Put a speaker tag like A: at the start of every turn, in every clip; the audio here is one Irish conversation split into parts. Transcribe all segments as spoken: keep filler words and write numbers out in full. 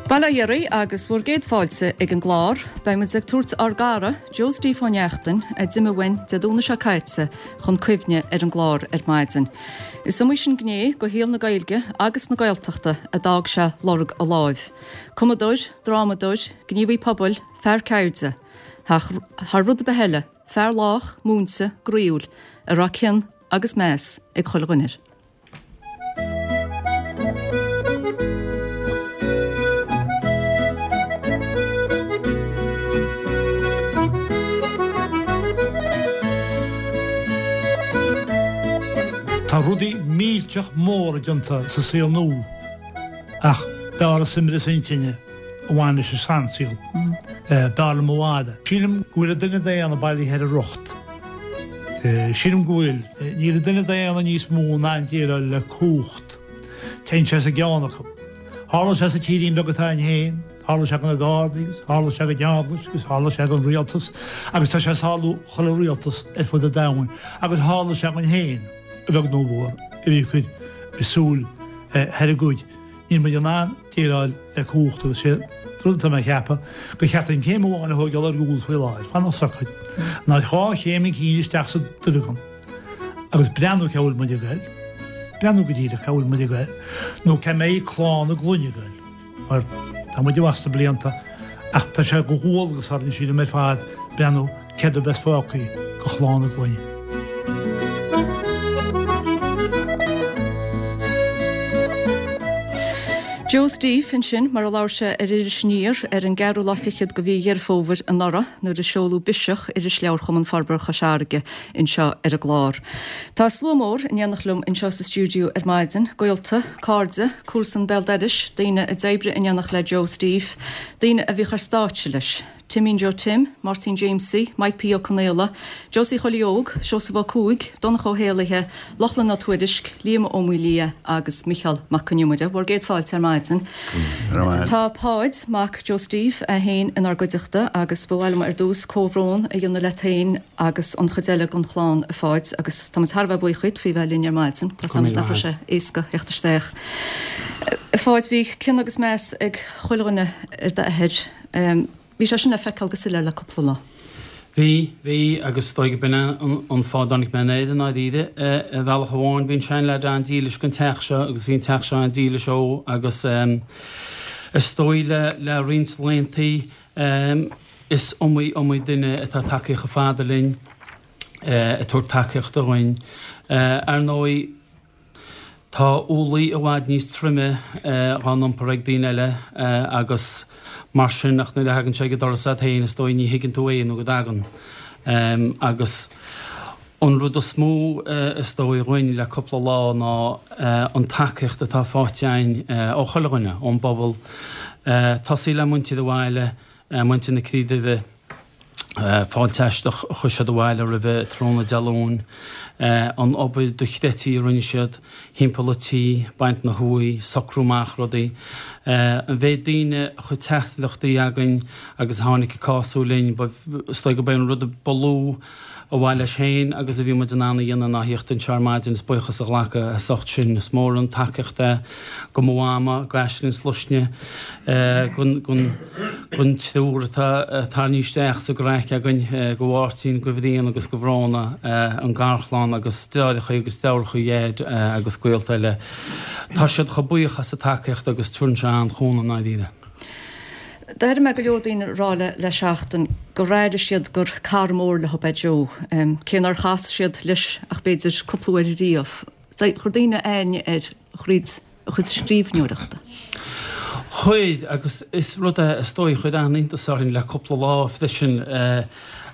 A: Bail ó Dhia oraibh agus bhur gcéad fáilte ag an gclár. Beidh muid ag tabhairt ár gcara, Joe Steve Ó Neachtain, a d'imigh uainn Dé Domhnaigh seo caite, chun cuimhne ar an gclár ar maidin. Is iomaí sin gné de shaol na Gaeilge agus na Gaeltachta a d'fhág sé lorg a láimh. Cumadóir, drámadóir, gníomhaí pobail, fear ceirde. Ach thar rud ar bith eile, fear lách, múinte, groíúil, a raibh cion agus meas ag chuile dhuine air.
B: Tá rudaí millteach móra déanta sa saol nua ach b'fhearr an saibhreas intinne a bhain leis an seansaol. B'fhearr liom i bhfad. Sílim go bhfuil an duine daonna bailithe ar a rocht. Sílim go bhfuil. Níl an duine daonna níos mó in ann déileáil le cumhacht. Téann sé as an gceann acu. Tharla sé sa tírín beag atá againn féin, tharla sé do na Gardaí agus tharla sé don Eaglais agus tharla sé don rialtas agus tá sé ag tarlú chuile rialtas ar fud an domhain agus tharla sé dhúinn féin, a bheag nó a mhór, a bhí ag cur súil thar an gcuid. Níl muid in ann déileáil le cumhacht agus sé an rud atá mé a cheapadh gur cheart dúinn céim amháin a thógáil ar gcúl faoi láthair, fanacht socair, ná dhá chéim chun cinn isteach sa duibheagán. Agus breathnú cá bhfuil muid ag goil, breathnú go díreach cá bhfuil muid ag goil, nó cá mbeidh clann na gclainne ag goil, mar tá muid i bhfad sna blianta, ach tá sé de dhualgas orainn, sílim, ar fad breathnú céard a bheas fágtha do chlann na gclainne.
A: Joe Steve ansin, mar a labhair sé ar Iris Aniar ar an gceathrú lá fichead de mhí Dheireadh Fómhair anuraidh nuair a seoladh Biseach, Irisleabhar Chumann Forbartha Chois Fharraige, anseo ar an gclár. Tá slua mór in éineacht liom anseo sa stiúideo ar maidin, gaolta, cairde, comharsan béal dorais, daoine a d'oibrigh in éineacht le Joe Steve, daoine a bhíodh ar stáitse leis. Timín Joe Tim, Máirtín Jamesie, Mike P. Ó Conaola, Josie Chóilí Óg, Seosamh Ó Cuaig, Donncha Ó hÉallaithe, Lochlainn Ó Tuairisg, Liam Ó Maolaodha agus Micheál Mac Con Iomaire. Bhur gcéad fáilte ar maidin. Tá Páid, mac Joe Steve, é féin inár gcuideachta agus ba mhaith liom ar dtús comhbhrón a dhéanamh leat féin agus an chuid eile den chlann, a Pháid, agus táimid thar a bheith buíoch dhuit faoi bheith linn ar maidin. Tá 's agam nach raibh sé éasca theacht isteach. A Pháid, bhí cion agus meas ag chuile dhuine ar d'athair. Bhí sé sin le feiceáil go soiléir le cúpla lá.
C: Bhí, bhí, agus is dóigh go b'in an fáth a dtáinig mé in Éirinn i ndáiríre. Ar bhealach amháin, bhí an seanleaid an-dílis don teach seo agus bhí an teach seo an-dílis dó agus is dóigh le le roinnt laethanta is iomaí, iomaí duine atá tagtha chomh fada linn ag tabhairt tacaíochta dhúinn. Ar ndóigh, Tá ualaí i bhfad níos troime dhá n-iompar ag daoine eile agus mar sin ach nuair a thagann sé ag an doras agat féin is dóigh ní thuigeann tú é nó go dtagann. Agus an rud is mó is dóigh dhúinn le cúpla lá ná an tacaíocht atá faighte againn ó chuile dhuine, ón bpobal, tosaí le muintir an bhaile, muintir na Crí Duibhe, Fáilte aisteach a chuir siad abhaile roimhe tráthnóna Dé Luain, an obair dochreidte a rinne siad thimpeall an tí, baint na huaí, socrú amach rudaí. An mhéid daoine a chuir teachtaireachtaí againn agus a tháinig ag cású linn, is dóigh gurb é an rud ba lú a mhaith leis féin agus a bhí muid in ann a dhéanamh ná thíocht anseo ar maidin is buíochas a ghlacadh as ucht sin. Is mór an tacaíocht é go mo mhama, go Aisling Sluisne, gon triúr atá tarraingthe isteach sa gcraic againn, go Mháirtín, go Bhrian agus go Bhróna, an garchlann agus deartháireacha agus deirfiúracha Dhaid agus gaolta eile. Tá siad chomh buíoch as an tacaíocht agus tugann sé an-chúnamh i ndáiríre.
A: D'airigh mé go leor daoine ag rá le le seachtain gur airigh siad gur cara mór leo é Joe, cé nár chas siad leis ach b'fhéidir cúpla uair riamh. Chuir daoine aithne air thríd a chuid scríbhneoireachta.
C: Chuir, agus is rud é is dóigh a chuir an-iontas orainn le cúpla lá freisin.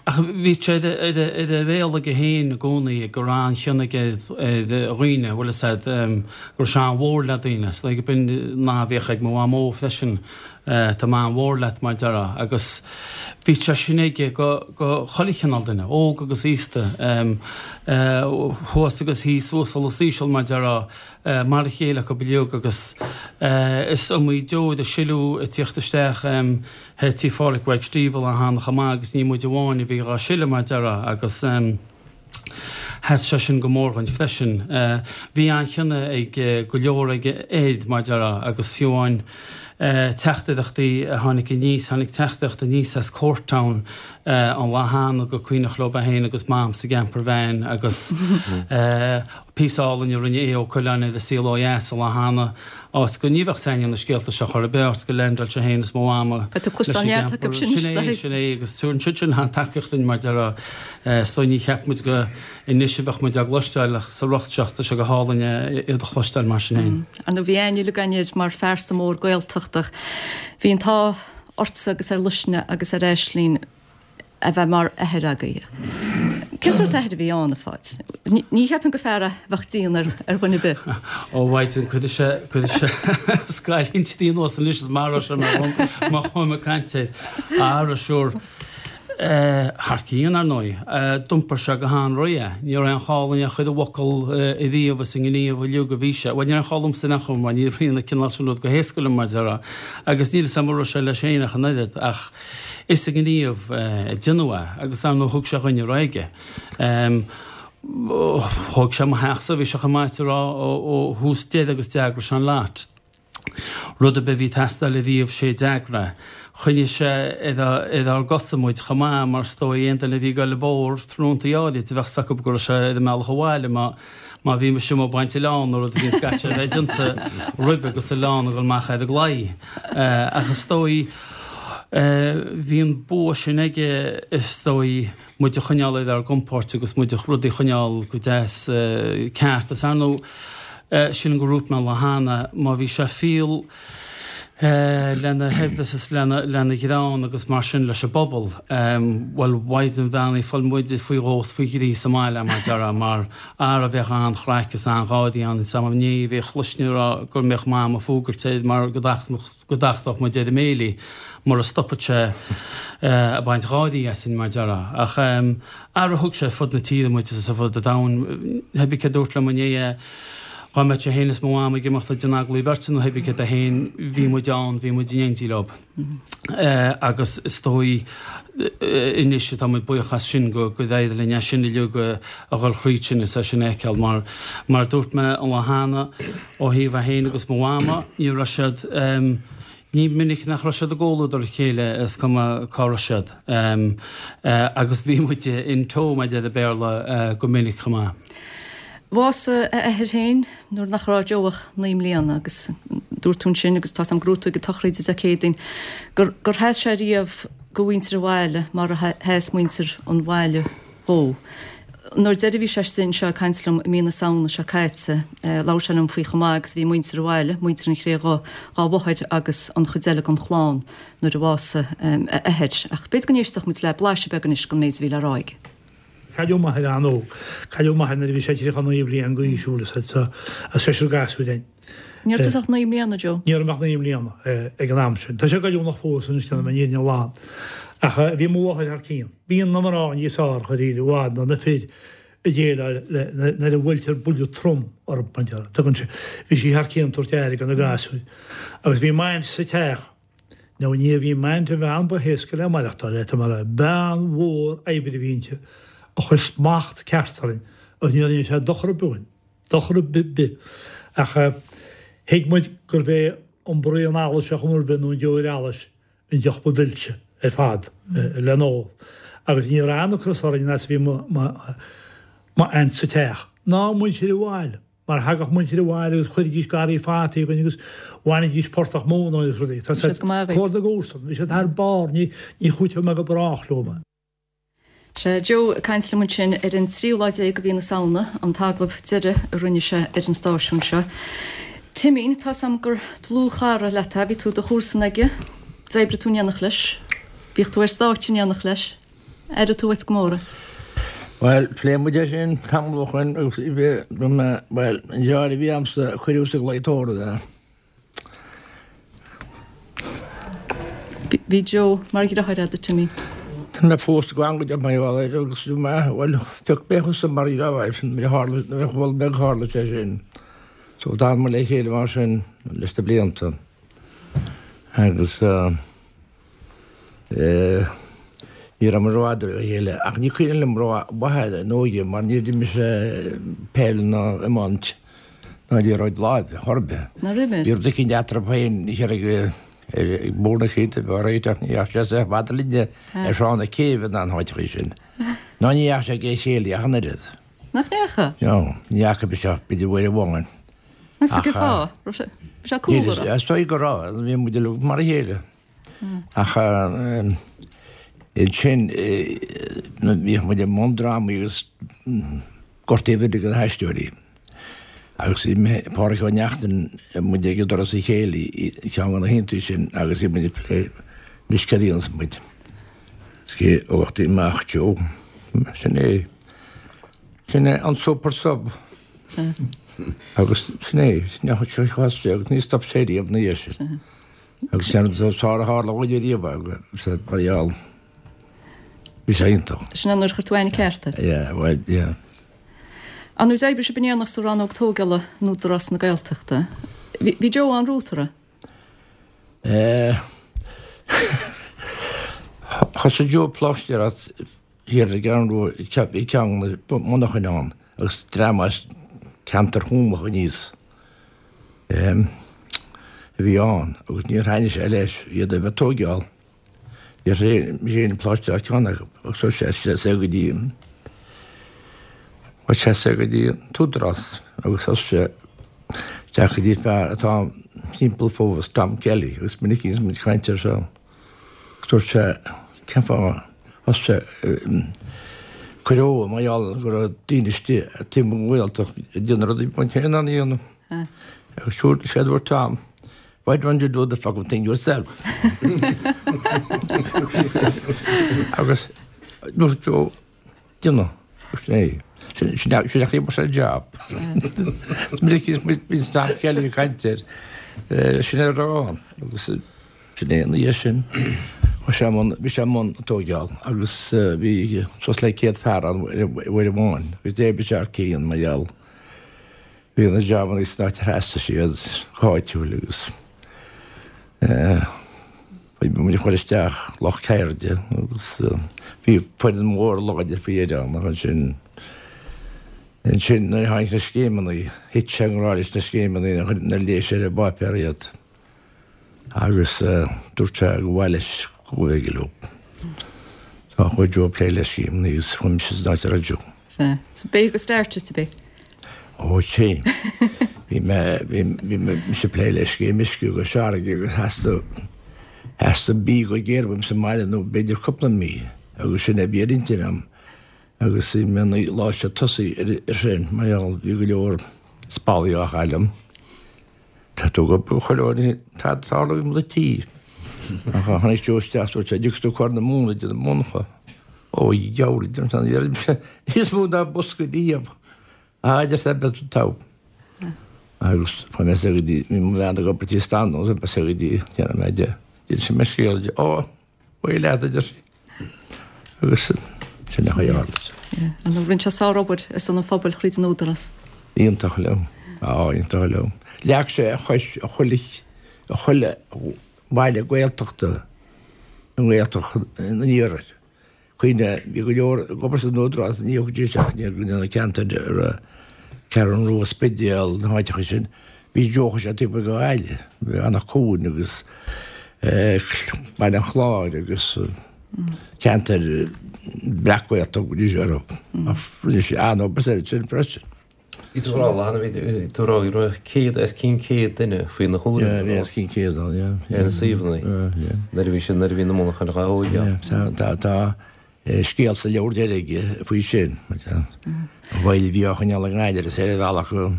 C: Ach bhí sé ar a bhéal aige féin i gcónaí go raibh an-chion aige ar dhaoine, bhfuil fhios a'd, go raibh sé an-mhór le daoine. Is dóigh go b'in nath a bhíodh ag mo mhamó freisin, tá mé an-mhór leat, mar a déarfá. Agus bhí sé sin aige go chuile chineál duine, óg agus aosta, thuas agus thíos, uasal is íseal, mar a déarfá, mar a chéile acu uilig agus is iomaí deoir a sileadh ag tíocht isteach. Thar tí Pháraic Mhaidhc Steve a tháinig amach agus ní muid amháin a bhí dhá sileadh mar déarfá agus Sheas sé sin go mór dhuinn freisin. Bhí an-chion ag go leor ag Ed, mar déarfá, agus fiú amháin teachtaireachtaí a tháinig aníos, tháinig teachtaireacht aníos as Courtown an lá cheana gur cuimhneach leo é féin agus Mam sa gcamper van agus píosa álainn a rinne Aodh Ó Coileáin ar An Saol Ó Dheas an lá cheana, áit go ní bheadh s'againne na scéalta seo chor ar bith, áit go leaindeáil sé féin is mo mhama
A: Beidh tú ag cloisteáil neart acu sin,
C: Sin é, sin é, agus tugann siad sin an-tacaíocht dúinn mar déarfá. Is dóigh ní cheap muid go anois a bheadh muid á gcloisteáil ach sa riocht seo tá sé go hálainn iad a chloisteáil mar sin féin.
A: Ar ndóigh bhí aithne uilig againn air mar phearsa mór Gaeltachta. Bhí an t-ádh ortsa agus ar Luisne agus ar Aisling a bheith mar athair agaibh. Cén sórt athair a bhí ann, a Pháid? Ní cheapaim gur fear é a bheadh dian ar dhuine ar bith.
C: Ó, mhaighdean, cuirfidh sé, cuirfidh sé scailín tuí anuas anois is maróidh sé mé má chuaigh mé ag caint air. Ara, sure. Thar cionn, ar ndóigh. D'iompair sé go han-réidh é. Ní raibh aon chall in aon chuid i bhfocal ariamh is i ngníomh uilig a bhí sé. Bhuel, ní raibh aon chall liomsa in aon chor mar ní ritheann an cineál sin rud go héasca liom, mar a déarfá. Agus níl 'fhios a'm an raibh sé leis féin ach an oiread. Ach is i ngníomh a déanadh é. Agus ar ndóigh thug sé dhuine ar aghaidh é. Thóg sé mo theachsa, bhí sé chomh maith a rá, ó thús deireadh agus d'eagraigh sé an lot. Rud ar bith a bhí ag teastáil ariamh sé a d'eagraigh é. Choinnigh sé ar ár gcosa muid chomh maith mar is dóigh aon duine a bhí ag goil ag bóthar tráthnóntaí áirid bheadh 's acu go raibh sé ar an mbealach abhaile má má bhí mise amuigh ag baint oileán nó rud éigin caithfidh sé a bheith déanta roimhe agus oileán ag dul amach ar an gclaí. Ach is dóigh bhí an bua sin aige is dóigh muid a choinneáil ar ár gcompóirt agus muid a rudaí a choinneáil go deas ceart. Is ar ndóigh Sílim gur dhúirt mé an lá cheana, má bhí sé fial lena shaibhreas is lena ghreann agus mar sin leis an bpobal, bhuel, mhaighdean bheannaithe, fuil muide faoi dhó is faoi thrí sa mbaile, mar déarfá, mar ara bheadh an-chraic is an-gháirí ann is am inné bhí a chluisne a rá go mbeadh Mam ag fuagairt air mar go dtachtfadh muid ar an mbéilí mura stopfadh sé ag baint gáirí asainn, mar déarfá. Ach ara thug sé ar fud na tíre muid is ar fud an domhain. Hé bith cé a dúirt liom inné é, dhá mbeadh sé féin is mo mham ag imeacht ag déanamh agallaimh beirte nó hé bith cé é féin, bhí muid ann, bhí muid in éindí leo. Agus is dóigh anois atá muid buíoch as sin go d'éirigh linn é sin uilig a dhul thríd sin is é sin a fheiceáil. Mar mar a dúirt mé an lá cheana, ó thaobh é féin agus mo mhama, ní raibh siad, Ní minic nach raibh siad i gcomhluadar a chéile is cuma cá raibh siad. Agus bhí muid in tow, mar a deir an Béarla, go minic chomh maith.
A: Bhásaigh a athair féin nuair nach raibh Joe ach naoi mbliana agus dúirt tú ansin, agus tá's a'm gur dúirt tú ag an tsochraid Dé Céadaoin, gur gur sheas sé riamh do mhuintir an bhaile mar a sheas muintir an bhaile dhó. Nuair deiridh a bhí sé istigh anseo ag caint liom i mí na Samhna seo caite, labhair sé liom faoi chomh maith agus a bhí muintir an bhaile, muintir an Chré Dhubh, dhá mháthair agus an chuid eile den chlann nuair a bhásaigh a athair. Ach b'fhéidir go n-éistfeadh muid le blaiseadh beag anois den méid a bhí le rá aige.
B: Cailleadh m'athair an-óg. Cailleadh m'athair nuair a bhí sé tríocha naoi bliain d'aois, bhfuil a fhios agat, as seisear gasúir againn.
A: Ní raibh tusa ach naoi mbliana, Joe.
B: Ní raibh mé ach naoi mbliana ag an am sin. Tá sé goilliúnach fós anois, déanfaidh mé an fhírinne ghlan. Ach bhí mo mháthair thar cionn. Bíonn na mná níos fearr, dháiríre, i bhfad ná na fir ag déileáil le nuair a bhuailtear buille trom orthu, mar a déarfá. Tugann sé, bhí sí thar cionn ag tabhairt aire do na gasúir. Agus bhí m'aint sa teach. Now ní bhí m'aint an bhean ba héasca le maireachtáil le, tá mé a rá. Bean mhór oibre a bhí inti a chuir smacht ceart orainn agus ní rinne sé dochar ar bith dúinn. Dochar ar bith. Ach thuig muid gurbh é an braon allais ar chuma ar bith nó an deoir allais an deoch ba mhilse ar fad le n-ól. Agus ní raibh aon ocras orainn fhad is a bhí m'aint sa teach. Ná muintir an bhaile. Mar thagadh muintir an bhaile agus chuiridís garraí fataí againn agus bhainidís portach móna agus rudaí. Tá siad comhar na gcomharsan. Bhí siad thar barr. Ní chúiteoidh mé go brách leo.
A: Sea, Joe ag caint liom ansin ar an tríú lá déag de mhí na Samhna, an t-agallamh deiridh a rinne sé ar an stáisiún seo. Timín, tá's a'm gur dlúthchara leat é, bhí tú i do chomharsan aige, d'oibrigh tú in éineacht leis, bhíodh tú ar stáitse in éineacht leis, airigh tú uait go mór é?
D: Bhuel, phléigh muid é sin tamall ó shoin agus bhí mé, bhuel, an deartháir a bhí a'msa a cuireadh sa gclaí tórraimh é.
A: Bhí Joe mar dheartháir agat, a Timmy.
D: Tá mé fós ag gabháil mar gheall air agus bhí mé, bhuel, phioc mé thusa mar dheartháir nuair a tharla, nuair a mhol mé gur tharla sé sin. So d'fhan muid le chéile mar sin leis na blianta. Agus eh, Ní raibh muid rófhada ó chéile ach ní cuimhin liom rómhaith an óige mar níor d'imir mise peil ná iomáint ná liathróid láimhe chor ar bith.
A: Nár imir?
D: Bhí rud eicínt eatarthu féin thiar ag ag Bóthar na Céide a bheith réiteach ní dheachaigh sé sách fada linne ar Thrá na Céibhe ná na háiteachaí sin. Ná ní dheachaigh sé ag aon chéilí ach an oiread.
A: Nach ndeachaigh?
D: No, ní dheachaigh mise ach b'fhéidir uair amháin.
A: Meas tú cén fáth? Raibh sé raibh sé cúlra?
D: Is dóigh go raibh, bhí muid uilig mar a chéile. Ach ansin bhíodh muid i mbun drámaí agus gortaíodh uilig na haisteoirí. Agus bhí mé, Pádraig Ó Neachtain, muid ag doras an chéilí i gceann de na hoícheantaí sin agus bhí muid ag plé anois cad a dhéanfas muid. Is cé a thugtaí amach Joe. Sin é. Sin é an super sub. Agus sin é, sin é sé agus ní stop sé riamh ina dhiaidh sin. Agus sin an rud is fearr a tharla dhúinn ariamh agus mar gheall bhí sé iontach.
A: Sin é nuair a chuir tú aithne ceart air.
D: Yeah, well, yeah.
A: Ar ndóigh d'oibrigh sibh in éineacht sa rannóg tógála in Údarás na Gaeltachta. Bhí Joe an-romhat, an raibh?
D: Eh, thosaigh Joe ag pláistéireacht thiar i gCeathrú Rua, i gceann na monarchain ann agus dream as ceantar Thuamach aníos a bhí ann agus níor thaitnigh sé leis iad a bheith ag tóigeáil. Níor mise féin ag pláisteáil ceann acu agus chuaigh sé soir go dtí chuaigh sé soir go dtí an tÚdarás agus thosaigh sé isteach go dtí fear atá timpeall fós, Tom Kelly, agus minic a bhíonns muid ag caint air seo. Dúirt sé, cén fáth thosaigh sé cur ó mar gheall go raibh daoine istigh taobh amuigh den Ghaeltacht ag déanamh rudaí a bheadh muid féin in ann a dhéanamh. Agus siúd sé a dúirt Tom, why don't you do the fucking thing yourself? Agus dúirt Joe, déanamh, sin é. Sin sin a chaoi a sé job. Is minic a bhíonns Tom Kelly ag caint air, sin é a raibh ann. Agus Sin é ina dhiaidh sin, chuaigh sé i mbun, bhí sé i mbun tóigeáil agus bhí suas le céad fear ann uair amháin agus d'oibrigh sé thar cionn mar gheall. Bhí na jabannaí san áit ar theastaigh siad go háitiúil agus bhí muid ag cur isteach lucht ceirde agus bhí foireann mhór láidir faoi dheireadh ann ach ansin ansin nuair a tháinig na scéimeanna, thit sé i ngrá leis na scéimeanna nuair a léigh sé ar an bpáipéar iad. Agus dúirt sé gur mhaith leis go bhféidir leo. Tá chuaigh Joe ag plé le scéimeanna agus chuaigh mise san áit a raibh Joe.
A: Sea. So b'é go start it to be.
D: Ó sea. Bhí mé, bhí, bhí mise ag plé le scéim uisce i gCois Fharraige agus theastaigh, theastaigh mí go géar uaim sa mbaile nó b'fhéidir cúpla mí agus sin é a bhí ar intinn agam agus bhí mé naoi lá sa tosaigh ar sin mar gheall bhí go leor spallaí á chailleadh. Tá tú go buachaill áirithe, tá tarlú i mo tí. Ach tháinig Joe isteach, dúirt sé, dtiocfaidh tú cur na móna de na monarcha. Ó, a dheabhail, a deir sé, ní raibh mise níos mó ná bosca riamh. Á, a deir sé, beidh tú togha. Agus chuaigh mé soir go dtí, bhí mo bhean ag obair tí Stan, nó soir go dtí, déanfaidh mé de, d'inis mé scéal di. Ó, bhuel leat, a deir sí. Agus sin a tharla.
A: Rinne sé sárobair ar son an phobail thríd an Údarás.
D: Iontach liom. Á, iontach liom. Leag sé a chois i chuile, i chuile bhaile Gaeltachta i nGaeltacht an Iarthair. Cuimhne, bhí go leor ag obair san Údarás, ní thiocfaidís ach ní na ceantair a raibh Ceathrú Rua, Spidéal, na háiteacha sin. Bhí Joe, chuaigh sé taobh amuigh de Ghaillimh, Anach Cuain agus Baile an Chláir agus ceantair breac-Ghaeltachta go dtí seo orthu. Ach rinne sé an-obair ansin freisin.
E: Bhí tú ag rá, bhí tú ag rá go raibh céad os cionn céad duine faoina chúram.
D: Yeah, bhí os cionn céad ann, yeah.
E: Ar na suíomhanna.
D: Yeah.
E: Nuair a bhí sin, nuair a bhí na monarchana á dtógáil.
D: Yeah, tá, tá scéal sa leabhar deiridh aige faoi sin. An bhaile a bhí á choinneáil i nGaillimh is ar a bhealach go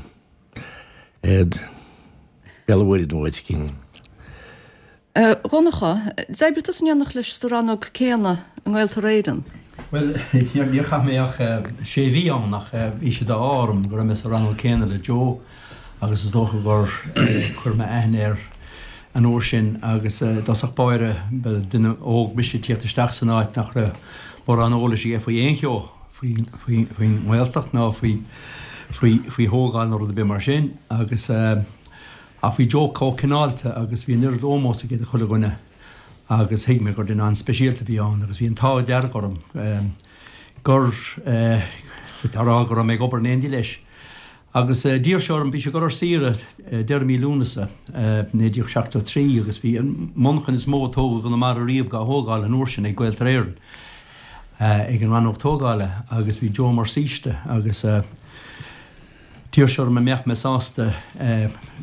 D: Béal an Mhuirthead nó áit éicint.
A: A Dhonncha, d'oibrigh tusa in éineacht leis sa rannóg céanna i nGaeltarra Éireann?
F: Bhuel, níor chaith mé ach sé mhí ann ach bhí sé d'ádh orm go raibh mé sa rannóg céanna le Joe agus is dócha gur chuir mé aithne air an uair sin agus i dtosach báire ba duine óg mise ag tíocht isteach san áit nach raibh mórán eolais aige faoi aon cheo. faoin nGaeltacht ná faoi faoi thógáil nó rud ar bith mar sin agus ach bhí Joe chomh cineálta agus bhí an oiread ómós aige do chuile dhuine Agus thuig mé gur duine an-speisialta a bhí ann agus bhí an t-ádh dearg orm gur tá rá go raibh mé ag obair in éindí leis. Agus d'iarr sé orm, bhí sé ag dul ar saoire deireadh mí Lúnasa naoi déag seachtó trí agus bhí an monarchan is mó a tógadh i gConamara riamh dhá thógáil an uair sin ag Gaeltarra Éireann ag an rannóg tógála agus bhí Joe mar saoiste agus d'iarr sé orm an mbeadh mé sásta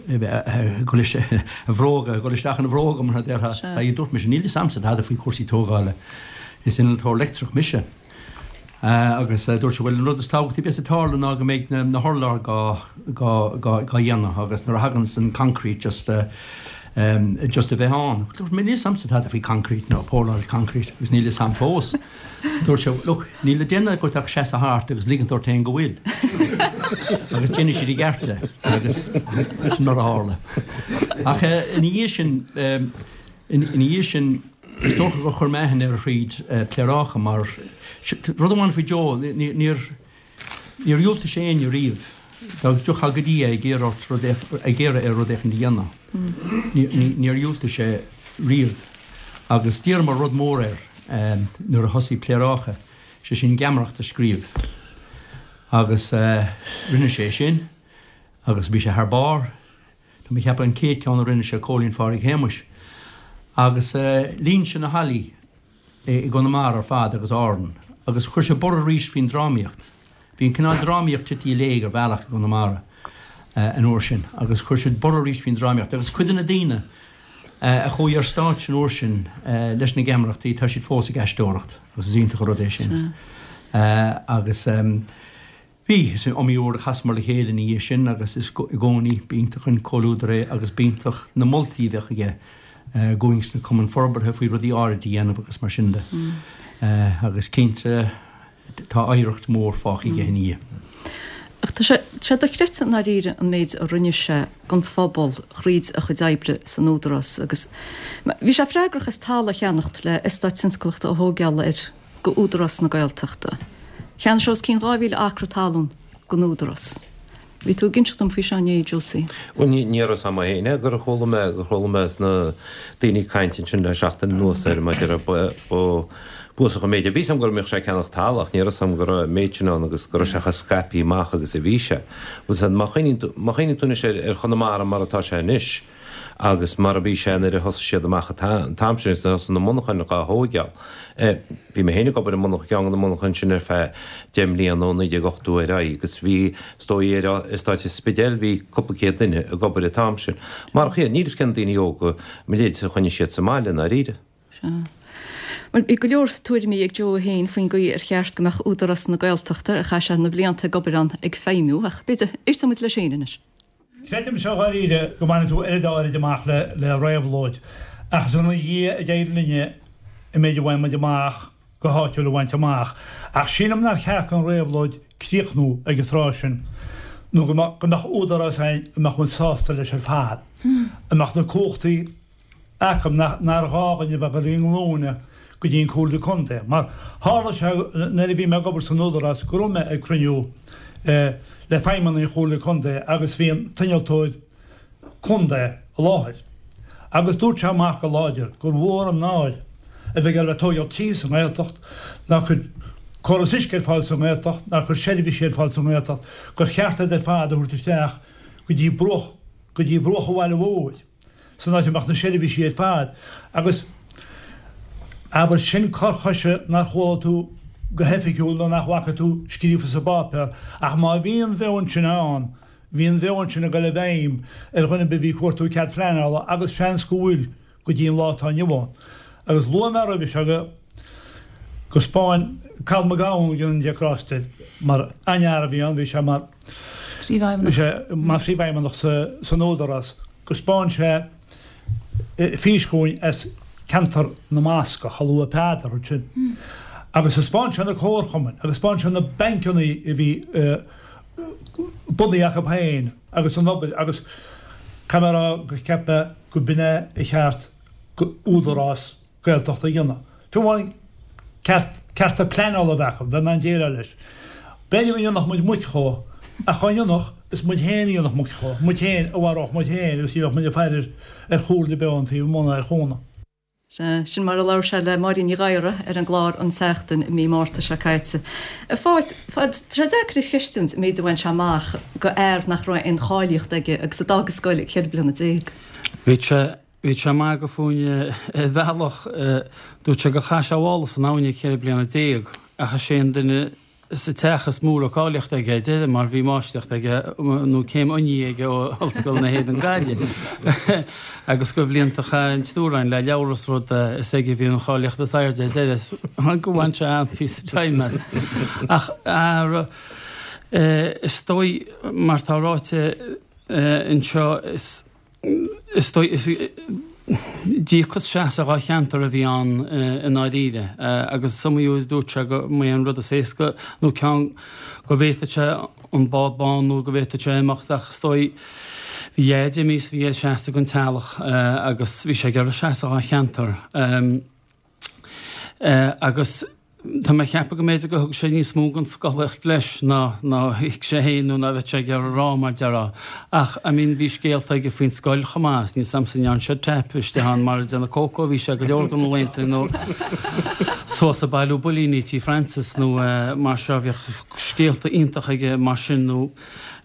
F: dul a bhróga, dul isteach ina bhróga mar a déarfá. Dúirt mise, níl fhios a'msa tada faoi chúrsaí tógála, is innealtóir leictreach mise. Agus dúirt sé, bhuel, an rud is tábhachtaí a bheas ag tarlú ná go mbeidh na hurláir dhá, dhá, dhá, dhá dhéanamh agus nuair a thaganns an concrete just just a bheith ann. Dúirt mé, níl fhios a'msa tada faoi concrete nó póráil concrete agus níl fhios a'm fós. Dúirt sé, look, níl le déanamh agat ach seasamh thart agus ligint ort féin go bhfuil. Agus déanfaidh siad i gceart é. Agus sin mar a tharla. Ach ina dhiaidh sin, ina dhiaidh sin, Is dócha gur chuir mé aithne air thríd Pléaráca mar, rud amháin faoi Joe, níor dhiúltaigh sé éinne riamh. Dá dtiocfá go dtí é ag iarraidh ort rud, ag iarraidh air rud éicint a dhéanamh, níor dhiúltaigh sé riamh. Agus d'iarramar rud mór air nuair a thosaigh Pléaráca, sé sin geamaireacht a scríobh. Agus rinne sé sin agus bhí sé thar barr. Tá mé ag ceapadh an chéad ceann a rinne sé Cóilín Phádraig Shéamuis. Agus líon sé na hallaí i gConamara ar fad agus Árann agus chuir sé borradh arís faoin drámaíocht. Bhí an cineál drámaíocht tite i léig ar bhealach i gConamara an uair sin agus chuir siad borradh arís faoin drámaíocht agus cuid de na daoine a chuaigh ar stáitse an uair sin leis na geamaireachtaí tá siad fós ag aisteoireacht agus is iontach an rud é sin. Agus. Bhí, is iomaí uair a chasamar le chéile ina dhiaidh sin agus is i gcónaí b'iontach an comhluadar é agus b'iontach na moltaí a bheadh aige dhúinn sna cumainn forbartha faoi rudaí áirid a dhéanamh agus mar sin de. Agus cinnte tá oidhreacht mhór fágtha aige ina dhiaidh.
A: Ach tá sé sé dochreidte i ndáiríre an méid a rinne sé don phobal thríd a chuid oibre san Údarás agus bhí sé freagrach as talamh a cheannacht le eastát tionsclaíochta a thógáil ar go Údarás na Gaeltachta. Cheannaigh sé os cionn dhá mhíle acra talún don Údarás. Bhí tú ag inseacht dom faoi seo inné, Josie.
E: Bhuel, ní ní raibh 'fhios a'm féin é, gur chuala mé, gur chuala mé sna daoine ag caint ansin le seachtain anuas air maidir le ba, ba, b'uafásach an méid é. Bhí 'fhios a'm go mbíodh sé ag ceannach talamh ach ní raibh 'fhios a'm go raibh an méid sin ann agus go raibh sé chomh scaipthe amach agus a bhí sé. Bhuel, 's má chuimhníonn tú, má chuimhníonn tú anois ar, ar Chonamara mar atá sé anois, Agus mar a bhí sé nuair a thosaigh siad amach an t-am sin agus nuair a thosaigh na monarchain dhá thóigeáil. Bhí mé féin ag obair i monarcha, ceann de na monarchain sin ar feadh deich mbliana ó naoi déag ochtó ar aghaidh agus bhí, is dóigh, ar eastát an Spidéil bhí cúpla céad duine ag obair an t-am sin. Marach iad, níl 'fhios cé na daoine óga, mo leithéidse a choinnigh siad sa mbaile i ndáiríre.
A: Sea. Bhuel, bhí go leor tuairimí ag Joe féin faoin gcaoi ar cheart go mbeadh Údarás na Gaeltachta, ar chaith sé na blianta ag obair ann, ag feidhmiú, ach b'fhéidir, éistfidh muid leis féin anois.
B: Creidimse dháiríre go mbainfidh tú oiread áirid amach le réabhlóid, ach is ina dhiaidh a d'éirigh linne an méid a bhain muid amach go háitiúil a bhaint amach. Ach sílim nár cheart don réabhlóid críochnú ag an tráth sin, nó go mbeadh údarás againn a mbeadh muid sásta leis ar fad, a mbeadh na cumhachtaí acu nár ghá dhúinn a bheith ag dul ar ár nglúine go dtí an Comhairle Contae. Mar tharla sé nuair a bhí mé ag obair san Údarás go raibh mé ag cruinniú le feidhmeannaigh an Chomhairle Contae agus bhí an t-innealtóir contae i láthair agus dúirt sé amach go láidir gur mhór an náire a bheith ag dul ag tóigeáil tithe sa nGaeltacht ná cur córas uisce ar fáil sa nGaeltacht ná cur seirbhísí ar fáil sa nGaeltacht gur cheart iad ar fad a thabhairt isteach go dtí bruach go dtí bruach an bhaile mhóir. san áit a mbeadh na seirbhísí ar fad agus abair sin cor choise nár chuala tú go hoifigiúil nó nach bhfaca tú scríofa sa bpáipéar ach má bhí an mheon sin ann bhí an mheon sin ag dul i bhfeidhm ar dhuine ar bith a bhí ag cuartú cead pleanála agus seans go bhfuil go dtí an lá atá inniu ann. Agus luaigh mé roimhe seo go gur 'spáin Cathal Mac Gabhann an de Cráiste mar an-fhear a bhí ann, bhí sé mar bhí sé mar phríomhfheidhmeannach san Údarás. gur 'spáin sé fís chugainn as ceantar na mBascach, a luaigh Peadar ansin, agus thaispeáin sé na comharchumainn agus 'spáin sé na bancanna a bhí bunaithe acu féin agus an obair agus caithfidh mé a rá gur cheap mé go b'in é a cheart go údarás Gaeltachta a dhéanamh. Fiú amháin ceart, cearta pleanála a bheith acu, bheith in ann déileáil leis. B'fhéidir go ndéanfadh muid muic dhó, ach dá ndéanfadh, is muid féin a dhéanfadh muic dhó, muid féin a mharódh muid féin agus ní bheadh muid ag faire ar chomhairle ar bith ón taobh amuigh ná ar chúnamh.
A: Sea, sin mar a labhair sé le Máirín Ní Ghadhra ar an gclár An tSeachtain i mí Márta seo caite. A Pháid, tá sé deacair a chreistiúint an méid a bhain sé amach go fhear nach raibh aon cháilíocht aige agus a d'fhág an scoil ag ceithre bliana déag.
C: Bhí sé, bhí sé ag magadh fúinn ar bhealach, dúirt sé gur chaith sé a mhála san abhainn ag ceithre bliana déag ach is é an duine sa teach is mó a raibh cáilíocht aige ar deireadh mar bhí máistreacht aige nó céim oinigh aige ó Ollscoil na hÉireann Gaillimh agus go bhlianta a chaith an triúr againn le leabhar is rud is aige a bhí an cháilíocht is airde ar deireadh go bhain sé an-phíosa time as. Ach is dóigh mar tá ráite anseo is Is dóigh, is díocas seasamh dhá cheantar a bhí ann i ndáiríre agus is iomaí uair a dúirt sé go mba é an rud is éasca nó ceann go bhféadfadh sé an bád bán nó go bhféadfadh sé imeacht ach is dóigh bhí a dhaid imithe is bhí air seasamh don teaghlach agus bhí sé ag iarraidh seasamh dhá cheantar agus Tá mé ag ceapadh go mb'fhéidir gur thug sé níos mó den scolaíocht leis ná ná thuig sé féin nó ná bheadh sé ag iarraidh a rá mar déarfá. Ach, I mean, bhí scéalta aige faoin scoil chomh maith, is níl 's a'msa an ndearna sé tap istigh ann mar ag déanamh cócó a bhí sé go leor de na laethanta nó suas ag bailiú builíní Tí Francis nó mar seo, bhíodh scéalta iontacha aige mar sin nó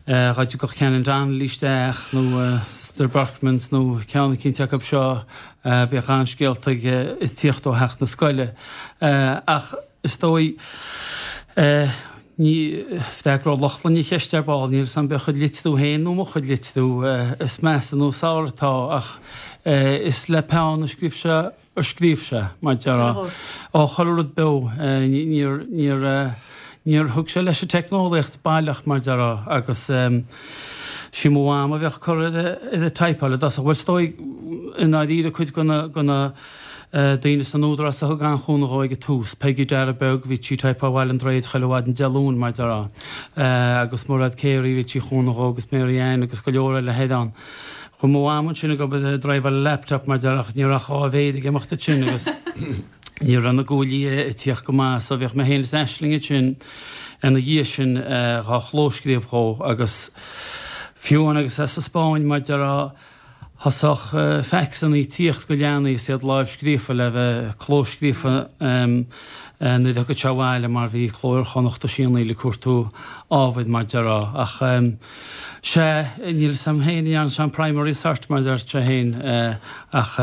C: dá dtiocfadh Canon Donnelly isteach nó Sister Berchmans nó ceann eicínt acu seo, Bhíodh an-scéalta aige ag tíocht ó theach na scoile. Ach is dóigh, ní, freagróidh Lochlainn an cheist ar ball, níl 'fhios a'm b'é a chuid litriú féin nó mo chuid litriú is measa nó is fearr atá, ach is le peann a scríobh sé, a scríobh sé, mar déarfá. Ó, chuile rud beo, níor, níor, níor thug sé leis an teicneolaíocht baileach, mar déarfá, agus sí mo mham a bheadh ag cur ar an typeáil i dtosach. Bhuel, is dóigh, i ndáiríre, cuid de na, de na daoine san Údarás a thug an-chúnamh dhó ag an tús. Peigí Dara Beag, bhí sí ag typeáil Bhaile an Droichid chuile mhaidin Dé Luain, mar déarfá. Agus Mairéad Carey, bhí sí ag cúnamh dhó, agus Mary Ann agus go leor eile thoir ann. Chuaigh mo mham ansin ag obair ag driveáil a laptop, mar déarfá, ach ní raibh ach dhá mhéar ag imeacht ansin agus ní raibh na guaillí ag tíocht go maith so bhíodh mé féin is Aisling ansin ina dhiaidh sin dhá chlóscríobh dhó agus fiú amháin agus é sa Spáinn mar déarfá thosódh faxanna ag tíocht go leanaí is iad lámhscríofa le bheith clóscríofa nuair a thiocfadh sé abhaile mar bhí Cló Iar-Chonnacht ag sianaíl ag cuartú ábhair mar déarfá ach sea níl 'fhios a'm féin an ndearna sé an primary cert mar a deir sé féin ach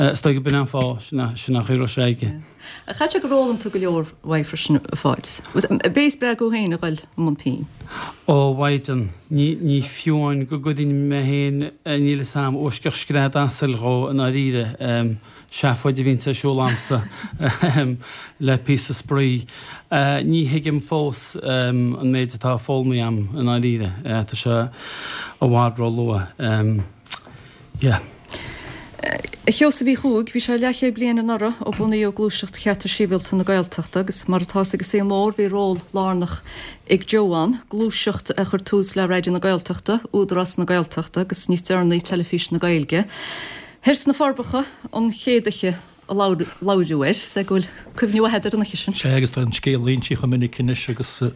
C: Is dóigh go b'in an fáth, sin an chaoi a raibh sé aige.
A: Chaithfeadh sé gur fhoghlaim tú go leor uaidh freisin, a Pháid. B'é a spreag thú féin a dhul i mbun pinn?
C: Ó, a Mhaighdean, ní, ní fiú amháin go gcuirfinn mé féin, níl 'fhios a'm, uaisceach scread asail dhó i ndáiríre. Seafóid a bhíonns ar siúl a'msa le píosa spraoi. Ní thuigim fós an méid atá foghlamtha a'm i ndáiríre. Tá sé i bhfad ró-luath. Yeah.
A: A Sheosaimh Uí Chuaig, bhí sé leathchéad bliain anuraidh ó bunaíodh Gluaiseacht Chearta Sibhialta na Gaeltachta agus mar atá 'fhios ag an saol mór bhí ról lárnach ag Joe ann, gluaiseacht a chuir tús le Raidió na Gaeltachta, Údarás na Gaeltachta agus níos deireanaí Teilifís na Gaeilge. Thoir sna Forbacha an chéad oíche a labhradh air, is é go bhfuil cuimhne mhaith agat ar an oíche sin.
G: Sea, agus tá an scéal inste chomh minic anois agus go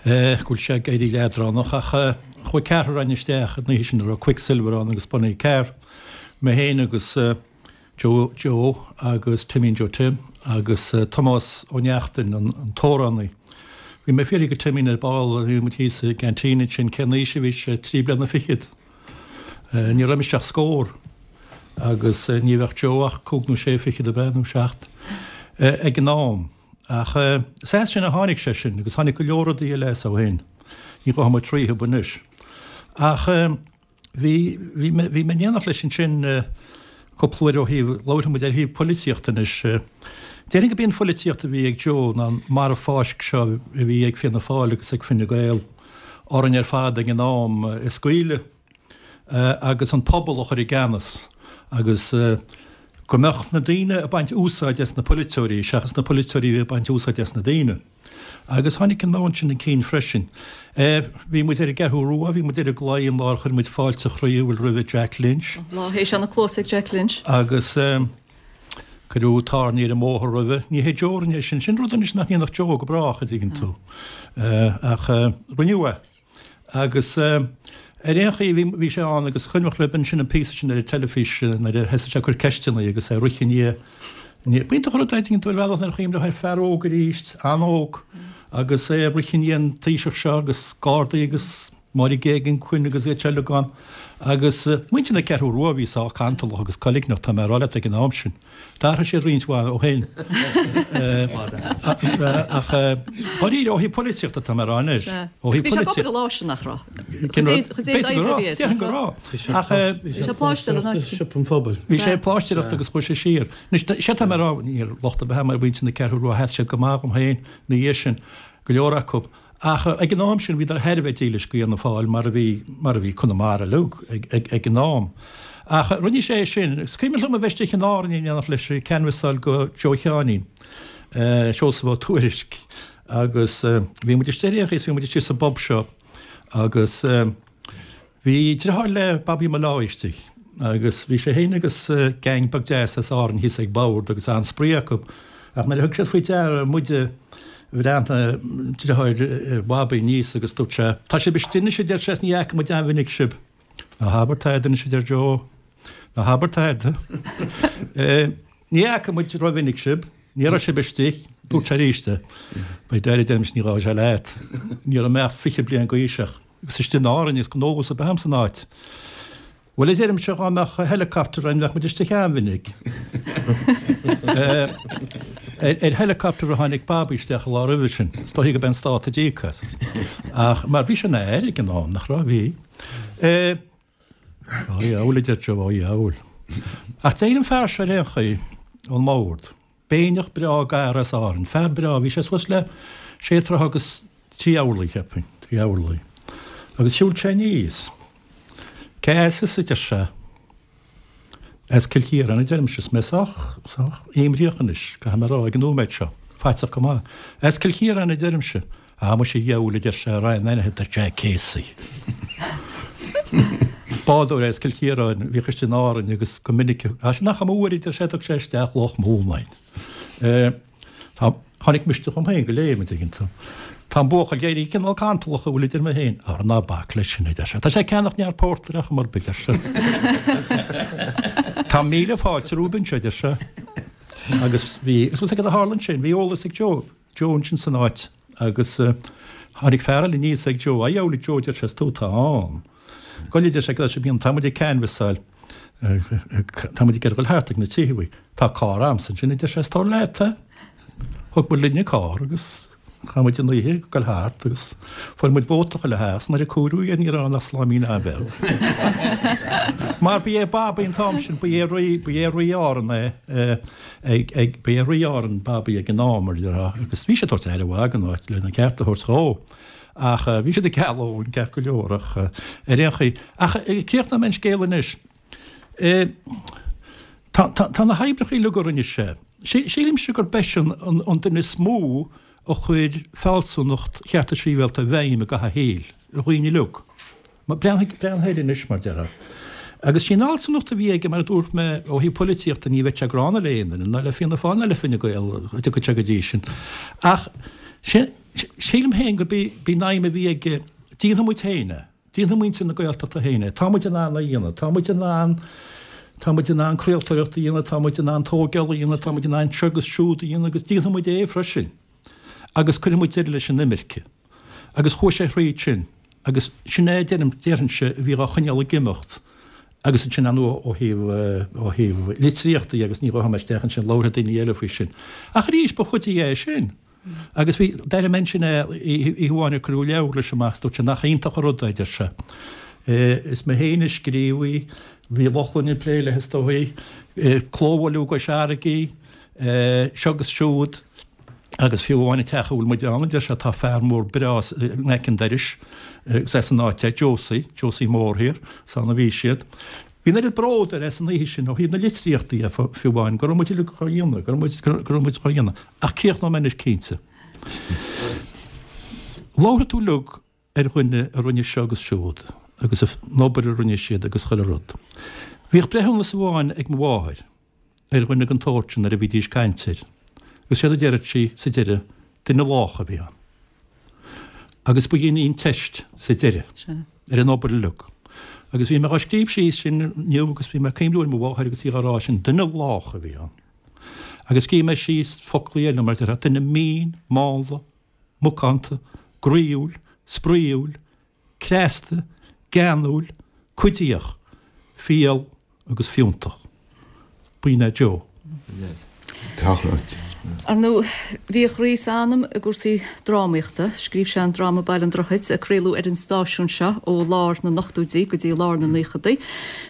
G: bhfuil sé ag éirí leadránach ach chuaigh ceathrar againn isteach an oíche sin a raibh Quicksilver ann agus Bunny Carr, mé féin agus Joe Joe agus Timín Joe Tim agus Tomás Ó Neachtain, an t-amhránaí. Bhí mé ag fiafraí de Timín ar ball, bhí muid thíos i gceaintín ansin, cén aois a bhí sé, trí bliana fichead. Ní raibh mise ach scór agus ní bheadh Joe ach cúig nó sé fichead ab ea, nó seacht, ag an am. Ach is as sin a tháinig sé sin agus tháinig go leor rudaí eile as ó shin. Ní ghabhfaidh muid tríothu anois. Ach bhí, bhí mé, bhí mé in éineacht leis ansin cúpla uair ó thaobh, labharfaidh muid ar thaobh polaitíochta anois. Déarfainn go b'í an pholaitíocht a bhí ag Joe ná an marbh fáisc seo a bhí ag Fianna Fáil agus ag Fine Gael. orainn ar fad ag an am a scaoileadh agus an pobal a chur i gceannas agus go mbeadh na daoine ag baint úsáid as na polaiteoirí seachas na polaiteoirí a bhí ag baint úsáid as na daoine. Agus tháinig an meon sin chun cinn freisin. Bhí muid ar an gCeathrú Rua, bhí muid ar an gclaí an lá ar chuir muid fáilte chroíúil roimhe Jack Lynch.
A: Lá a théis na cluasa ag Jack Lynch.
G: Agus cuireadh tairní ar an mbóthar roimhe. Ní hé Joe a rinne é sin. Sin rud anois nach ndéanfadh Joe go brách, a dtuigeann tú. Ach rinneadh é. Agus Ar aon chaoi, bhí, bhí sé ann agus cuimhneach libh ansin an píosa sin ar an teilifís nuair a thosaigh sé ag cur ceisteanna agus é ag rith i ndiaidh, i ndiaidh, b'iontach an rud é, tuigeann tú, ar bhealach nuair a chuimhneofá ar fear óg arís, an-óg, agus é ag rith i ndiaidh an Taoiseach seo agus Gardaí agus Máire Geoghegan Quinn agus iad seo uilig ann. Agus muintir na Ceathrú Rua a bhí sách cantalach agus coiligneach, tá mé ag rá leat, ag an am sin. D'athraigh siad roinnt mhaith ó shin. Ach dáiríre, ó thaobh polaitíochta tá mé ag rá anois.
A: Ó thaobh polaitíochta. Bhí sé ag obair an lá sin, nach raibh? B'fhéidir go raibh,
G: déarfainn go raibh.
A: Ach bhí sé ag pláistear an áit.
C: Siopa an Phobail.
G: Bhí sé ag pláistearacht agus chuaigh sé siar. Anois, séard tá mé ag rá, níl locht ar bith agam ar mhuintir na Ceathrú Rua, sheas siad go maith dhom féin ina dhiaidh sin, go leor acu. Ach ag an am sin bhíodar thar a bheith dílis go Fhianna Fáil mar a bhí, mar a bhí Conamara uilig ag, ag an am. Ach rinne sé é sin. Is cuimhin liom a bheith istigh in Árainn in éineacht leis ag canbhasáil go Joe Sheáinín, Seosamh Ó Tuairisg, agus bhí muid istigh ar aon chaoi is bhí muid istigh sa bpub seo agus, Bhí driotháir le Babaí Molloy istigh agus bhí sé féin agus gang beag deas as Árainn thíos ag bord agus an-spraoi acu ach nuair a thug siad faoi deara muide bhreathnaigh driotháir Bhabaí aníos agus dúirt sé Tá sibh istigh anois a deir sé is ní fhaca muid an-mhinic sibh. Ná habair tada anois a deir Joe. Ná habair tada. Ní fhaca muid rómhinic sibh. Ní raibh sibh istigh. Dúirt sé arís é. By dad a deirimse ní ghabhfaidh sé leat. Ní raibh mé ach fiche bliain d'aois ach agus istigh in Árainn is gnóthas ab ea san áit. Bhuel, a deirimse, dhá mbeadh helicopter ann bheadh muid istigh an-mhinic. Ar helicopter a tháinig Babaí isteach an lá roimhe sin. Is dóichí go b'é an stát a d'íoc as. Ach mar bhí sé ina aire ag an am, nach raibh? Bhí. Á dheabhail, a deir Joe, á dheabhail. Ach d'éirigh an fear seo ar aon chaoi ón mbord. Béinneach breá gadhar as Árainn. Fear breá. Bhí sé suas le sé troithe agus trí orlaí, cheapfainn, trí orlaí. Agus shiúil sé aníos. Cé as thusa, a deir sé. As Cill Chiaráin, a deirimse. Is mé sách, sách imríoch anois, caithfidh mé a rá, ag an nóiméad seo. Faiteach go maith. As Cill Chiaráin, a deirimse. Ah, muise a dheabhail, a deir sé, a raghainn aithne do Jack Casey. Bádóir as Cill Chiaráin, a bhíodh istigh in Árainn agus go minic, ah, sin nach iomaí uair, a deir sé, a dtug sé isteach Loch Mumhan. Eh, Tá, tháinig misneach chugam féin go léim, an dtuigeann tú. Tá an buachaill ag éirí cineál cantalach, a bhfuil idir mé féin. Ara ná bac leis sin, a deir sé. Tá sé ag ceannacht neart pórtair ar chuma ar bith, a deir sé. Tá míle fáilte romhaibh anseo, a deir sé. Agus bhí, is cad a tharla ansin, bhí eolas ag Joe, Joe ansin san áit agus tháinig fear eile aníos ag Joe, a dheabhail a Joe, a deir sé, is tú atá ann. Gabh i leith, a deir sé, cad é sibh, tá muid ag canbhasáil. Tá muid ag iarraidh dul thart ag na tithe. Tá carr a'msa ansin, a deir sé, is tabhair leat é. Thug muid linn an carr agus chaith muid an oíche ag dul thart agus fuair muid vóta chuile theach 's nuair a comhaireadh iad ní raibh ann ach sláimín an-bheag. Mar ba é Babaí an t-am sin, ba é rí, ba é rí Árann é, ag, ag, ba é rí Árann Babaí ag an am, mar a déarfá, agus bhí sé ag tabhairt aire mhaith don áit lena cheart a thabhairt dhó. Ach bhí siad ag cealú an ceart go leor ach ar aon chaoi. Ach críochnóidh mé an scéal anois. Tá, tá, tá na hoibreacha uilig a rinne sé. Sílimse gurb eisean an, an duine is mó a chuir fealsúnacht chearta sibhialta i bhfeidhm i gcaitheamh a shaoil, ar dhaoine uilig. Breathnaigh, breathnaigh air anois, mar déarfá. Agus sí an fhealsúnacht a bhí aige, mar a dúirt mé, ó thaobh poilitíochta, ní bheadh sé gránna le aon duine, ná le Fianna Fáil ná le Fine Gael, a dtiocfadh sé go dtí sin. Ach sin, sílim féin gurb í an aidhm a bhí aige, déanfaidh muid féin é, déanfaidh muintir na Gaeltachta féin é, tá muid in ann é a dhéanamh, tá muid in ann, tá muid in ann craoltóireacht a dhéanamh, tá muid in ann tógáil a dhéanamh, tá muid in ann seo agus siúd a dhéanamh agus déanfaidh muid é freisin. Agus cuirfidh muid deireadh leis an imirce. Agus chuaigh sé thríd sin. Agus sin é, deirim, déarfainnse, a bhí dhá choinneáil ag imeacht. Agus ansin, ar ndóigh, ó thaobh, ó thaobh litríochta dhe, agus ní ghabhfaidh mé isteach ansin, labharfaidh daoine eile faoi sin. Ach arís, ba chuid dhe é sin. Agus bhí, d'airigh mé ansin é, oíche amháin ag cuireadh leabhar leis amach, is dúirt sé nach iontach an rud é, a deir sé. Is mé féin a scríobh í, bhí Lochlainn ag plé léi is dóigh, clóbhualadh i gCois Fharraige, seo agus siúd. Agus fiú amháin an teach a bhfuil muid ann, a deir sé, tá fear mór breá in aice an dorais, agus as an áit é, Josie, Josie Mór thiar, is ann a bhí siad. Bhí an oiread bród air as an oíche sin ó thaobh na litríochta dhe, fiú amháin, go raibh muid uilig dhá dhéanamh, go raibh muid, go raibh muid dhá dhéanamh. Ach críochnóidh mé anois cinnte. Labharfaidh tú uilig ar dhuine a rinne seo agus siúd, agus an obair a rinne siad agus chuile rud. Bhíodh breithiúnas amháin ag mo mháthair. ar dhuine den tsórt sin nuair a bhídís ag caint air, agus séard a deireadh sí sa deireadh, duine lách a bhí ann. Agus ba shin í an teist sa deireadh. ar an obair uilig. Agus bhí mé á scríobh síos sin inniu agus bhí mé ag cuimhniú ar mo mháthair agus í á rá sin, duine lách a bhí ann. Agus scríobh mé síos foclaí eile mar déarfá, duine mín, mánla, macánta, groíúil, spraíúil, cneasta, geanúil, cuidíoch, fial agus fiúntach. B'in é Joe.
A: Ar ndóigh, bhí a chroí is a anam i gcúrsaí drámaíochta. Scríobh sé an dráma Baile an Droichid, a craoladh ar an stáisiún seo ó lár na n-ochtóidí go dtí lár na naochadaí,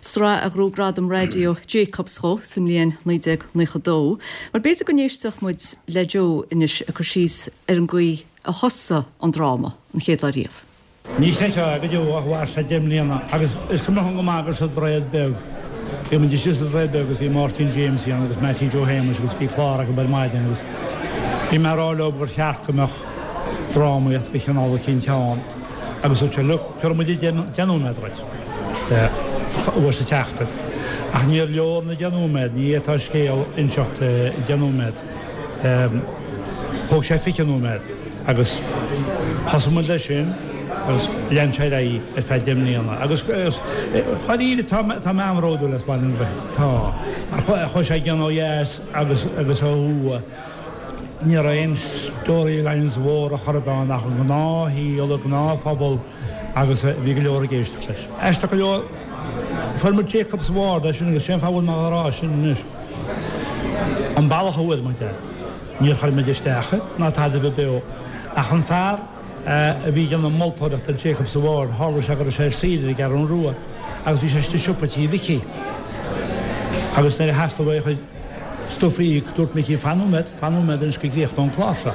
A: sraith a ghnóthaigh gradam raidió Jacobs dhó sa mbliain naoi déag naocha dó. Bhuel, b'fhéidir go n-éistfeadh muid le Joe anois ag cur síos ar an gcaoi a thosaigh an dráma an chéad lá riamh.
B: Ní chreidfeá go deo ach mhair sé deich mbliana agus is cuimhin liom go maith gur sa Droichead Beag. Bhí muid istigh sa Droichead Beag agus bhí Máirtín Jamesie ann agus Mattie Joe Shéamuis agus bhí clár acu ar maidin agus bhí mé ag rá leo gur cheart go mbeadh drámaíocht de chineál eicínt ann agus dúirt sé look, tabharfaidh muid deich nóiméad dhuit uair sa tseachtain. Ach níor leor na deich nóiméad, ní fhéadfá scéal a inseacht i deich nóiméad. Thóg sé fiche nóiméad agus thosaigh muid leis sin agus lean sé ar aghaidh ar feadh deich mbliana. Agus dháiríre tá tá mé an-bhródúil as Baile an Droichid. Tá. Mar chuaigh sé i gcion ó dheas agus agus ó thuaidh. Ní raibh aon storylines mhóra chor ar bith ann ach an gnáthshaol, an gnáthphobal agus bhí go leor ag éisteacht leis. Aisteach go leor, fuair muid Jacobs Award as sin agus sé an fáth a bhfuil mé á rá sin anois. An bealach a bhfuair muid é, níor chuir muid isteach é ná tada ar bith beo ach an fear a bhí ag déanamh moltóireacht ar Jacobs Award, tharla sé go raibh sé ar saoire ar an gCeathrú Rua agus bhí sé istigh i siopa tí Mhicí agus nuair a theastaigh uaidh a chuid stuif a íoc, dúirt Micí, fan nóiméad, fan nóiméad anois go gcríochnóidh an clár seo.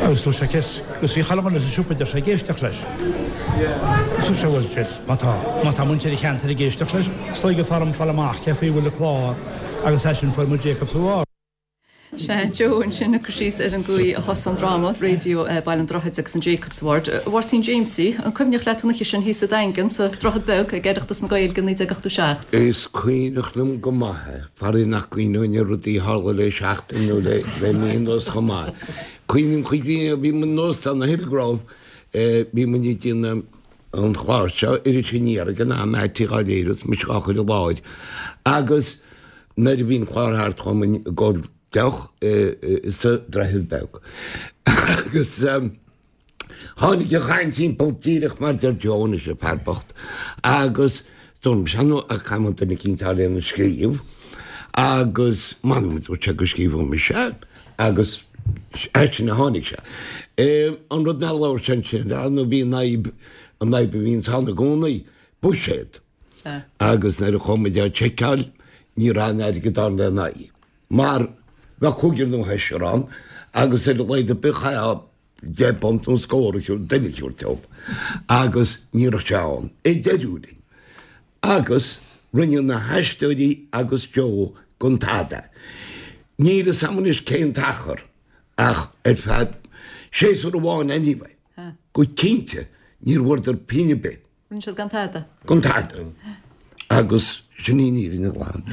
B: Agus dúirt sé, cés, agus bhí chuile dhuine sa siopa, deir sé, ag éisteacht leis. Agus dúirt sé, bhuel, cés, má tá, má tá muintir an cheantair ag éisteacht leis, is dóigh gur fearr dom fáil amach cé faoi a bhfuil an clár agus as sin fuair muid Jacobs Award.
A: Sea, Joe ansin ag cur síos ar an gcaoi a thosaigh an dráma raidió Baile an Droichid agus an Jacobs Award. A Mháirtín Jamesie, an cuimhneach leat an oíche sin thíos sa Daingean, sa Droichead Beag, ag Oireachtas na Gaeilge naoi déag ochtó seacht?
H: Is cuimhneach liom go maith é, faraor nach gcuimhneoinn ar rudaí a tharla le seachtain nó le mí anuas chomh maith. Cuimhním chuig bhí muid in Óstán an Hillgrove, bhí muid ag déanamh an chláir seo, Iris Aniar ag an am, Mattie dhá léiriú is mise dhá chur i láthair agus nuair a bhí an clár thart chuaigh muid ag ól deoch sa Droichead Beag agus tháinig an chaint timpeall díreach mar deir Joe anois, an fear bocht, agus dúirt mise, nó caithfidh muid duine eicínt a fháil lena scríobh agus m'anam dúirt sé go scríobhadh mise agus as sin a tháinig sé. An rud nár labhair sé ansin, ar ndóigh bhí an fhadhb, an fhadhb a bhíonns ann i gcónaí, buiséad. Agus nuair a chuaigh muid á tseiceáil ní raibh aon airgead ann lena aghaidh. Mar bheadh cúigear nó seisear ann agus ar a laghad ar bith chaithfeá deich bpunt nó scór a thabhairt, duine a thabhairt dóibh. Agus ní raibh sé ann. I deireadh linn. Agus rinne na haisteoirí agus Joe gan tada. Níl fhios a'm anois cén t-achar ach ar feadh séasúr amháin anyway, go cinnte níor bhfuaireadar pingin ar bith.
A: Rinne siad gan tada.
H: Gan tada. Agus sin í an fhírinne ghlan.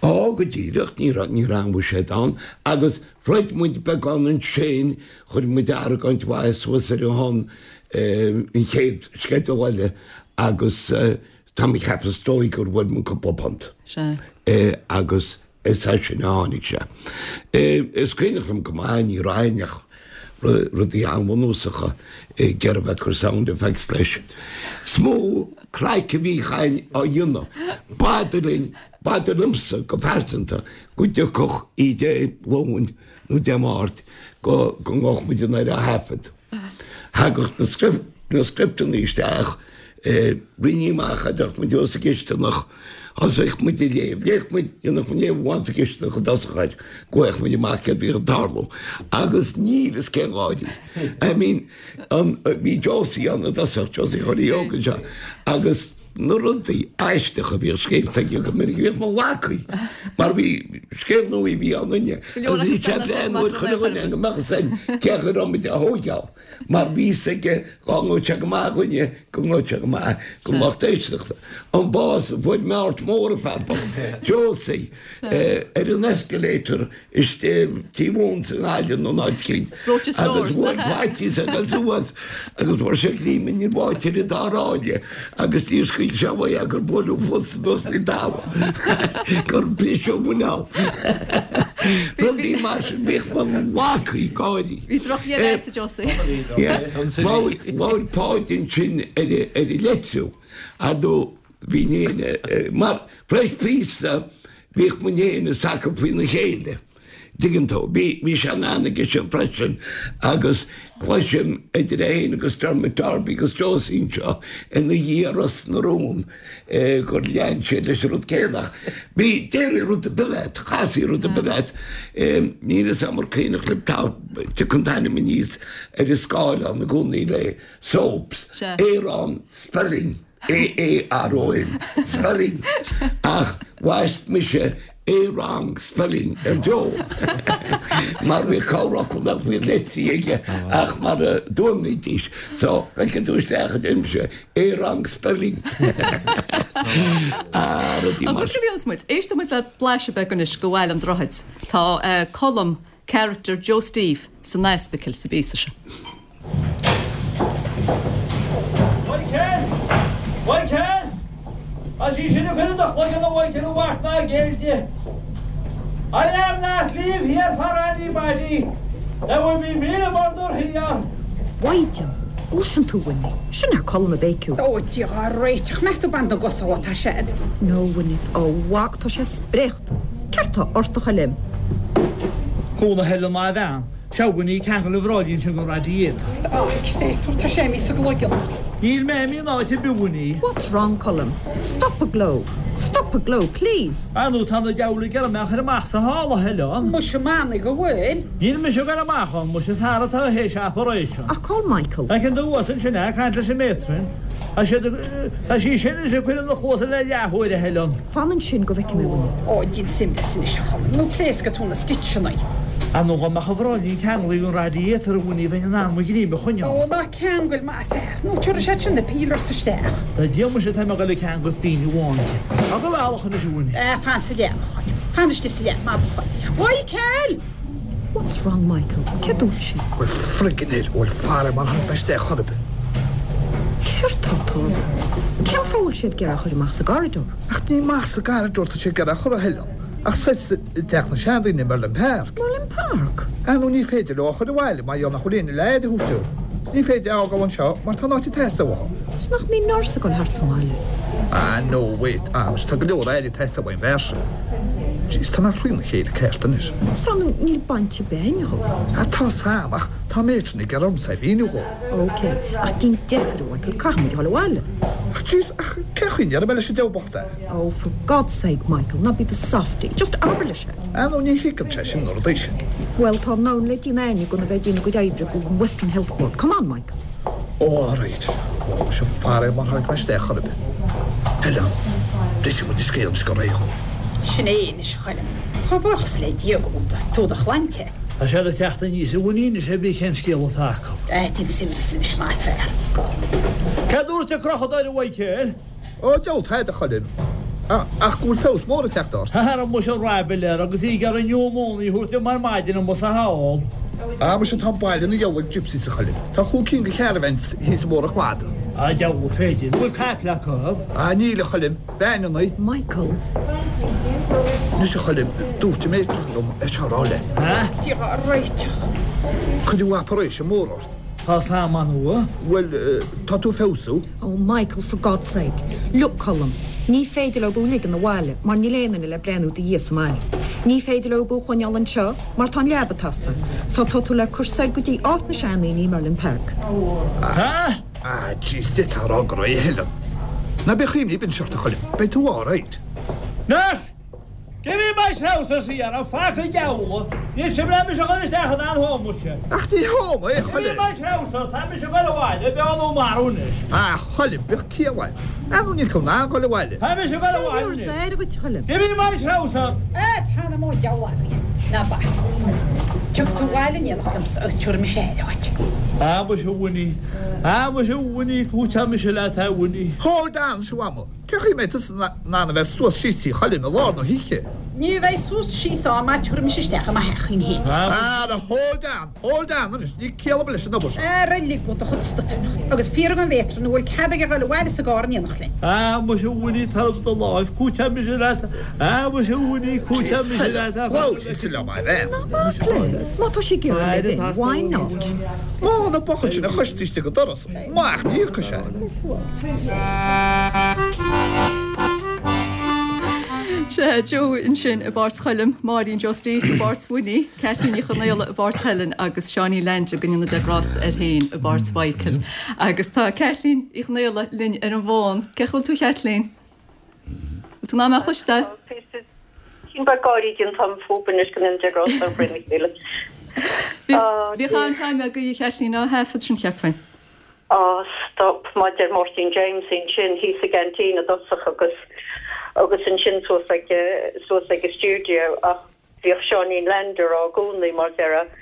H: Á, go díreach, ní raibh, ní raibh aon bhuiséad ann. Agus throid muid beagán ansin, chuir muid argóint mhaith suas ar a shon an chéad sceideal eile agus tá mé ag ceapadh is dóigh gur bhfuair muid cúpla punt.
A: Sea.
H: Agus. Is as sin a tháinig sé. Is cuimhneach liom go maith, ní raibh againn ach rudaí an-bhunúsacha ag iarraidh bheith ag cur sound effects leis. Is mó craic a bhíodh againn á dhéanamh. B'fhada linn, b'fhada liomsa go pearsanta go dtiocfadh oíche Dé Luain nó Dé Máirt go go ngabhadh muid anoir á thaifead. Thagadh na scripteanna isteach, rinní amach a dteacht muid thuas sa gcisteanach, thosaigh muid ag léamh, léadh muid, dhéanadh muid léamh amháin sa gcisteanach i dtosach air, go bhfaigheadh muid amach céard a bhíodh ag tarlú. Agus níl fhios cén gáirí. I mean, an, bhí Josie ann i dtosach, Josie Chóilí Óg anseo, agus Na rudaí aisteacha a bhíodh scríobhta aige go minic, bhíodh mo lacaí mar bhí scéal nua a bhí ann inne agus bhí sé breá nuair chuile dhuine go mbeadh fhios againn cé chaoi a raibh muid á thóigeáil mar bhí fhios aige dhá ngabhadh sé go maith dhúinne go ngabhadh sé go maith don lucht éisteachta. An bás a fuair meáirt mór an fear bocht, Josie, ar an escalator istigh Tí Mhóin sa nGaillimh nó in áit eicínt agus bhuail faitíos air dul suas agus fuair sé greim in bháite ar an dá ráille agus níor scaoil sé uaidh é gur buaileadh fos anuas faoin talamh gur briseadh a muineál. Rudaí mar sin bhíodh mo lacaí ag gáirí.
A: Bhí droch-dhéanamh agat a Josie.
H: Labhair Páid ansin ar an leitriú fadó bhí éinne mar Fresh Píosa bhíodh muid féin is acu faoina chéile. Tuigeann tú? Bhí, bhí sé in ann aige sin freisin agus cloisim idir é féin agus Dermot Darby agus Josie anseo ina dhiaidh Ros na Rún gur lean siad leis an rud céanna. Ach bhí, déarfaí rud ar bith leat, chasfaí rud ar bith leat. Níl fhios a'm ar cuimhneach libh, tá, tiocfaidh an t-ainm aníos ar an scáileán i gcónaí le soaps, Aaron Spelling. A-A-R-O-N, Spelling, ach bhaist mise A-Wrong Spelling ar Joe mar bhí corrfhocal nach bhfuil litrithe aige ach mar a d'fhuaimnídís. So, feiceann tú isteach a deirimse, A-Wrong Spelling. Ah, rudaí mar
A: Agus go bhfios muid, éistfidh muid le blaiseadh beag anois de Bhaile an Droichid. Tá Colm, character Joe Steve, san ospidéal sa bpíosa seo.
B: Mhichael! Mhichael! Tá sí sin ag cur i do chloigeann a Mhichael a mhac ná géill di. I am not leave here for anybody. There will be míle murder here.
I: Mhaighdean, gcloiseann tú a Winnie? Sin é Colm ag béiciú.
J: Ó, Dia dhá réiteach, meas tú ban na gcosa ó tá siad.
I: No, Winnie, ó mhac, tá sé spréachta. Céard tá ort a Choilm?
B: Cúnamh Helen má bhean. Sea, a Winnie, ceangail an bhráillín sin den radiator.
J: Á, créatúr, tá sé imithe sa gcloigeann.
B: Níl mé imithe in áit ar bith, a Winnie.
I: What's wrong, Colm? Stop ag gleo. Stop ag gleo, please.
B: Ar ndóigh, tá na diabhail ag iarraidh mé a chur amach sa halla, a Helen.
J: Muise, m'anam go bhfuil.
B: Níl mise ag dul amach ann, muise, is fear atá théis operation.
I: Ach call Michael.
B: Feiceann tú thuas ansin é, ag caint leis an matron. Tá siad ag, tá sí sin anois ag cur ina cluasa le leathuair, a Helen.
I: Fan ansin go bhfeicfidh mé, a Winnie.
J: Ó, déan suimhneas anois, a Choilm, nó pléascfaidh tú na stitseanna.
B: Ar ndóigh, dá mbeadh an bhráillín ceanglaithe den radiator, a Winnie, bheinn in ann mo ghreim a choinneáil.
J: Ó, ná ceangail, maith an fear, nó tabharfaidh siad sin na peelers isteach.
B: Tá Dia muise, tá mé ag dul ag ceangailt pingin amháin di. Tá go bhealach anois, a Winnie.
J: Ah, fan sa leaba, a Choilm. Fan istigh sa leaba, maith do Choilm. Mhichael!
I: What's wrong, Michael? Céard dúirt sí?
K: Bhuel, friggin hell, bhuel, fara mar tháinig mé isteach chor ar bith.
I: Céard tá ag tarlú? Cén fáth a bhfuil siad ag iarraidh a chur amach sa gcorridor?
K: Ach ní amach sa gcorridor tá siad ag iarraidh a chur, a Helen. Ach soir i dteach na seandaoine i Merlin Park.
I: Merlin Park?
K: Ah nó ní féidir leo a chur abhaile mar gheall nach bhfuil éinne le aire a thabhairt dó. 'S ní féidir é a fhágáil anseo mar tá an áit ag teastáil uathu.
I: 'S nach mbíonn nurse ag dul thart sa mbaile?
K: Ah no wait, ah muise tá go leor aire ag teastáil uaidh an bhfear sin. Jeez, tá mé trína chéile ceart anois.
I: 'S ar ndóigh níl baint ar bith againn dhó.
K: Ah tá 's a'm ach tá matron ag iarraidh ormsa é a mhíniú dhó.
I: Ok, ach déan deifir a Mhichael, caithfidh muid a dhul abhaile.
K: Ach jeez, ach cén chaoi a ndéarfaidh mé leis an diabhal bocht é?
I: Oh, for God's sake, Michael, ná bí i do softie. Just abair leis é.
K: Ah no, ní thuigeann sé sin na rudaí sin.
I: Bhuel, tá anonn le déanamh againne gan a bheith ag déanamh a gcuid oibre go Western Health Board. Come on, Michael.
K: Oh, all right. Oh, muise faraor mar tháinig mé isteach chor ar bith. Helen, brisfidh muid an scéal anois go réidh dhó.
J: Sin é anois, a Choilm. Tá buíochas le Dia go bhfuil tú i do shláinte.
B: Tá siad ag teacht aníos a Winnie anois pé bith cén scéal atá acu.
J: Ah, déan suimhneas anois, maith an fear.
B: Céard dúirt an crochadóir, a Mhichael?
K: Ó, diabhal tada, a Choilm. Ach go bhfuil feabhas mór ag teacht ort.
B: Ara muise raidhfil air agus í ag iarraidh pneumónia a thabhairt dom ar maidin amuigh sa hall.
K: Ah, muise tá an baile ina ghiall ag gypsies, a Choilm. Tá chúig cinn de charavans thíos ag barr an chladaigh.
B: Ah, diabhal féidir. An bhfuil caiple acu?
K: Ah, níl, a Choilm. Veaineanna.
I: Michael.
K: Anois, a Choilm, dúirt an matron liom é seo a rá leat.
J: Dia dhá réiteach.
K: Cuireadh operation mór ort.
B: Tá Sam an-mhaith.
K: Bhuel, tá tú ag feabhsú.
I: Oh Michael, for God's sake. Look, Colm, ní féidir leo thú a ligean abhaile mar níl aon duine le breathnú i do dhiaidh sa mbaile. Ní féidir leo thú a choinneáil anseo mar tá an leaba ag teastáil. So tá tú le cur soir go dtí áit na seandaoine i Merlin Park.
B: Ah!
K: Ah, jeez, d'fhéadfá a rá go raibh a Helen. Ná bíodh imní ar bith ort, a Choilm, beidh tú alright.
B: Nurse! Give me my trousers here, a fucking diabhal! Níl sibh le mise a chur isteach in aon home muise.
K: Ach ní home é, a
B: Give me
K: Choilm.
B: my trousers, tá mise ag dul abhaile, beo nó marbh anois.
K: A Choilm, bíodh ciall agat. Ar ndóigh níl tú in ann dul abhaile.
B: Tá mise ag dul abhaile anois. Give me my trousers!
J: Ah, tá na mó diabhal againn. Ná bac. Tiocfaidh tú abhaile in éineacht liomsa agus tabharfaidh mise aire dhuit.
B: Ah, muise a Winnie. Ah, muise a Winnie, cúiteoidh mise leat a Winnie.
K: Hold on, a Mhama. Cén chaoi a mbeidh tusa in ann a bheith suas síos tí Choilm i lár na hoíche?
J: Ní bheidh suas síos ann mar tabharfaidh mise isteach i mo theachín féin.
K: Ah, hold on, hold on anois, níl ciall ar bith leis an obair seo.
J: Ara lig do chuid stutaireacht agus fiafraigh den mhéatran an bhfuil cead aige dhul abhaile sa gcarr in éineacht linn.
B: Ah, muise a Winnie, tar do láimh, cúiteoidh mise leat. Ah, muise a Winnie, cúiteoidh mise leat.
K: Labhair liom a bhean.
I: Ná bac léi. Má tá sí ag iarraidh live in, why not?
K: Má na buachaill sin a choistí istigh an doras, amach ní thiocfaidh sé.
A: Sea, Joe ansin i bpáirt Choilm, Máirín Joe Steve i bpáirt Winnie, Caitlín Ní Chonaola i bpáirt Helen agus Seánie Leainde go ndéana Dia grásta air féin i bpáirt Mhichael. Agus tá Caitlín Uí Chonaola linn ar an bhfón. Cén chaoi a bhfuil tú a Chaitlín? Bhfuil tú in ann mé a chloisteáil?
L: Sin ba gáirí den tam fúb anois go ndéana Dia grásta ar Bhrian Chéile.
A: Bhí an-time agaibh a Chaitlín á thaifead sin cheapfainn.
L: Á, stop, maidir Máirtín James ansin thíos i gceaintín i dtosach agus agus ansin suas ag suas ag an stiúideo ach bhíodh Seáinín Leander i gcónaí mar deireadh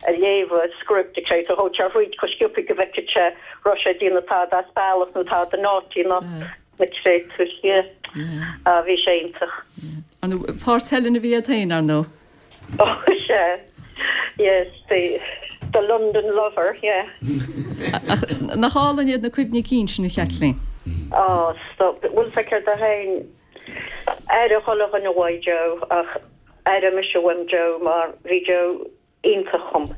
L: a léamh a script ag sé so thóg sé thríd chomh sciobtha go bhfeicfeadh sé raibh sé ag déanamh tada as bealach nó tada naughty nó na créatúir yeah. Ah, bhí sé iontach.
A: An páirt Helen a bhí agat féin, ar ndóigh?
L: Oh, sea. Yes, the the London lover, yeah.
A: Ach nach álainn iad na cuimhní cinn sin a Chaitlín?
L: Oh, stop. Bhfuil fhios agat féin aire chuile dhuine uaidh Joe ach aire mise uaim Joe mar bhí Joe iontach dhom.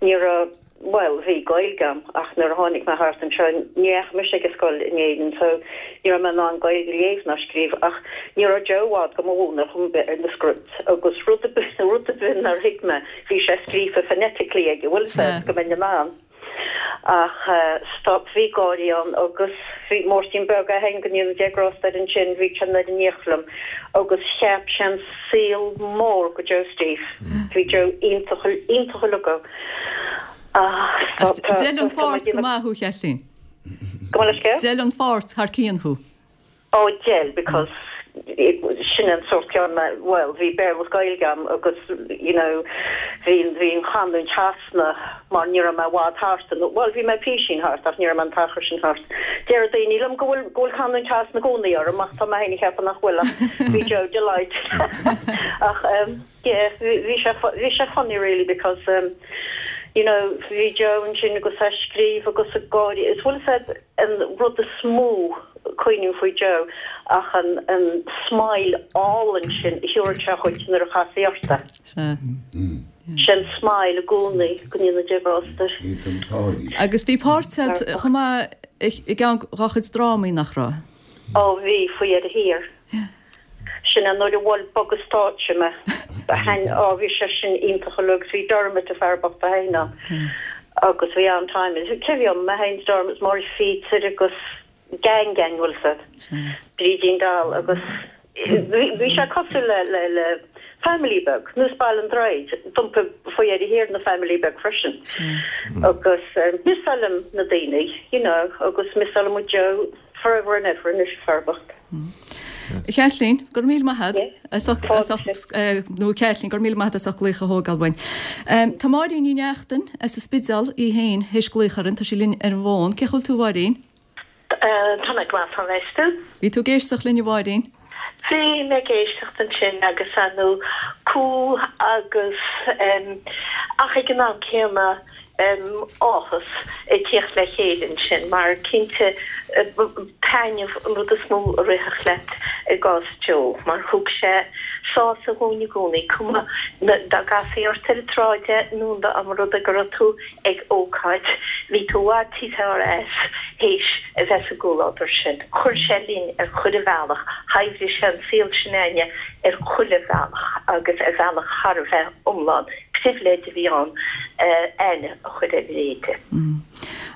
L: Ní raibh, bhuel, bhí Gaeilge agam ach nuair a tháinig mé thart anseo ní dheachaigh mise ag an scoil in Éirinn so ní raibh mé in ann Gaeilge a léamh ná scríobh ach ní raibh Joe i bhfad go mo mhúineadh chor ar bith ar na scripts agus rud ar bith rud ar bith nár thuig mé bhí sé scríofa phonetically aige bhfuil fhios agat go mbeinn in ann ach stop bhí gáirí ann agus bhí Máirtín Beag é féin go ndéana Dia grásta air ansin bhí sé in éineacht liom agus cheap sé an saol mór go Joe Steve bhí Joe iontach iontach uilig ah stop tá
A: D'fheil an
L: tá
A: pháirt go maith thú a Chaitlín.
L: Go bhfuil scéal?
A: D'fheil an pháirt thar cionn thú.
L: Ó d'fheil because sin an sórt ceann mé bhuel bhí Béarla is Gaeilge agam agus you know bhí bhí an chanúint trasna mar ní raibh mé i bhfad thart nó bhuel bhí mé písín thart ach ní raibh mé an t-achar sin thart. Deir daoine liom go bhfuil go bhfuil canúint trasna i gcónaí orm ach tá mé féin ag ceapadh nach bhfuil ach bhí Joe delighted ach um, yeah bhí bhí sé bhí sé funny really because um, you know bhí Joe ansin agus é ag scríobh agus ag gáirí is bhfuil fhios agat an rud is mó cuimhním faoi Joe ach an an smile álainn sin a thabharfadh sé dhuit nuair a chasfaí ort é. Sin smile i gcónaí go ndéana Dia grásta air.
A: Agus bhí páirt agat chomh maith i gceann dá chuid drámaí nach raibh?
L: Ó bhí faoi dheireadh thiar. Sin an nuair a bhuail bogadh stáitse mé. Thaitn ó bhí sé sin iontach uilig agus bhí Dermot an fear bocht é féin ann agus bhí an-time. Cé bhí ann? Mé féin is Dermot is Máire Phíotair agus gang gang bhfuil fhios agat. Brídín Dall agus bhí sé cosúil le le le family beag, nós Baile an Droichid, d'iompaigh faoi dheireadh thiar ina family beag freisin. Agus missáilim na daoine, you know, agus missáilim muid Joe forever and ever anois fear bocht.
A: A Chaitlín, go raibh míle maith agat as ucht as ucht nó a Chaitlín, go raibh míle maith agat as ucht glaoch a thógáil uainn. Tá Máirín Ní Neachtain as an Spidéal í féin théis glaoch orainn, tá sí linn ar an bhfón. Cén chaoi a bhfuil tú a Mháirín?
M: Tá mé go maith, tá mé tú?
A: Bhí tú ag éisteacht linn a Mháirín?
M: Bhí mé ag éisteacht ansin agus ar ndóigh cumha agus ach ag an am céanna áthas ag tíocht le chéile ansin mar cinnte taitneamh an rud is mó a rithfeadh leat i gcás Joe mar thug sé sásamh dhúinn i gcónaí, cuma dá gcasfaí ort ar an tsráid é nó dá mba rud é go raibh tú ag ócáid, bhí tú i bhfad níos fearr as théis a bheith sa gcomhluadar sin. Chuir sé linn ar chuile bhealach, shaibhrigh sé an saol sin againne ar chuile bhealach agus ar bhealach thar a bheith iomlán. Pribhléid a bhí ann aithne a chur ar a leithéid.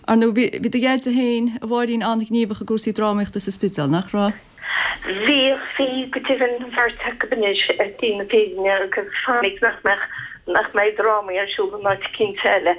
A: Ar ndóigh, bhí do dhaid féin, a Mháirín, an-ghníomhach i gcúrsaí drámaíochta sa Spidéal, nach raibh?
M: Bhíodh, bhí, go deimhin, an bheirt acu anois ar shlí na fírinne agus fainic nach mbeadh, nach mbeidh drámaí ar siúl in áit eicínt eile.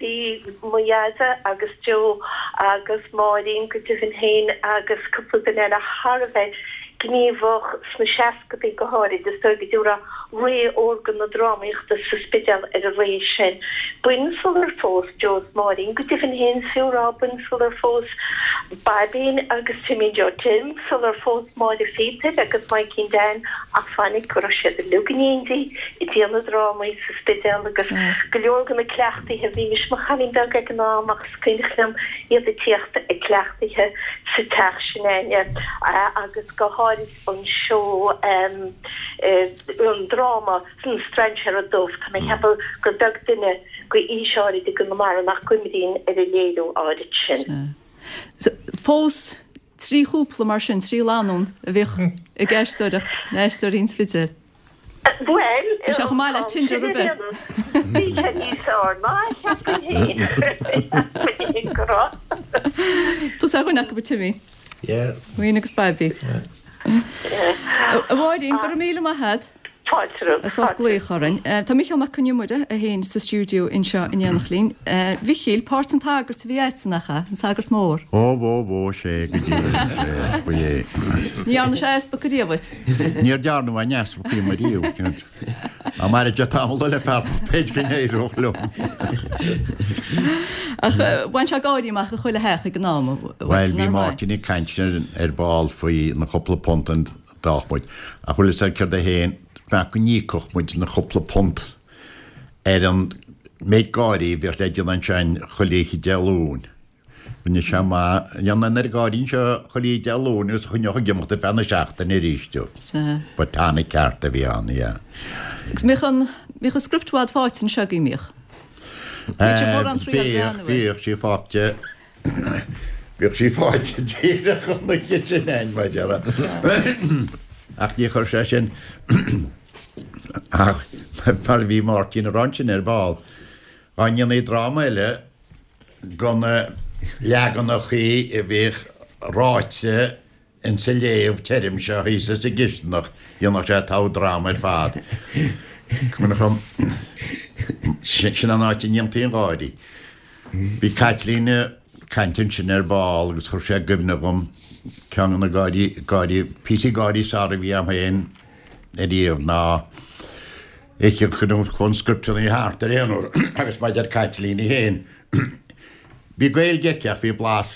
M: Bhí mo Dheaide agus Joe agus Máirín go deimhin féin agus cúpla duine eile thar a bheith gníomhach sna seascadaí go háirid, is dóigh go raibh ré órga na drámaíochta sa Spidéal ar an ré sin. B'in sular phós Joe is Máirín, go deimhin féin is fiú a rá, b'in sular phós Baibín agus Timmy Joe Tim, sular phós Máire Phíotair agus Maidhcín Dan ach fainic go raibh siad uilig in éindí ag déanamh drámaí sa Spidéal agus go leor de na cleachtaithe, bhí mise mo chailín beag ag an am ach is cuimhneach liom iad ag tíocht ag cleachtaithe sa teach sin a'inne agus go háirid an seó an dráma An Strainséara Dubh, tá mé ag ceapadh gur beag duine go aois áirid i gConamara nach gcuimhníonn ar an léiriú áirid sin.
A: Phós trí chúpla mar sin, trí lánúin a bhíodh ag aisteoireacht, na haisteoirí an Spidéil.
M: Bhuel,
A: Bhí sé chomh maith le Tinder ar bith.
M: Bhí sé níos fearr ná a cheapfainn féin. Cheapfainn go raibh.
A: Tusa ar dhuine acu, a Timmy.
D: Yeah.
A: Wayne agus Baibí. A Mháirín, go raibh míle maith agat.
M: Fáilte romhat.
A: As ucht glaoch orainn. Tá Mícheál Mac Con Iomaire é féin sa stiúideo anseo in éineacht linn. A Mhichíl, páirt an tsagairt a bhí agatsa, nach ea? An sagart mór.
N: Ó, bhó, bhó, sé go díreach, sé, ba é.
A: Ní dhearna sé easpag riamh duit?
N: Níor dearnadh aon easpag díom ariamh. Dá mairfeadh tamall eile fear b'fhéidir go n-éireodh liom.
A: Ach bhain sé gáirí amach i chuile theach ag an am,
N: Bhuel, bhí Máirtín ag caint ar ball faoi na cúpla punt a d'fhaigheadh muid. Ach bhfuil fhios a'd céard é féin, nach go n-íocfadh muid na cúpla punt ar an méid gáirí a bhíodh le déanamh ansin chuile oíche Dé Luain. Rinne sé amach, dhéanamh an oiread gáirí anseo chuile oíche Dé Luain agus a choinneodh ag imeacht ar feadh na seachtaine arís. Ba tonic ceart a bhí ann, yeah.
A: Agus mbíodh an, mbíodh an script i bhfad faighte anseo agaibh, mbíodh? Bhíodh sé mórán trí ar
N: Bhíodh,
A: breathnú air.
N: bhíodh sí faighte. Bhíodh sí faighte díreach an oíche sin a'inn, mar a déarfá. Ach ní chuir sé sin ach mar a bhí Máirtín ag rá ansin ar ball, dá ndéanfaí dráma eile de na leaganachaí a bhíodh ráite insa léamh tirim seo thíos sa gcisteanach, dhéanfadh sé togha dráma ar fad. Cuimhneach liom, sin an áit a ndéantaí an gáirí. Bhí Caitlín ag caint ansin ar ball agus chuir sé i gcuimhne dhom ceann de na gáirí, gáirí, píosaí gáirí is fearr a bhí a'm féin ariamh ná oíche chuaigh an scripteanna thart ar aon uair agus mar a deir Caitlín í féin, bhí Gaeilge aici ach bhí blas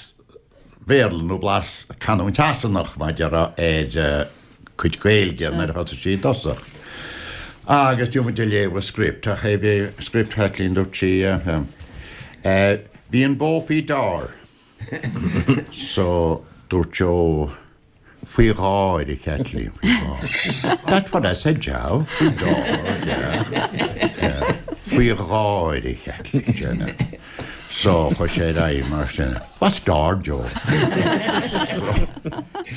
N: Bhéarla nó blas canúint Shasanach mar a déarfá ar a cuid Gaeilge nuair a thosaigh sí i dtosach. Agus bhí muid ag léamh an script ach é bhí script Chaitlín dúirt sí bhí an bó faoi deár so dúirt Joe Faoi dháir, a Chaitlín, faoi dháir. That's what I said, Joe, faoi dháir, yeah, yeah. Faoi dháir, a Chaitlín, yeah. So, chuaigh sé ar aghaidh mar sin. What's dár, Joe? So,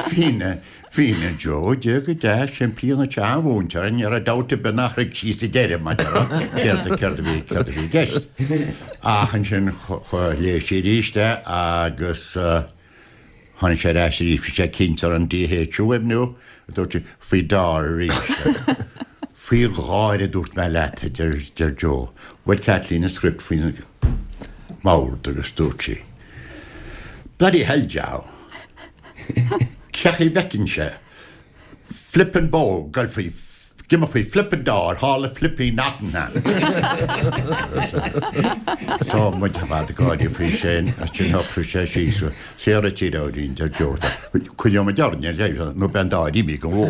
N: fine, fine, Joe, Dia go deas, simplí an tseanmhúinteoir, ní raibh dabht ar bith nach raibh sí sa deireadh, mar a déarfá, céard, céard a bhí, céard a bhí i gceist. Ach ansin, léigh sí arís é agus, Tháinig sé ar ais arís, bhí sé cinnte ar an DH a fhuaimniú, a dúirt sé, faoi dár arís. Faoi dháir a dúirt mé leat, a deir deir Joe. Bhuail Caitlín an script faoin mbord agus dúirt sí, Bloody hell, Joe! Cén chaoi a bhfeiceann sé flippin' bó ag goil faoi Ag imeacht faoi flippin' dár, thall i flippin' Nottingham. So muid ar fad ag gáirí faoi sin, as sin shocraigh sé síos, saor a tír amhraín, deir Joe, coinneoidh muid orainn ar leith nó beidh an dáir imithe den bhó.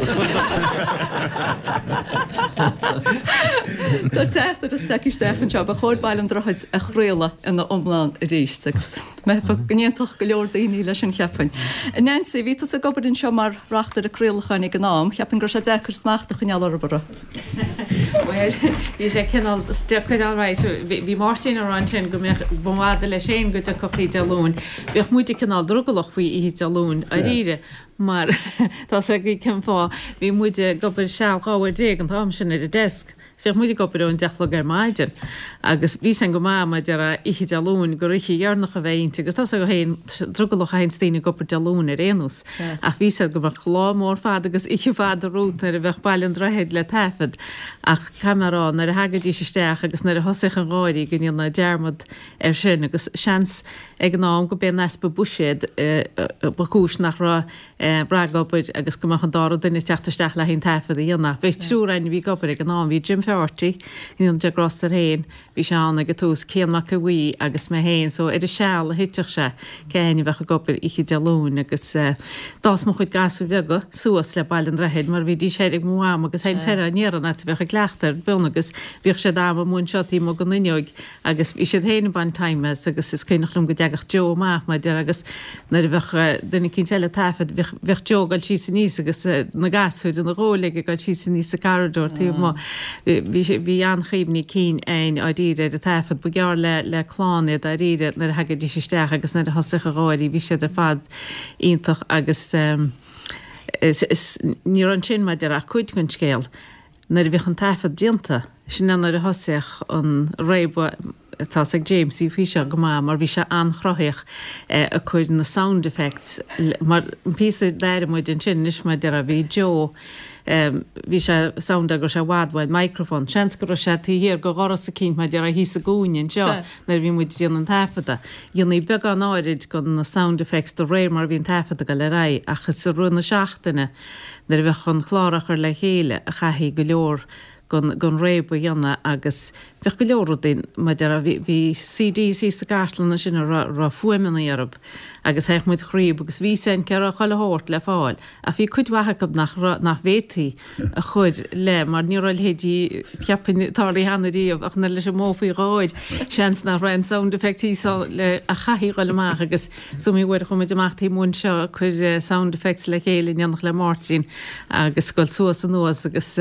A: Tá teachtaireacht tagtha isteach anseo, ba chóir Baile an Droichid a chraoladh ina iomlán arís agus go n-aontódh go leor daoine leis sin cheapfainn. Nancy, bhí tusa ag obair anseo mar reachtaire craolacháin ag an am, cheapfainn go raibh sé deacair smacht a choinneáil orthu, an raibh?
O: Bhuel, bhí sé cineál deacair alright. Bhí Máirtín ag rá ansin go mbeadh, ba fhada leis féin go dtiocfadh oíche Dé Luain. Bheadh muide cineál drogallach faoi oíche Dé Luain, dáiríre, mar tá 's agaibh cén fáth. Bhí muide ag obair seal dhá uair déag an t-am sin ar an desk. Bheadh muid ag obair ón deich a chlog ar maidin agus bhí sin go maith mar a déarfá oíche Dé Luain gur oíche dheireanach a bheidh inti agus tá a fhios agat féin drogallach a théanns daoine ag obair Dé Luain ar aon nós ach bhí sé go mbeadh lá mór fada agus oíche fada romhat nuair a bheadh Baile an Droichid le taifead ach caithfidh mé a rá nuair a thagaidís isteach agus nuair a thosaíodh an gáirí go ndéana dearmad air sin agus seans ag an am go b'é an easpa buiséad ba chúis nach raibh ragobair agus go mbeadh an dara duine ag teacht isteach le haghaidh an taifead a dhéanamh. Bhí triúr againn a bhí ag obair ag an am, bhí Jim Fearty, go ndéana Dia grásta air féin, bhí sé ann ag an tús, Cian Mac Aodha Bhuí agus mé féin, so ar an seal a thitfeadh sé cé againn a bheadh ag obair oíche Dé Luain agus d'fhás mo chuid gasúir bheaga suas le Baile an Droichid mar bhídís thoir ag mo mham agus théinn soir á n-iarraidh an áit a bheadh a gcleachtadh ar bun agus bhíodh siad am amuigh anseo taobh amuigh den fhuinneoig agus bhí siad féin ag baint time as agus is cuimhneach liom go dteagadh Joe amach mar a déarfá agus nuair a bheadh duine eicínt eile ag taifead bheadh bheadh Joe ag dul síos aníos agus na gasúir ina ghuaille aige ag dul síos aníos sa corridor taobh amuigh. Bhí sé bhí an-chuimhní cinn againn dáiríre ar an taifead. Ba ghearr le le clann é dáiríre nuair a thagaidís isteach agus nuair a thosaíodh an gháirí bhí siad ar fad iontach agus is is ní raibh ansin mar a déarfá ach cuid den scéal. Nuair a bhíodh an taifead déanta, sin é nuair a thosaíodh an réabadh, tá 's ag Jamesie faoi seo go maith mar bhí sé an-chruthaíoch ag cur na sound effects mar an píosa d'airigh muid ansin anois mar a déarfá bhí Joe bhí sé sound go raibh sé i bhfad uaidh an microphone, seans go raibh sé taobh thiar de dhoras eicínt mar a déarfá thíos i gcúinne anseo nuair a bhí muid ag déanamh an taifeadta. Dhéanfaí beagán áirid de na sound effects de réir mar a bhí an taifead ag dul ar aghaidh ach is i rith na seachtaine nuair a bheadh an clár á chur le chéile a chaithfí go leor den den réabadh a dhéanamh agus bheadh go leor rudaí mar a déarfá bhí bhí CDs thíos sa gcartlann ansin a raibh raibh fuaimeanna orthu agus théadh muid thríob agus bhí sin cé raibh chuile shórt le fáil ach bhí cuid mhaith acu nach raibh nach bhféadfaí a chur le mar ní raibh a leithéidí cheapfainn tarlaithe cheana riamh ach nuair leis an mbó faoi dhóir seans nach raibh an sound effect thíos le a chaithfí dhul amach agus is iomaí uair a chuaigh muid amach taobh amuigh anseo ag cur sound effects le chéile in éineacht le Máirtín agus dul suas anuas agus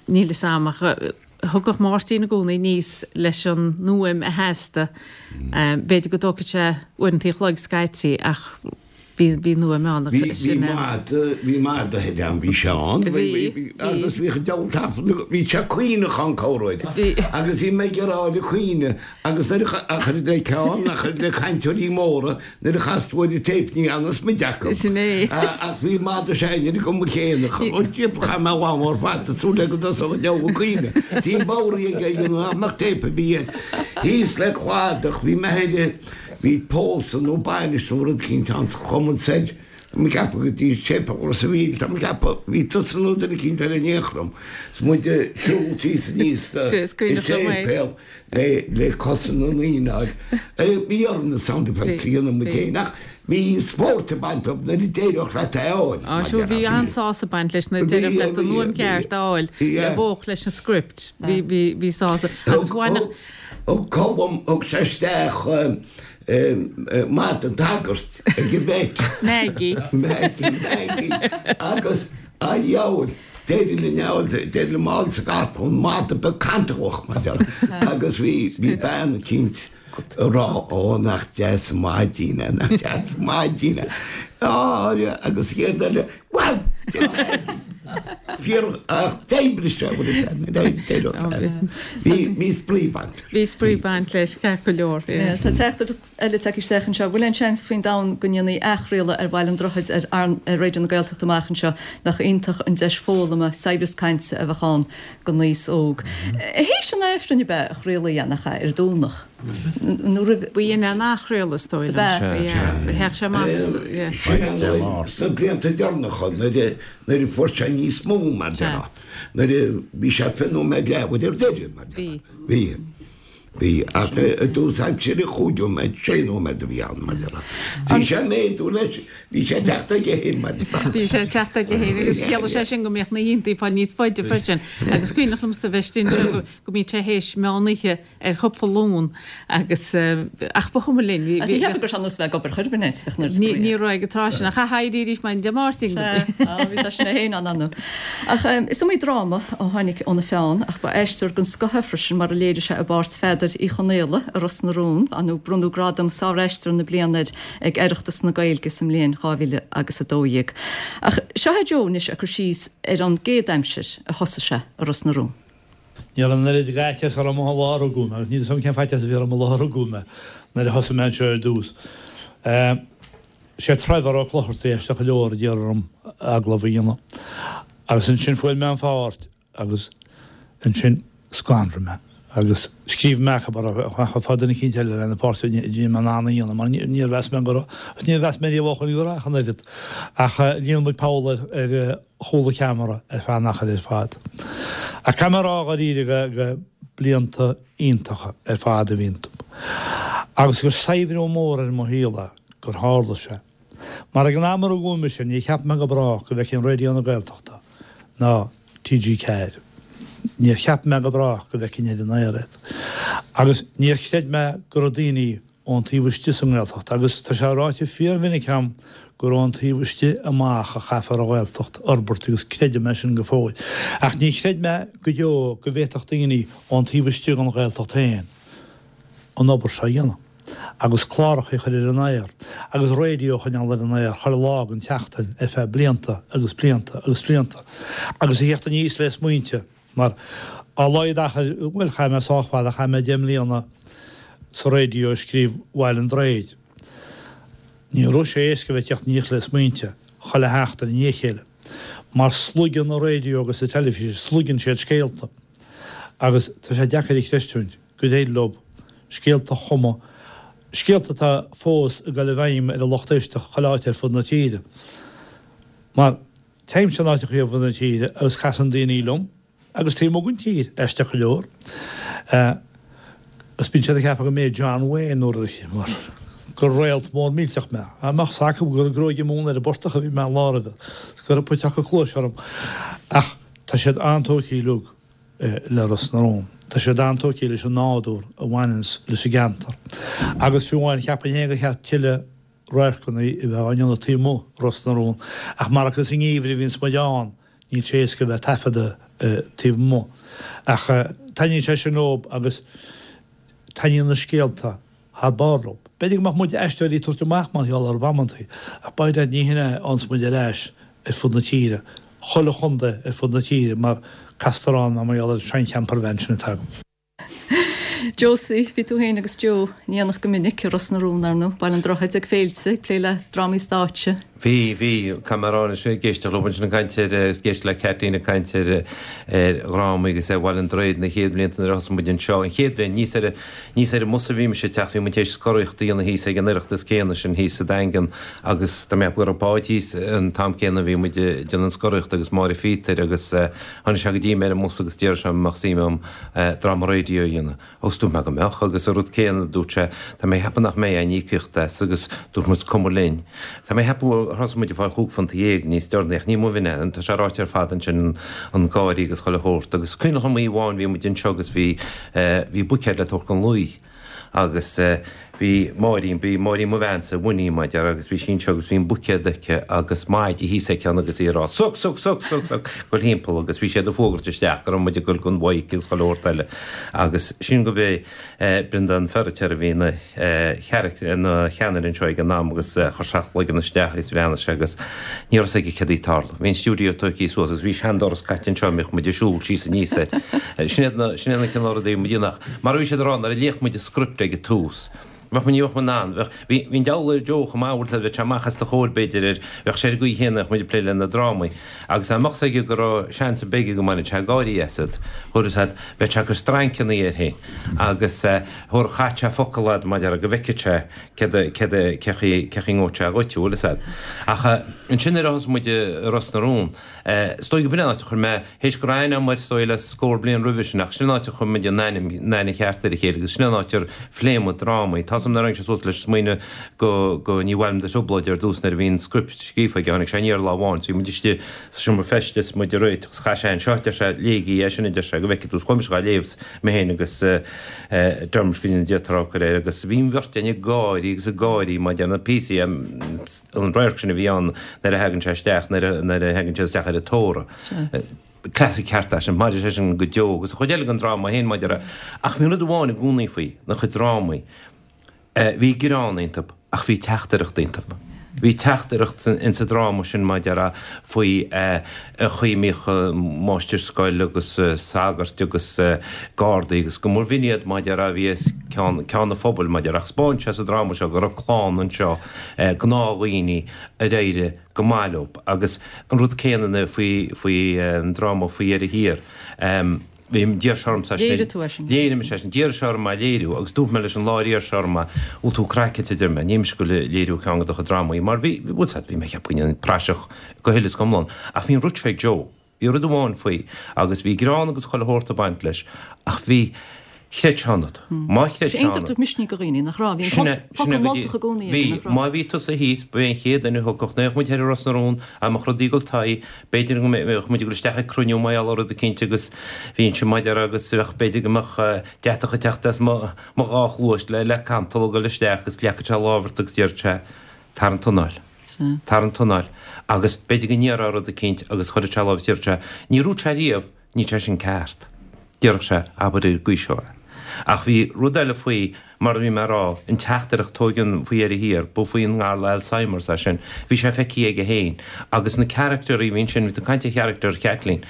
O: níl fhios a'm ach thugadh Máirtín i gcónaí aníos leis an fhuaim a theastaigh. B'fhéidir go dtógfadh sé uaireanta an chloig scaití ach bhí bhí an fhuaim ann
H: Bhí bhí mada bhí mada thoir ann bhí sé ann bhí bhí agus bhíodh an diabhal taifead bhí sé caoineach ann corruair agus bhí mé ag rá le caoineadh agus nuair a chuir le ceann a chuir le cainteoirí móra nuair a chas tú ar an téip ní fhanas muid acu.
O: Sin é.
H: Ach bhí madadh seainnir agam mo chéanna. Chaith mé lá mór fada súil le go dtosódh an diabhal ag caoineadh. Bhí bodhraí ag ag an nach mbeadh téip ar bith air. Thíos le cladach bhí mé thoir bhí pósadh nó bainis nó rud eicínt ann sa chumann soir. Tá mé ag ceapadh go dtí Séipéal Ros an Mhíl, tá mé ag ceapadh, bhí tusa nó duine eicínt eile in aon chor liom, 's muid ag siúl síos aníos sa séipéal le le cosa na ndaoine a fháil. Bhí orainn na sound effects a dhéanamh muid féin ach bhí spórt ag baint leo nuair a d'éireodh leat é a fháil.
O: Á sure, bhí an-sásamh ag baint leis nuair a d'éireodh leat an fhuaim ceart a fháil a bheadh leis an script. Bhí bhí bhí sásamh agus bhainfeadh.
H: Thug Colm, thug sé isteach madadh an tsagairt ag an bheic.
O: Maggie.
H: Maggie, Maggie. Agus, a dheabhail, d'éirigh linn é a fháil, d'éirigh liom é a fháil sa gcartlann, madadh beag cantalach, mar déarfá. Agus bhí, bhí bean eicínt ag rá, ó, nach deas an maidín é, nach deas an maidín é. Á, agus an chéad eile, bhuel, Fíor, ach d'oibrigh sé, bhfuil fhios agat, bhí, bhí spraoi ag baint leis.
O: Bhí spraoi ag baint leis, ceart go leor.
A: Tá teachtaireacht eile tagtha isteach anseo. Bhfuil aon seans faoin domhan go ndéanfaí athchraoladh ar Bhaile an Droichid ar ar Raidió na Gaeltachta amach anseo? Nach iontach an deis foghlama, saibhreas cainte a bheadh ann don aos óg. Théis an Aifrinn ab ea a chraolaí é, nach ea, ar an Domhnach? Nó roimh.
O: B'in é an athchraoladh is dóigh liom. Bheadh sé amach.
H: Sin é nuair, sna blianta deireanacha, nuair a, nuair a fuair sé níos mó, mar déarfá, nuair a bhí sé fiche nóiméad leathuair ar deireadh, mar déarfá. Bhí. Bhí. Ach i dtús aimsire chúig nóiméad, sé nóiméad a bhí ann, mar déarfá. Bhí sé ag méadú leis, bhí sé ag teacht aige féin, mar déarfá.
O: Bhí sé ag teacht aige féin agus chiallaigh sé sin go mbeadh na hoícheantaí ag fáil níos faide freisin. Agus cuimhneach liomsa bheith istigh anseo go, go mbíodh sé théis meán oíche ar chúpla Luan agus ach ba chuma linn.
A: Ach ní cheapaim go raibh sé ar nós bheith ag obair chor ar bith, bheadh an oiread spraoi.
O: Ní raibh ag an tráth sin ach éirí arís maidin Dé Máirt.
A: Sea, bhí sé sin é féin ann ann. Ach is iomaí dráma a tháinig óna pheann ach ba aisteoir den scoth é freisin mar a léirigh sé i bpáirt Pheadair Uí Chonaola i Ros na Rún, nó bronnadh gradam Sár-Aisteoir na Bliana air ag Oireachtas na Gaeilge sa mbliain dhá mhíle agus a dó dhéag. Ach seo é Joe anois ag cur síos ar an gcéad aimsir a thosaigh sé i Ros na Rún.
B: Ní raibh an oiread d'fhaitíos orm an lá a rugadh mé, agus níl 'fhios agam cén faitíos a bhí orm an lá a rugadh mé, nuair a thosaigh mé anseo ar dtús. Sé Trevor Ó Clochartaigh, aisteach go leor, a d'iarr orm agallamh a dhéanamh. Agus ansin fuair mé an pháirt agus ansin scanraigh mé agus scríobh mé amach fá duine eicínt eile lena páirt a bhí mé in ann a dhéanamh mar níor mheas mé go raibh, agus níor mheas mé riamh ó shoin go raibh ach an oiread. Ach líon muid poll ar ar chúl an cheamara ar feadh an achair ar fad. Ach caithfidh mé a rá dháiríre go go blianta iontacha ar fad a bhí iontu. Agus gur saibhriú mór ar mo shaol é gur tharla sé. Mar ag an am a rugadh mise níor cheap mé go brách go bhfeicfinn Raidió na Gaeltachta ná TG Ceathair. Níor cheap mé go brách go bhfeicfinn ar an aer iad. Agus níor chreid mé go raibh daoine ón taobh istigh sa nGaeltacht, agus tá sé ráite fíormhinic agam gur ón taobh istigh amach a chaithfear an Ghaeltacht a fhorbairt agus creidim é sin go fóill. Ach ní chreid mé go deo go bhféadfadh daoine ón taobh istigh den Ghaeltacht féin an obair seo a dhéanamh agus cláracha a chur ar an aer agus raidió a choinneáil ar an aer chuile lá den tseachtain ar feadh blianta agus blianta agus blianta agus a theacht aníos le smaointe mar á laghad achair, bhuel chaith mé sách fada, chaith mé deich mbliana sa raidió ag scríobh Bhaile an Droichid. Ní raibh sé éasca bheith ag teacht aníos le smaointe chuile sheachtain i ndiaidh a chéile mar sloigeann an raidió agus an teilifís, sloigeann siad scéalta agus tá sé deacair a chreistiúint gur éirigh leo scéalta a chumadh, scéalta atá fós ag dul i bhfeidhm ar an lucht éisteachta chuile áit ar fud na tíre. Mar téimse in áiteacha ar fud na tíre agus casann daoine liom agus taobh amuigh den tír, aisteach go leor, agus bíonn siad ag ceapadh go mé John Wayne nó rud eicínt mar gur réalt mór millteach mé. Dá mbeadh 's acu gur ag gruaigeadh móna ar an bportach a bhí mé an lá roimhe, is go raibh puiteach cluaise orm. Ach tá siad an-tógtha uilig le Ros na Rún. Tá siad an-tógtha leis an nádúr a bhaineanns leis an gceantar. Agus fiú amháin cheapfainn féin gur cheart tuilleadh radharcanna a bheith á ndéanamh taobh amuigh Ros na Rún. Ach mar is i ngeimhreadh a bhíonns muid ann, níl sé éasca a bheith ag taifeadadh taobh amuigh. Ach taitníonn sé sin leob agus taitníonn na scéalta thar barr leob. B'fhéidir go mbeadh muid aisteoirí ag tabhairt amach mar gheall orthu amantaí, ach by dad ní hin é a fhaigheanns muid ar ais ar fud na tíre, chuile chontae ar fud na tíre mar castar ann mar gheall ar an sean-champervan sin atá agam.
A: Josie, bhí tú féin agus Joe in éineacht go minic i Ros na Rún, ar ndóigh, Baile an Droichid ag féilte, ag plé le drámaí stáitse.
E: Bhí, bhí, caithfidh mé a rá anois, ag éisteacht leo ansin ag caint ar, agus ag éisteacht le Kathleen ag caint ar, ar dhrámaí agus ar Bhaile an Droichid na chéad bhlianta nuair a thosaigh muid anseo, an chéad bhliain, níos ar, níos ar an mbus a bhí mise ag teacht, bhí muid théis scoraíocht a dhéanamh thíos ag an Oireachtas céanna sin thíos sa Daingean agus tá mé ag ceapadh go raibh Páid thíos an t-am céanna a bhí muid ag déanamh an scoraíocht agus Máire Phíotair agus tháinig sé go dtí mé ar an mbus agus d'iarr sé an mbeadh suim agam dráma raidió a dhéanamh. Agus dúirt mé go mbeadh agus an rud céanna dúirt sé tá mé ag ceapadh nach mbeidh aon íocaíocht as agus dúirt muid cuma linn. Tá mé ag ceapadh gur thosaigh muid ag fáil chúig phunt dhéag níos deireanaí ach ní amuigh é, tá sé ráite ar fad ansin an gáirí agus chuile shórt agus cuimhneach liom oíche amháin bhí muid anseo agus bhí bhí buicéad le tabhairt don luí agus bhí Máirín, bhí Máirín mo bheansa, Winnie mar a déarfá agus bhí sí anseo agus bhí an buicéad aici agus maide thíos aici ann agus í ag rá suck, suck, suck, suck, suck, ag dul thimpeall agus bhí siad ag fuagairt isteach go raibh muid ag dul don mhaidhc agus chuile shórt eile agus sin go b'é Breandán Feiritéar a bhí ina ina cheannaire anseo ag an am agus chuir sé a chloigeann isteach agus bhreathnaigh sé agus ní raibh 'fhios aige céard a bhí ag tarlú. Bhí an stiúideo tógtha suas agus bhí seandoras caite anseo a mbíodh muid ag siúl síos aníos air. Sin iad na, sin iad na cineál rudaí a bhí muid a dhéanamh ach mar a bhí siad ag rá nuair a léadh muid an script ag an tús, Bheadh muid, ní bheadh muid in ann, bheadh, bhí, bhí an deabhal ar Joe chomh maith, bhfuil a fhios agat, bheadh sé amach os do chomhair b'fhéidir ar, bheadh sé ar an gcaoi chéanna, bheadh muid ag plé le na drámaí. Agus dá mbeadh 's aige go raibh seans ar bith aige go mbainfeadh sé gáirí asat, bhfuil a fhios agat, bheadh sé ag cur strainceanna air féin agus eh, thabharfadh, chaith sé focal a'd mar a déarfá go bhfeicfeadh sé céard a, céard a, cé chaoi, cé chaoi ngabhfadh sé dhuit, bhfuil a fhios agat. Ach eh, ansin nuair a thosaigh muid i Ros na Rún, eh, is dóigh go b'in an áit a chuir mé, théis go raibh aithne agam air is dóigh le scór bliain roimhe sin ach sin an áit a chuir muid an aithne, an aithne cheart ar a chéile agus sin an áit ar phléigh muid drámaí. Tá's agam nuair a tháinig sé suas leis an smaoineamh go, go Ní Mhaith Liom do Thrioblóid ar dtús nuair a bhí an script scríofa aige, tháinig sé aniar lá amháin, so bhí muid istigh sa seomra feistis, muid ag réiteach agus chaith sé anseo, deir sé, léigí é sin, a deir sé, go bhfeicfidh tú, 's chuaigh mise dhá léamh, mé féin agus eh, Dermot go ndéana Dia trócaire air agus bhí an bheirt againn ag gáirí agus ag gáirí mar a déarfá na píosaí, an radharc sin a bhí ann nuair a thagann sé isteach, nuair a, nuair a thagann siad isteach ar an tórramh. Classic ceart é sin, mairfidh sé sin go deo agus an chuid eile den dráma féin maidir le, ach bhí rud amháin i gcónaí faoi, na chuid drámaí, bhí greann iontu ach bhí teachtaireacht iontu. Bhí teachtaireacht insa dráma sin mar a déarfá faoi an chaoi a mbíodh máistir scoile agus sagairt agus gardaí agus go mba bh'in iad mar a déarfá a bhí os cionn an phobail mar a déarfá. Ach 'spáin sé sa dráma seo go raibh clann anseo, gnáthdhaoine ar éirigh go maith leo agus an rud céanna faoi faoi an dráma Faoi Dheireadh Thiar. Bhí, d'iarr sé ormsa é sin.
A: Léirigh tú é sin.
E: Léirigh mise é sin. D'iarr sé orm é a léiriú agus dúirt mé leis an lá ar iarr sé orm é, bhfuil tú craiceáilte a deir mé, níl mise ag goil a léiriú ceann de do chuid drámaí mar bhí, bhfuil 's a'd, bhí mé ag ceapadh go ndéanfainn praiseach go huile is go hiomlán. Ach bhí an rud seo ag Joe. Bhí rud amháin faoi agus bhí greann agus chuile shórt ag baint leis ach bhí, chreid sé ionat. Má chreid
A: Sé
E: sé
A: iontach
E: ionat.
A: tabhairt misnigh do dhaoine, nach raibh? Bhí an
E: Sin é,
A: focal
E: sin é go dtí,
A: moltach i gcónaí aige,
E: bhí,
A: nach raibh?
E: má bhí tusa thíos, ba é an chéad duine a thiocfadh, nuair a bheadh muid thoir i Ros na Rún, dá mbeadh rudaí ag dul tae, b'fhéidir go mbeadh muid ag dul isteach ag cruinniú mar gheall ar rud eicínt agus bhínnse mar a déarfá agus bheadh, b'fhéidir go mbeadh deatach ag teacht as mo, mo dhá chluais le, le cantal ag dul isteach agus ghlacfadh sé lámh ort agus déarfadh sé, tar an t-anáil. Tar an t-anáil. Agus b'fhéidir go ndéarfá rud eicínt agus chuirfeadh sé lámh is déarfadh sé, ní dúirt sé riamh, níl sé sin ceart. Déarfadh sé, abair ar an gcaoi seo é. Ach bhí rud eile faoi, mar a bhí mé a rá, an teachtaireacht tóig an Faoi Dheireadh Thiar, ba faoi an ngalar Alzheimer's é sin, bhí sé feicthe aige féin. Agus na caractairí a bhí ansin, bhí tú ag caint ar character Chaitlín.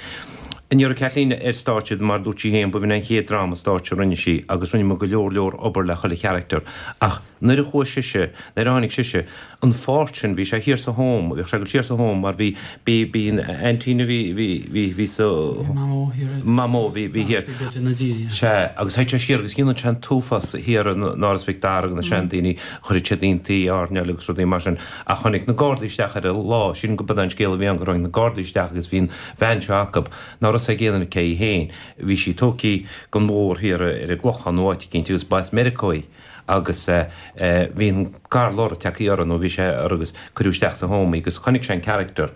E: Ní raibh Caitlín ar stáitse, mar a dúirt sí féin, ba bh'in an chéad dráma stáitse a rinne sí agus rinne muid go leor leor obair le chuile character. Ach nuair a chuaigh sise, nuair a tháinig sise, an pháirt sin, bhí sé thiar sa home, bhíodh sé ag dul siar sa home mar bhí, bhí, bhí an aintín a bhí, bhí, bhí, bhí sa,
C: Mamó thiar ar,
E: Mamó, bhí, bhí thiar.
C: Bhí beirt ina diaidh.
E: Sea, agus théadh sé siar agus dhéanadh sé an t-uafás thiar in Áras Mhic Dara do na seandaoine, chuireadh siad iontaí airneáil agus rudaí mar sin. Ach tháinig na Gardaí isteach air lá, sílim go b'in é an scéal a bhí ann, gur tháinig na Gardaí isteach agus bhí an bhean seo acu, ná raibh a fhios ag aon duine cé hí féin. Bhí sí tógtha gon bhóthar thiar ar an gClochán nó áit eicínt agus ba as Meiriceá í agus bhí an galar tagtha uirthi nó bhí sé uirthi agus cuireadh isteach sa home í agus chonaic sé an character.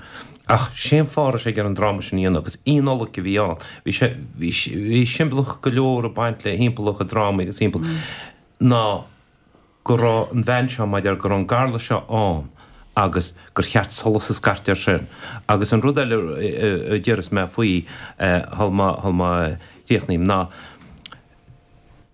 E: Ach sé an fáth a raibh sé ag iarraidh an dráma sin a dhéanamh agus Nollaig a bhí ann. Bhí sé, bhí, bhí siombalach go leor ag baint le thimpeall a chuid drámaí agus thimpeall ná go raibh an bhean seo, mar a déarfá, go raibh an galar seo ann agus gur cheart solas a scairteadh air sin. Agus an rud eile a déarfas mé faoi shul má, shul má chríochnaím ná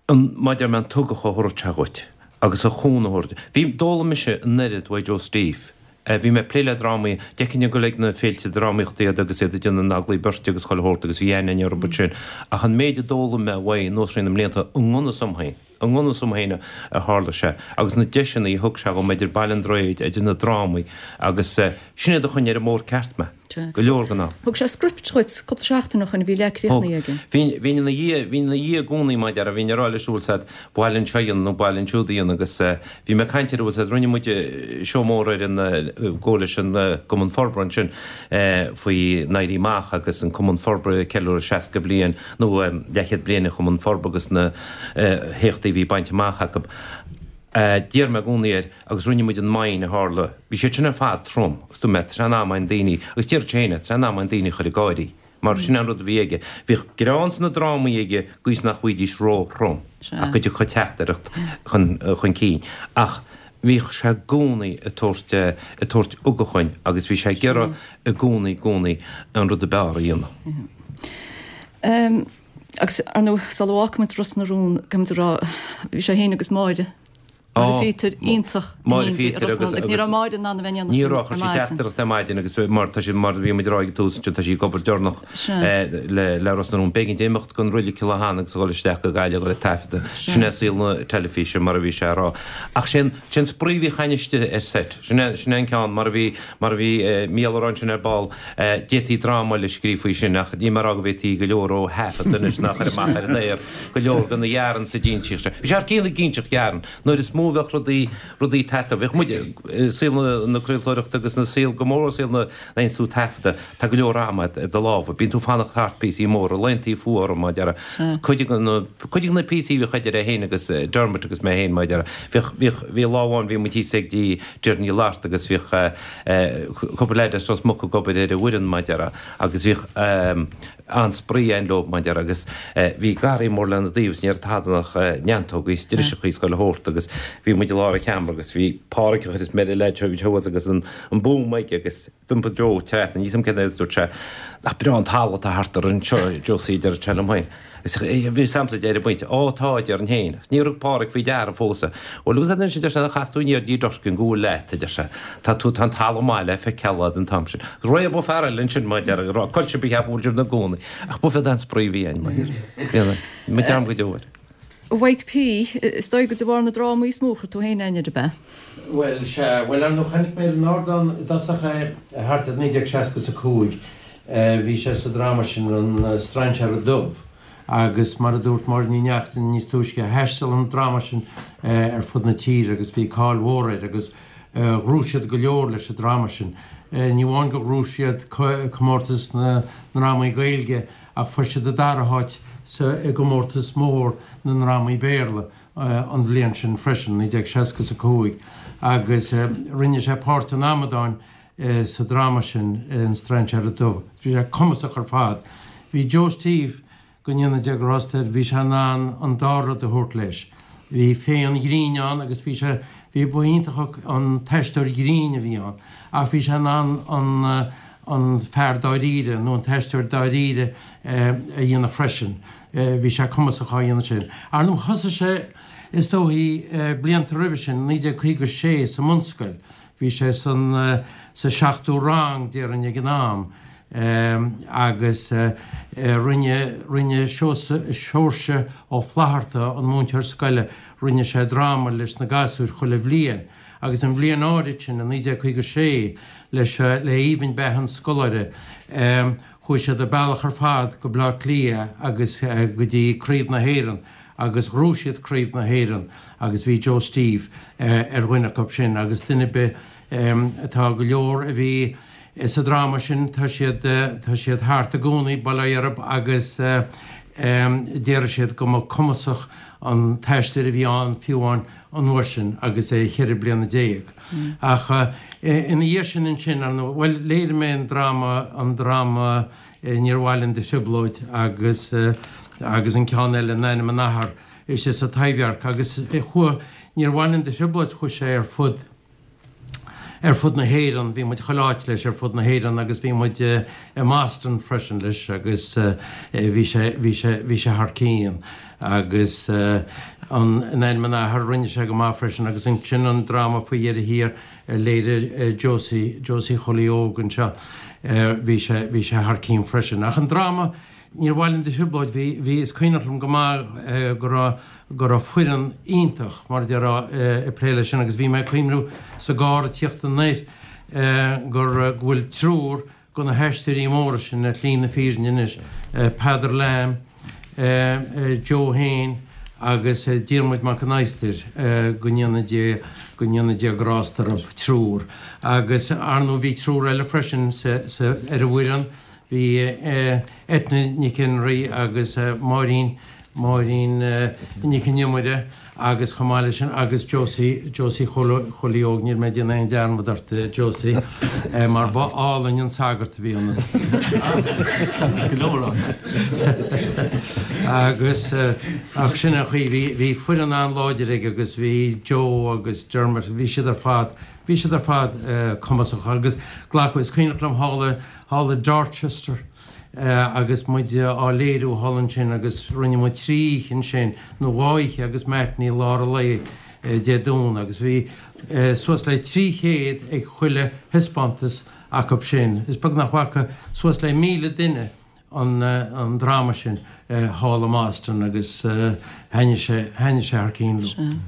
E: an, mar a deir mé, an t-ugach a thabharfadh sé dhuit agus an chúnamh a thabhairt. Bhí, d'fhoghlaim mise an oiread uaidh Joe Steve. Bhí mé ag plé le drámaí, d'fheicfinn ag dul ag na féilte drámaíochta iad agus iad ag déanamh na n-agallaimh beirte agus chuile shórt agus bhí aithne againn orthu sin ach an méid a d'fhoghlaim mé uaidh anuas thrí na mblianta i ngan fhios dom féin, I ngan fhios dom féin a tharla sé agus na deiseanna a thug sé dhom idir Baile an Droichid, idir na drámaí agus sin iad a choinnigh ar an mbóthar ceart mé, go leor den am.
A: Thug sé script dhuit cúpla seachtain ó shoin a bhí leath
E: Thug.
A: críochnaithe aige.
E: Bhínn, bhínn ina dhiaidh, bhínn ina dhiaidh i gcónaí mar a déarfá, bhínn ag rá leis bhfuil 's a'd, ba mhaith linn seo a dhéanamh nó ba mhaith linn siúd a dhéanamh agus bhí mé ag caint air bhfuil 's a'd, rinne muid seó mór ar an, go leis an gCumann Forbartha ansin faoi an Éirí Amach agus an Cumann Forbartha ag ceiliúradh seasca bliain nó leathchéad bliain an Chumann Forbartha agus na héachtaí a bhí bainte amach acu. D'iarr mé i gcónaí air agus rinne muid an mine a tharla. Bhí siad sin ar fad trom agus dúirt mé, tá sé in am againn daoine, agus deireadh sé féin é, tá sé in am againn daoine a chur ag gáirí. Mar sin é an rud a bhí aige. Bhíodh greann sna drámaí aige gcaoi is nach bhfaighidís ró-throm ach go dtiocfadh teachtaireacht chun chun cinn. Ach bhíodh sé i gcónaí ag tabhairt ag tabhairt ugach dhuinn agus bhí sé ag iarraidh i gcónaí i gcónaí an rud a b'fhearr a dhéanamh.
A: Agus, ar ndóigh, sula bhfágfaimid Ros na Rún, caithfimid a rá, bhí sé féin agus Máire, Máire Phíotair, iontach in
E: Máire
A: éindí i
E: Phíotair
A: Ros na
E: agus
A: Rún. Agus ní raibh Máire in ann a bheith in éineacht
E: Ní
A: linn
E: raibh,
A: ar
E: chuir sí
A: maidin.
E: teachtaireacht ar maidin agus mar tá sí, mar a bhí muid ag rá ag an tús ansin, tá sí ag obair deireanach le le Ros na Rún. B'éigean di imeacht den reilig Cill Átha Eanna agus a dhul isteach go Gaillimh a dhul ag taifeadadh. Sin é saol na teilifíse mar a bhí sé a rá. Ach sé an, sé an spraoi a bhíodh againn istigh ar seit. Sin é, sin é an ceann, mar a bhí, mar a bhí Mícheál a rá ansin ar ball, D'fhéadfaí dráma eile a scríobh faoi sin ach níl mé ag rá go bhféadfaí go leor ó thaifead anois ná a chur amach ar an aer, go leor de na yarns a d'insíodh sé. Bhí sé thar cionn ag inseacht yarn. Nuair is mó a bheadh rudaí, rudaí ag teastáil, bheadh muid, i saol na craoltóireachta agus na saol, go mór saol na n-institiúid taifeadta, tá go leor ama i do lámha. Bíonn tú ag fanacht thart píosaí móra, laethanta fuara mar a déarfá. Cuid de na, cuid de na píosaí a bhíodh idir é féin agus Dermot agus mé féin mar a déarfá. Bhíodh, bhíodh, bhí lá amháin bhí muid thíos ag dtí Doireann Ní Fhlatharta agus bhíodh cúpla leaid as Ros Muc ag obair ar an bhfoireann mar a déarfá agus bhíodh an-spraoi againn leo mar a déarfá agus bhí garraí mór lena dtaobh is ní raibh tada ach neantógaí is driseachaí is chuile shórt agus bhí muid i lár an sheomra agus bhí Pádraig an chuid is meire leaid seo thuas agus an an boom aige agus d'iompaigh Joe trasna, níl 'fhios a'm cén agus dúirt sé, nach breá an talamh atá thart orainn anseo, Josie, a deir sé liom féin. Agus bhí 'fhios a'msa ag deireadh an phointe, Ó tá, a déarfainn féin. Agus níor thug Pádraig faoi deara fós é. Bhuel, agus ansin deir sé, nár chas tú aniar dtí Durkin go bhfuil leat, a deir sé. Tá tú, tá an talamh maith le feiceáil a'd an t-am sin. Réabadh fear eile ansin, mar a déarfá, ag rá, Coillte ba cheap go bhfuil sibh ina gcónaí. Ach b'fhéidir an spraoi a bhí ann, mar a déarfá. Bhí muid am go deo air.
A: A Mhaidhc P, is dóigh gur de bharr na drámaí is mó a chuir tú féin aithne air, ab ea?
P: Bhuel, sea. Bhuel, ar ndóigh, chonaic mé ar an ardán i dtosach é thart ar naoi déag seasca is a cúig. Bhí sé sa dráma sin, An Strainséara Dubh, agus mar a dúirt Máire Ní Neachtain níos túisce, thaistil an dráma sin ar fud na tíre agus bhí cáil mhór air agus ghnóthaigh siad go leor leis an dráma sin. Ní amháin gur ghnóthaigh siad comórtas na ndrámaí Gaeilge ach fuair siad an dara háit sa i gcomórtas mór na ndrámaí Béarla an bhliain sin freisin, naoi déag seasca is a cúig, agus rinne sé páirt an amadáin sa dráma sin, An Strainséara Dubh. Bhí sé cumasach ar fad. Bhí Joe Steve, go ndéana Dia grásta air, bhí sé in ann an dá rud a thabhairt leis. Bhí féith an ghrinn ann agus bhí sé, bhí, ba iontach an t-aisteoir grinn a bhí ann, ach bhí sé in ann an, an fear dáiríre nó an t-aisteoir dáiríre a dhéanamh freisin. Bhí sé cumasach á dhéanamh sin. Ar ndóigh, thosaigh sé, is dóichí, blianta roimhe sin, naoi déag caoga a sé, sa mbunscoil. Bhí sé san sa seachtú rang, déarfainn, ag an am agus rinne rinne Seoirse Ó Flatharta, an múinteoir scoile, rinne sé dráma leis na gasúir chuile bhliain agus an bhliain áirid sin, i naoi déag caoga a sé, leis le Aoibhinn Beatha an Scoláire, chuaigh siad an bealach ar fad go Bleá Cliath agus go dtí Craobh na hÉireann agus ghnóthaigh siad Craobh na hÉireann agus bhí Joe Steve ar dhuine acu sin agus duine ar bith atá go leor a bhí sa dráma sin tá siad tá siad thart i gcónaí, bail ó Dhia orthu agus déarfaidh siad go mba cumasach an t-aisteoir a bhí ann fiú amháin an uair sin agus é cheithre bliana déag. Ach ina dhiaidh sin ansin, ar ndóigh, bhuel léirigh mé an dráma an dráma Níor Mhaith Linn do Thrioblóid agus agus an ceann eile In Ainm an Athar istigh sa Taibhdhearc agus chuaigh Níor Mhaith Linn do Thrioblóid chuaigh sé ar fud ar fud na hÉireann, bhí muid chuile áit leis ar fud na hÉireann agus bhí muid i mBoston freisin leis agus bhí sé bhí sé bhí sé thar cionn agus an In Ainm an Athar rinne sé go maith freisin agus ansin an dráma faoi dheireadh thiar ar léirigh Josie Josie Chóilí Óg anseo bhí sé bhí sé thar cionn freisin. Ach an dráma Níor Mhaith Linn do Thrioblóid, bhí bhí is cuimhneach liom go maith go raibh go raibh foireann iontach mar a déarfá ag plé leis sin agus bhí mé ag cuimhniú sa gcarr ag tíocht anoir gur go bhfuil triúr de na haisteoirí móra sin ar shlí na fírinne anois, Peadar Lamb, Joe féin agus Diarmuid Mac an Adhastair, go ndéana Dia go ndéana Dia grásta orthu, triúr. Agus ar ndóigh bhí triúr eile freisin sa sa ar an bhfoireann, Bhí Eithne Nic Enrí agus Máirín, Máirín Nic an Iomaire agus chomh maith leis sin agus Josie, Josie Chóilí Óg, níl mé ag déanamh aon dearmad ort Josie, mar ba álainn an sagart a bhí ionat.
F: Sagart go leor ann.
P: Agus ach sin an chaoi, bhí, bhí foireann an-láidir aige agus bhí Joe agus Dermot, bhí siad ar fad, bhí siad ar fad cumasach agus glacadh, is cuimhneach liom thall i, thall i Dorchester agus muid á léiriú thall ansin agus rinne muid trí oíche ansin, nó dhá oíche agus matinee lár an lae Dé Domhnaigh agus bhí suas le trí chéad ag chuile thaispeántas acu sin. Is beag nach bhfaca suas le míle duine an dráma sin thall i mBoston agus thaitnigh sé, thaitnigh sé thar cionn leo.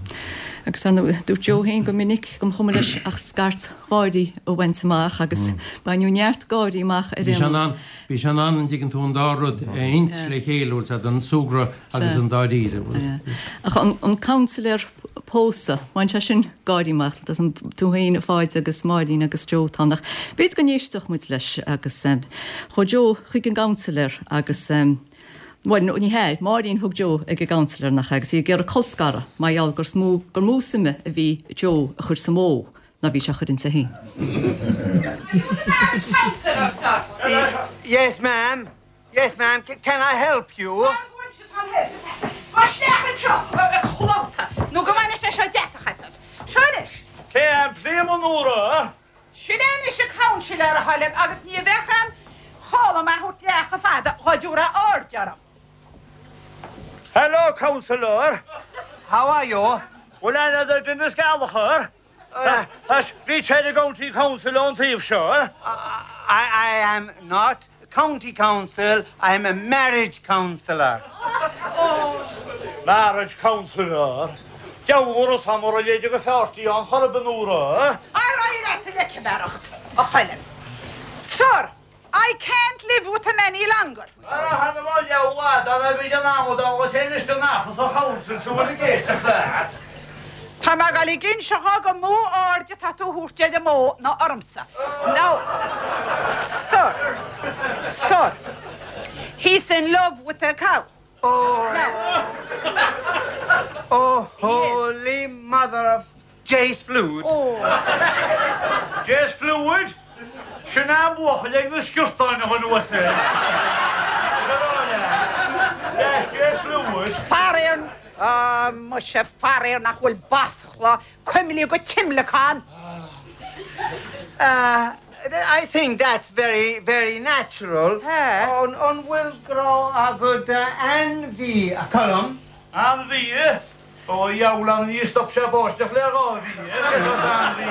A: Agus ar ndóigh, dúirt Joe féin go minic go mba chuma leis ach scairt gháirí a bhaint amach agus baineadh neart gáirí amach ar
P: Bhí sé
A: aon
P: in
A: nós.
P: ann, bhí sé in ann, an dtuigeann tú, an dá rud a roinnt le chéile, bhfuil 's a'd, an súgradh agus an dáiríre, bhfuil.
A: Ach an counselor pósadh, bhain sé sin gáirí amach, tú féin a Pháid agus Máirín agus Joe atá ann ach b'fhéidir go n-éistfeadh muid leis agus chuaigh Joe chuig an gcounselor agus bhuel ní hea, Máirín thug Joe ag an gcounselor nach ea agus í ag iarraidh colscaradh mar gheall gur mó gur mó suime a bhí Joe a chur sa mbó ná bhí sé a chur inti féin.
J: Are you the marriage counsellor, sir?
Q: Yes, ma'am. Yes, ma'am. Can I help you?
J: Mar go bhfuil siad an help. Gabh isteach anseo, a chlóta, nó go mbainfidh sé seo deatach asat.
B: Cé an Pléama Nóra?
J: Sin é anois an councillor a Choilm agus ní bheadh aon chall orm é a thabhairt leath chomh fada dhá dtabharfá aird orm.
B: Hello, councillor.
Q: How are you?
B: Bhfuil aithne agat ar Denis Gallagher? Tá bhí sé i gCounty Council ón taobh seo.
Q: I, I am not county council, I am a marriage counsellor.
B: Marriage counsellor. Deabhar is amar a léide go feartí an chorb an uair.
J: Ar aghaidh leis an leiciméireacht, a Choilm. Sir, I can't live with him any longer.
B: Ar a hanam á leabhla dan a bhí an amadán go téis den afas a council sú bhfuil ag éisteacht leat.
J: Tá mé ag dul ag inse dhó gur mó aird atá tú a thabhairt ar an mbó ná ormsa. Now, sir, sir, he's in love with a cow.
Q: Oh,
J: Now,
Q: oh, holy mother of Jase Fluid.
J: Oh.
B: Jase Fluid? Sin an buachaill ag na sciortáin a anuas é. Jase Fluid.
J: Faraor, ah, muise faraor nach bhfuil bascla cuimlí go timleacán.
Q: Uh, I think that's very, very natural. An, an bhfuil grá agat d'ainmhí, a Cholm?
B: Ainmhí? Ó dheabhail ní stop sé báisteach le dhá mhí, ainmhí.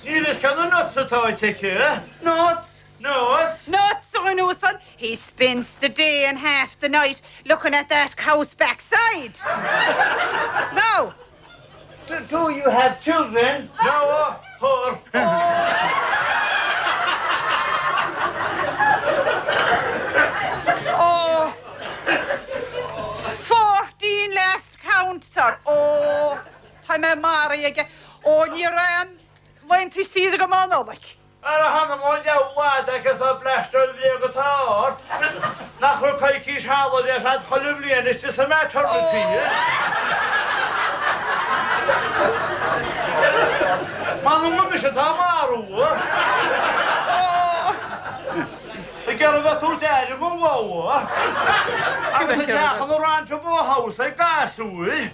B: Níl is cén nuts atá aici?
Q: Nuts?
B: Nuts?
J: Nuts, a dhuine uasail. He spends the day and half the night looking at that cow's backside. Now,
Q: Do, do you have children?
B: No, her.
J: Oh, fourteen last count, sir. Oh, tá mé maraithe aige. Ó, ní raibh aon laethanta saoire agam um Nollaig.
B: Ar a hanam ón leabhla agus a bleasteáil bhréag atá ort. Nach raibh coicís holidays agat chuile bhliain istigh sa maternity. M'anam go mise atá marú. Ag iarraidh bheith tabhairt aire don bhó. Agus a teach an ranch bó house ag gasúir.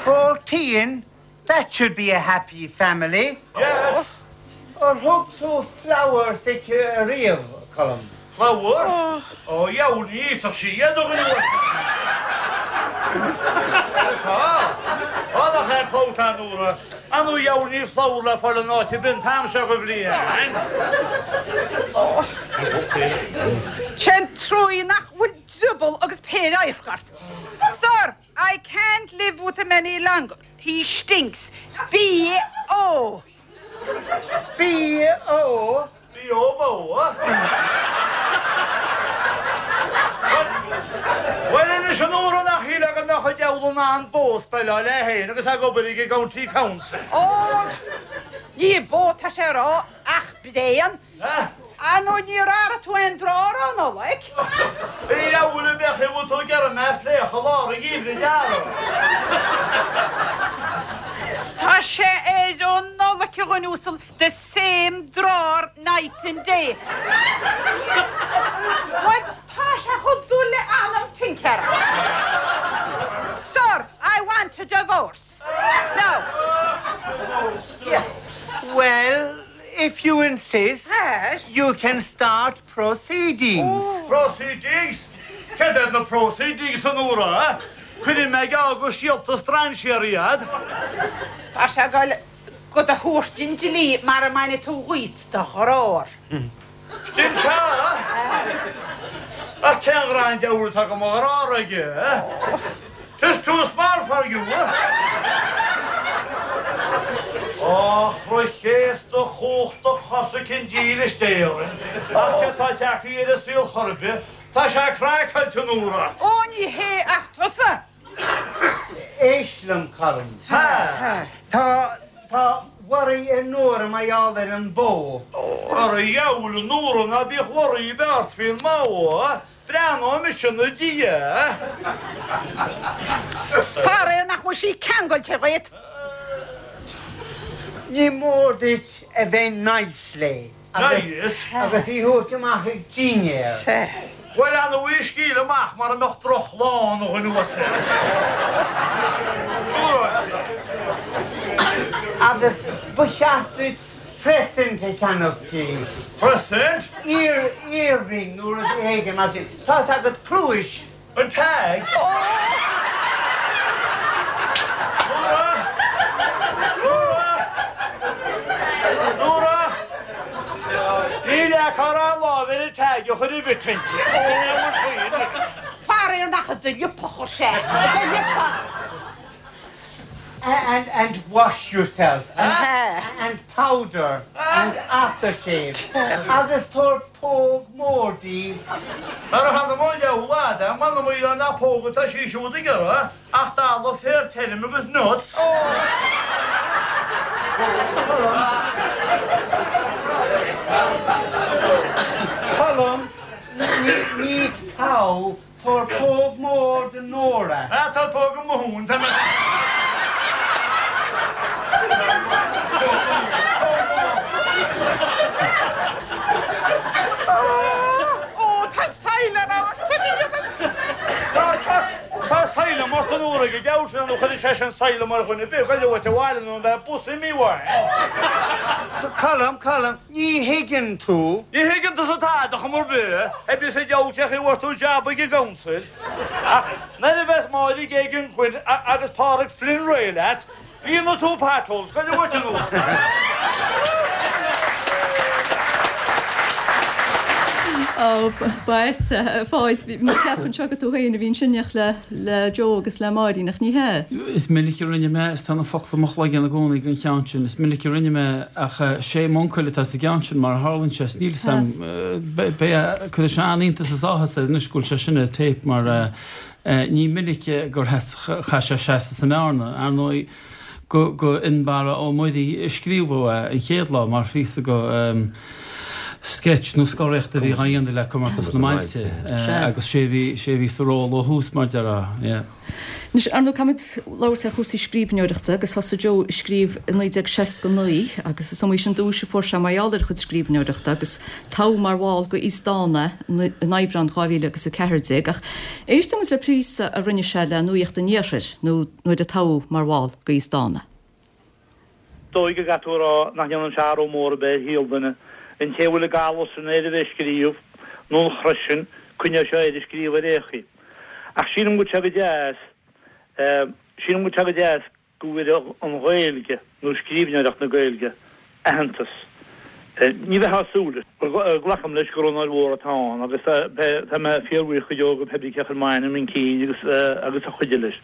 Q: Fourteen? That should be a happy family.
B: Yes.
Q: Ar thug tú flowers aici ariamh, Colm?
B: Flowers? Ó dheabhail ní íosfadh sí iad a dhuine uasail. Tá. Ó nach é clót an uair. An ó dheabhail níl flower le fáil in áit ar bith an t-am seo de bhliain.
J: Sin trua nach bhfuil drioball agus péire adharc ort. Sir, I can't live with him any longer. He stinks. B O.
Q: B O?
B: B O bó. Bhuel anois an uair nach shílfeá go mbeadh an diabhal in ann bó a speileáil é féin agus ag obair ag an gCounty Council.
J: Ó, ní bó atá sé a rá ach bréan. Ar ndóigh níor airigh tú aon drár um Nollaig.
B: A dheabhail a bheadh i bhfuil tú ag iarraidh mé a phléacadh i lár an gheimhridh d'fhearadh.
J: Tá sé air ó Nollaig a dhuine uasail, the same drár night and day. Bhuel, tá sé chomh dul le anam tincéara. Sir, I want a divorce. Now. Yeah.
Q: Well, if you insist, you can start proceedings.
B: Proceedings? Cad iad na proceedings a Nóra? Cuirfidh mé geall go síolta strainséara iad.
J: Tá sé ag dul do do thabhairt don dlí mara mbaine tú dhíot do dhrár.
B: Sin sea! Ach cén ghrá an diabhal atá do mo dhrár aige? 'Tis too small for you! A chroí chéasta chumhachtach chosa cinn dílis d'Éirinn, ach cé tá tagtha ar an saol chor ar bith, tá sé craiceáilte, a Nóra.
J: Ó, ní hé ach tusa!
Q: Éist liom, Colm. Tá, tá worry ar Nóra mar gheall ar an bhó.
B: Ar a dheabhail, a Nóra, ná bíodh worry ar bith ort faoin mbó. Breathnóidh mise ina diaidh.
J: Faraor nach bhfuil sí ceangailte dhuit.
Q: Ní mór duit a bheith nice léi.
B: Nice?
Q: Agus í thabhairt amach ag dinnéar.
J: Sea.
B: Bhuel, ar ndóigh í a scaoileadh amach mara mbeadh drochlá ann a dhuine uasail. Siúráilte.
Q: Agus ba cheart duit present a cheannach di.
B: Present?
Q: Ear earring nó rud éigin mar sin. Tá a fhios agat pluais.
B: An tag? Nóra! Nóra! Nóra! Níl ach ar an lámh ar an tag a chur i bhfit inti.
J: Faraor nach i do liopa a chuir sé. I do liopa!
Q: And and wash yourself and and powder and aftershave agus tabhair póg mór di.
B: Mar a tharla mo leabhar lad, m'anam í nach póg atá sí siúd ag iarraidh ach dalladh féar tirim agus nuts.
Q: Colm, ní ní togh Tabhair póg mór do Nóra.
B: Ah, tá póg i mo thóin, tá mé.
J: Ó, tá sailean ort, cad a dhéanann?
B: Tá, tá, tá sailean ort a Nóra, go deabhal sin nó chuirfeadh sé sin sailean ar dhuine ar bith, goil uait abhaile nó beidh bus imithe uaidh.
Q: Colm, Colm, ní thuigeann tú.
B: Ní thuigeann tusa tada chuma ar bith, a bhí sa deabhal cé chaoi a bhfuair tú jab ag an gcouncil. Ach nuair a bheas Máire Geoghegan Quinn agus Pádraig Flynn réidh leat, líonfaidh tú potholes, goil uait a Nóra.
A: Ó, ba ait, a Pháid, bhí muid ag ceapadh anseo gur tú féin a bhí ansin le le Joe agus le Máirín, ach ní hea.
C: Is minic a rinne mé, is tá na focla i mo chloigeann i gcónaí den cheann sin, is minic a rinne mé, ach sé m'uncail atá sa gceann sin mar a tharlaíonn sé, is níl 'fhios a'm, beidh, cuirfidh sé an-iontas is áthas air anois go bhfuil sé sin ar tape mar ní minic gur chaith sé seasamh sa mbearna, ar ndóigh go go Fhionnbarra Ó Muirí a scríobhadh é an chéad lá mar phíosa go sketch nó scoraíocht a bhí á dhéanamh le Comórtas na mBailte agus sé bhí sé bhí sa ról ó thús mar déarfá, yeah.
A: Anois, ar ndóigh, caithfimid labhairt ar chúrsaí scríbhneoireachta agus thosaigh Joe ag scríobh i naoi déag seasca naoi agus is iomaí sin duais a fuair sé mar gheall ar a chuid scríbhneoireachta agus toghadh mar bhall go Aosdána é in Aibreán dhá mhíle agus a ceathair déag ach éistfidh muid le píosa a rinne sé le Nuacht an Iarthair nó nuair a toghadh mar bhall go Aosdána.
B: Dóigh go gcaithfidh tú a rá nach ndéanann sé athrú mór ar bith ar shaol duine. An té a bhfuil an galar sin air a bheith ag scríobh, nó an chrois sin, coinneoidh sé air ag scríobh ar aon chaoi. Ach sílim go bhfuil sé go deas, sílim go bhfuil sé go deas go bhfuair an Ghaeilge, nó scríbhneoireacht na Gaeilge, aitheantas. Ní bheifeá ag súil leis. Glacaim leis gur onóir mhór atá ann agus tá mé fíorbhuíoch go deo go pé brí cé a chuir m'ainm chun cinn agus agus a chuidigh leis.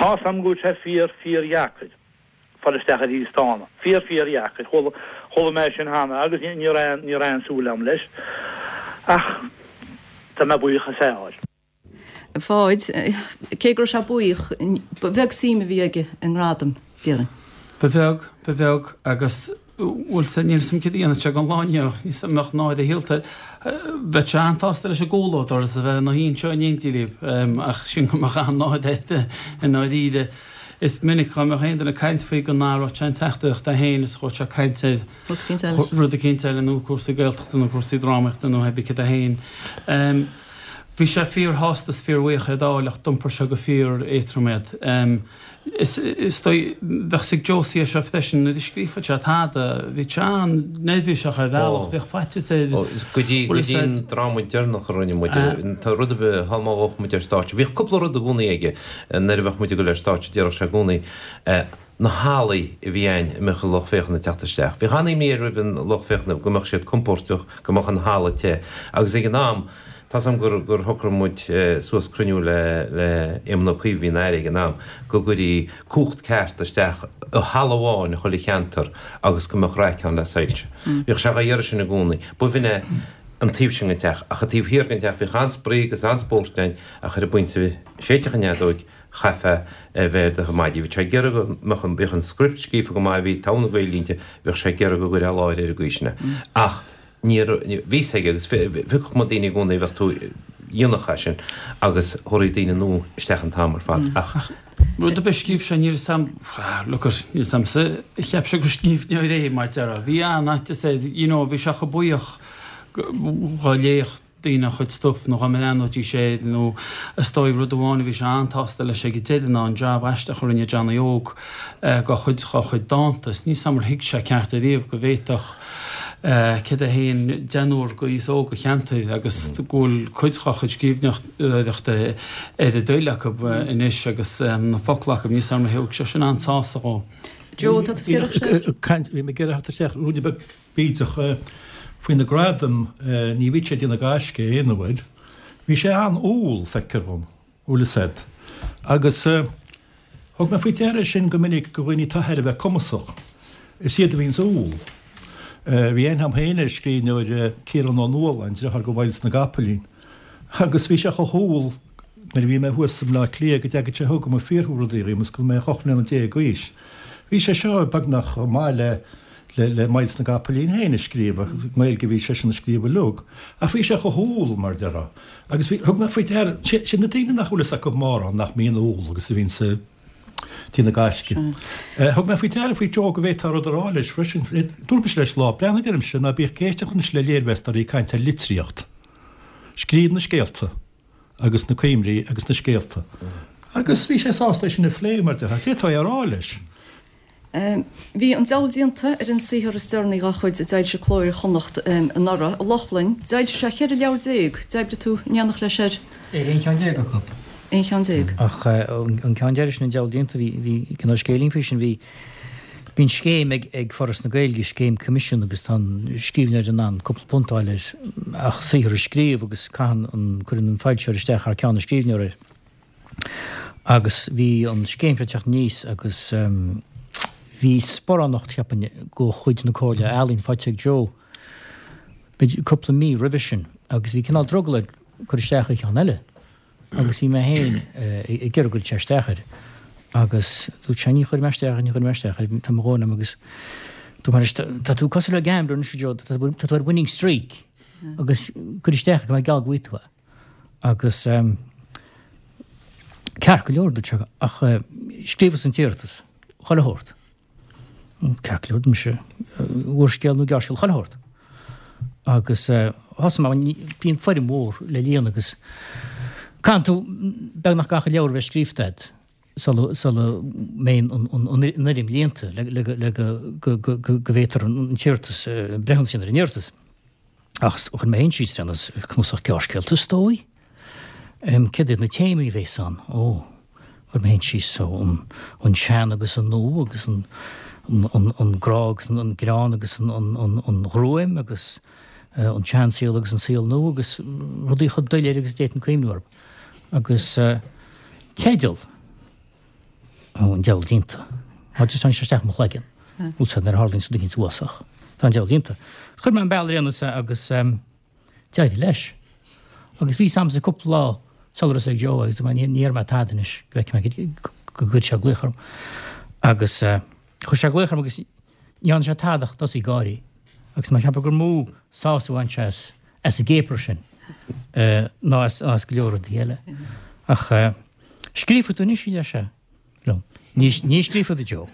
B: Tá's a'm go bhfuil sé fíor, fíordheacair. fáil isteach ar Aosdána. Fíor fíor dheacair. Chuala chuala mé sin cheana agus ní raibh ní raibh aon súil agam leis. Ach tá mé buíoch as é a fháil.
A: A Pháid, cé go raibh sé buíoch, ba bheag suim a bhí aige i ngradam, déarfainn.
C: Ba bheag, ba bheag agus bhfuil 's níl 's a'm céard a dhéanfadh sé don lá inniu, níl 's a'm an mbeadh náire a shaolta. Bheadh sé an-tsásta leis an gcomhluadar is a bheith ina shuí anseo in éindí libh ach sin go mbeadh an-náire air i ndáiríre. Is minic dhá mbeadh aon duine ag caint faoi go n-athródh sé an teachtaireacht é féin is ghabhfadh sé ag caint ar rud eicínt eile nó cúrsaí Gaeltachta nó cúrsaí drámaíochta nó pé bith céard é féin. Bhí sé fíorshásta is fíorbhuíoch é d'fháil ach d'iompair sé go fíor-éadtrom iad. Is is dóigh, bheadh 's ag Josie é seo freisin, nuair a scríobhfadh sé tada, bhí sé an-neirbhíseach ar bhealach, bhíodh faitíos air.
E: Go dtí go dtí an dráma deireanach a rinne muid, tá rud ar bith, thall má bheadh muid ar stáitse, bhíodh cúpla rud i gcónaí aige, nuair a bheadh muid ag dul ar stáitse, déarfadh sé i gcónaí, na hallaí a bhí ann a mbeadh an lucht féachana ag teacht isteach. Bhíodh an-imní air roimh an lucht féachana go mbeadh siad compóirteach, go mbeadh an halla te agus ag an am, tá's agam gur gur shocraigh muid suas cruinniú le le Éamon Ó Cuív a bhí ina Aire ag an am, go gcuirí cumhacht ceart isteach i halla amháin i chuile cheantar agus go mbeadh raic ann le soilse. Bhíodh sé dhá iarraidh sin i gcónaí. B'shin é an taobh sin den teach. Ach an taobh thiar den teach bhíodh an-spraoi agus an-spórt ann ach ar an bpointe a séidfeadh an fheadóig chaithfeá a bheith ar do mhaidí. Bhí sé ag iarraidh go mbeadh an bhíodh an script scríofa go maith, bhí togha na Gaeilge inti, bhíodh sé ag iarraidh go gcuirfeá i láthair ar an gcaoi sin é. Ach ní raibh, bhí fhios aige agus phiocfadh muid daoine i gcónaí a bheadh tú dhéanfadh é sin agus thabharfaí daoine nua isteach an t-am ar fad ach.
C: Rud ar bith a scríobh sé, níl 'fhios a'm, look at, níl 'fhios a'msa, cheap sé gur scríbhneoir é mar déarfá. Bhí an-fhaitíos air, you know, bhí sé chomh buíoch dhá léamh. daoine a chuid stuif nó dá mbreathnóidís air nó is dóigh rud amháin a bhí sé an-tsásta leis ag an deireadh ná an jab aisteach a rinne Johnny Óg dá chuid dá chuid dánta. Is níl 's a'm ar thuig sé ceart ariamh go bhféadfadh céad é féin deichniúr go aos óg an cheantair agus go bhfuil cuid dá chuid scríbhneoireachta ar a dtoil acu anois agus na focla acu. Níl 's a'm ar thug sé sin an-sásamh dhó.
A: Joe, tá tú ag iarraidh
G: isteach? Bhí mé ag iarraidh theacht isteach ruainne beag bídeach faoi na gradaim, ní bhíodh sé ag déanamh gaisce aon uair. Bhí sé an-umhal, feictear dhom, bhfuil fhios a'd. Agus thug mé faoi deara sin go minic go dhaoine atá thar a bheith cumasach, is iad a bhíonns umhal. Bhí aithne a'm féin ar scríbhneoir, Ciarán Ó Nualláin, deartháir go Mhyles na gCapaillín, agus bhí sé chomh humhal nuair a bhí mé thuas i mBleá Cliath go dteagadh sé chugam ag fiafraí rudaí dhíom is go raibh mé ocht mbliana déag d'aois. Bhí sé seo beagnach chomh maith le le Myles na gCapaillín féin a scríobh, ach i nGaeilge a bhí seisean a scríobh uilig. Ach bhí sé chomh humhal, mar déarfá. Agus bhí, thug mé faoi deara, sin na daoine nach bhfuil fhios acu mórán nach mbíonn umhal agus a bhíonns ag déanamh gaisce. Thug mé faoi deara faoi Joe go bhféadfá rud a rá leis freisin. Dúirt mise leis lá, breathnaigh, deirimse, ná bíodh ag éisteacht anois le léirmheastóirí ag caint ar litríocht. Scríobh na scéalta agus na cuimrí agus na scéalta. Agus bhí sé sásta é sin a phlé, mar déarfá. D'fhéadfá é a rá leis.
A: Bhí An Diabhal Déanta ar an saothar is deireanaí dá chuid a d'fhoilsigh Cló Iar-Chonnacht anuraidh. A Lochlainn, d'fhoilsigh sé cheithre leabhar déag. D'oibrigh tú in éineacht leis ar.
R: Ar aon cheann déag acu.
A: Aon cheann déag.
R: Ach an ceann deiridh sin, An Diabhal Déanta, bhí, bhí cineál scéilín faoi sin. Bhí, bíonn scéim ag, ag Foras na Gaeilge, scéim coimisiún agus tá an scríbhneoir in ann cúpla punt a fháil ar ach saothar a scríobh agus caitheann an, cuireann an foilsitheoir isteach thar ceann an scríbhneora air. Agus bhí an scéim seo ag teacht aníos agus bhí sparánacht, cheapfainn, de chuid na Comhairle Ealaíon faighte ag Joe b'fhéidir cúpla mí roimhe sin agus bhí cineál drogall air cur isteach ar cheann eile agus bhí mé féin ag iarraidh go gcuirfeadh sé isteach air agus dúirt sé ní chuirfidh mé isteach air, ní chuirfidh mé isteach air, tá mo dhóthain agam agus dúirt mé leis tá tú cosúil le gambler anois a Joe, tá tú ar winning streak agus cuir isteach air go mbeidh geall go bhfaighidh tú é. Agus ceart go leor, dúirt sé, ach scríobhas an t-iarratas, chuile shórt. Ceart go leor, mise, úrscéal nó gearrscéal, chuile shórt. Agus thosaigh mé, bíonn foirm mhór le líonadh agus caitheann tú beagnach gach leabhar a bheith scríofa agat sula sula mbeidh an fhoirm líonta le go go bhféadfar an t-iarratas, breithiúnas a dhéanamh ar an iarratas. Ach chuir mé féin síos ar aon nós, cnuasach gearrscéalta is dóigh. Céard iad na téamaí a bhéas ann? Ó, chuir mé féin síos ó, an sean agus an nua agus an an grá agus an greann agus an ghruaim agus an seansaol agus an saol nua agus rudaí chomh doiléir agus a d'fhéadfainn cuimhniú orthu. Agus teideal. Ó, an diabhal déanta. Má just tháinig sé isteach i mo chloigeann. Bhfuil sé nuair a tharlaíonn rud éicint uafásach. Tá an diabhal déanta. Chuir mé an bealach ar aon nós agus d'éirigh leis. Agus bhí a fhios a'msa cúpla lá sula raibh a fhios ag Joe agus dúirt mé ní dhéarfaidh mé tada anois go bhfeicfidh mé go gcuirfidh sé glaoch orm. Agus chuir sé glaoch orm agus ní dhearna sé tada ach tosaí ag gáirí. Agus mé ag ceapadh gur mó sásamh a bhain sé as as an gcéapar sin ná as as go leor rudaí eile. Ach Scríobhfaidh tú anois, a deir sé liom. Ní, ní scríobhfad, a Joe.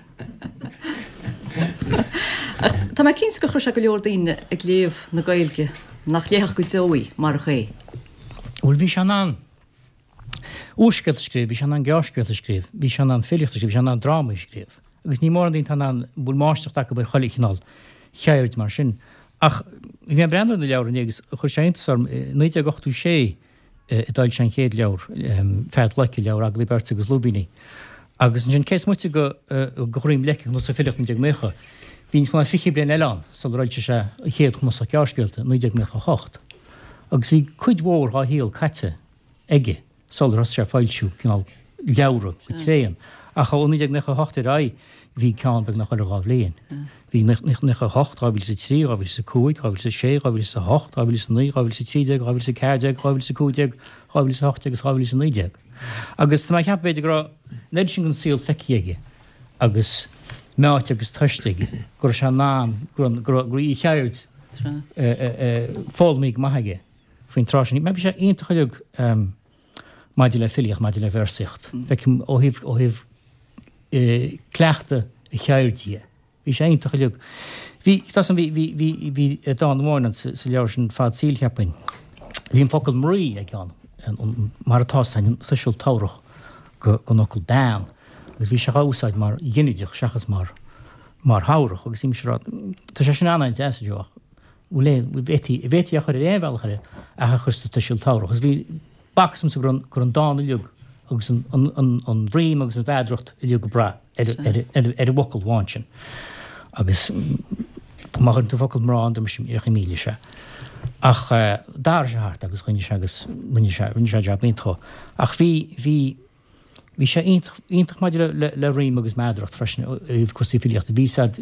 A: Ach tá mé cinnte gur chuir sé go leor daoine ag léamh na Gaeilge nach léifeadh go deo í marach é.
R: Bhuel, bhí sé in ann úrscéalta a scríobh, bhí sé in ann gearrscéalta a scríobh, bhí sé in ann filíocht a scríobh, bhí sé in ann drámaí a scríobh. Agus ní mórán daoine atá in ann, a bhfuil máistreacht acu ar chuile chineál cheird mar sin. Ach bhí mé ag breathnú ar na leabhair inné agus chuir sé iontas orm, i naoi déag ochtó sé, a d'fhoilsigh sé an chéad leabhar, Fead Leice, leabhar agallaimh beirte agus lúibíní. Agus ansin, cé is moite de Dhroim Leice, cnuasach filíochta naoi déag naocha, bhí níos mó ná fiche bliain eile ann sular fhoilsigh sé a chéad chnuasach gearrscéalta, naoi déag naocha a hocht. Agus bhí cuid mhór dhá shaol caite aige. sular thosaigh sé ag foilsiú cineál leabhra go tréan. Ach ó naoi déag naocha a hocht ar aghaidh bhí ceann beagnach chuile dhá bhliain. Bhí naocha a hocht, dhá mhíle is a trí, dhá mhíle is a cúig, dhá mhíle is a sé, dhá mhíle is a hocht, dhá mhíle is a naoi, dhá mhíle is a trí déag, dhá mhíle is a ceathair déag, dhá mhíle is a cúig déag, dhá mhíle is a hocht déag agus dhá mhíle is a naoi déag. Agus tá mé ag ceapadh b'fhéidir go raibh an oiread sin den saol feicthe aige agus meáite agus tomhaiste aige go raibh sé in ann, go raibh, go raibh a cheird foghlamtha go maith aige. faoin tráth sin. Bhí sé iontach uilig maidir le filíocht, maidir le véarsaíocht. Feicim ó thaobh, ó thaobh cleachtadh a cheirde dhe. Bhí sé iontach uilig. Bhí, tá san, bhí, bhí, bhí, bhí dán amháin ann sa, sa leabhar sin, Fad Saoil, cheapfainn. Bhí an focal mnaoi aige ann, mar atá sa tuiseal tabharthach den fhocal bean, agus bhí sé á úsáid mar ghinideach seachas mar mar thabharthach, agus bhí mise ag rá, tá sé sin an-deas, a Joe, ach bhfuil aon, bhféadfaí, bhféadfaí a chur ar aon bhealach eile ach a chur sa tuiseal tabharthach. Agus bhí, b'fhacthas domsa go raibh, go raibh an dán uilig agus an, an, an, an rím agus an mheadaracht uilig go breá ar, ar, ar, ar an bhfocal amháin sin. Agus má chuireann tú focal mná ann, dúirt mise, rachaidh míle sé. Ach d'athraigh sé thart agus choinnigh sé agus rinne sé, rinne sé jab iontach. Ach bhí, bhí, bhí sé iontach, iontach maidir le, le, le rím agus meadaracht freisin i gcúrsaí filíochta. Bhí siad,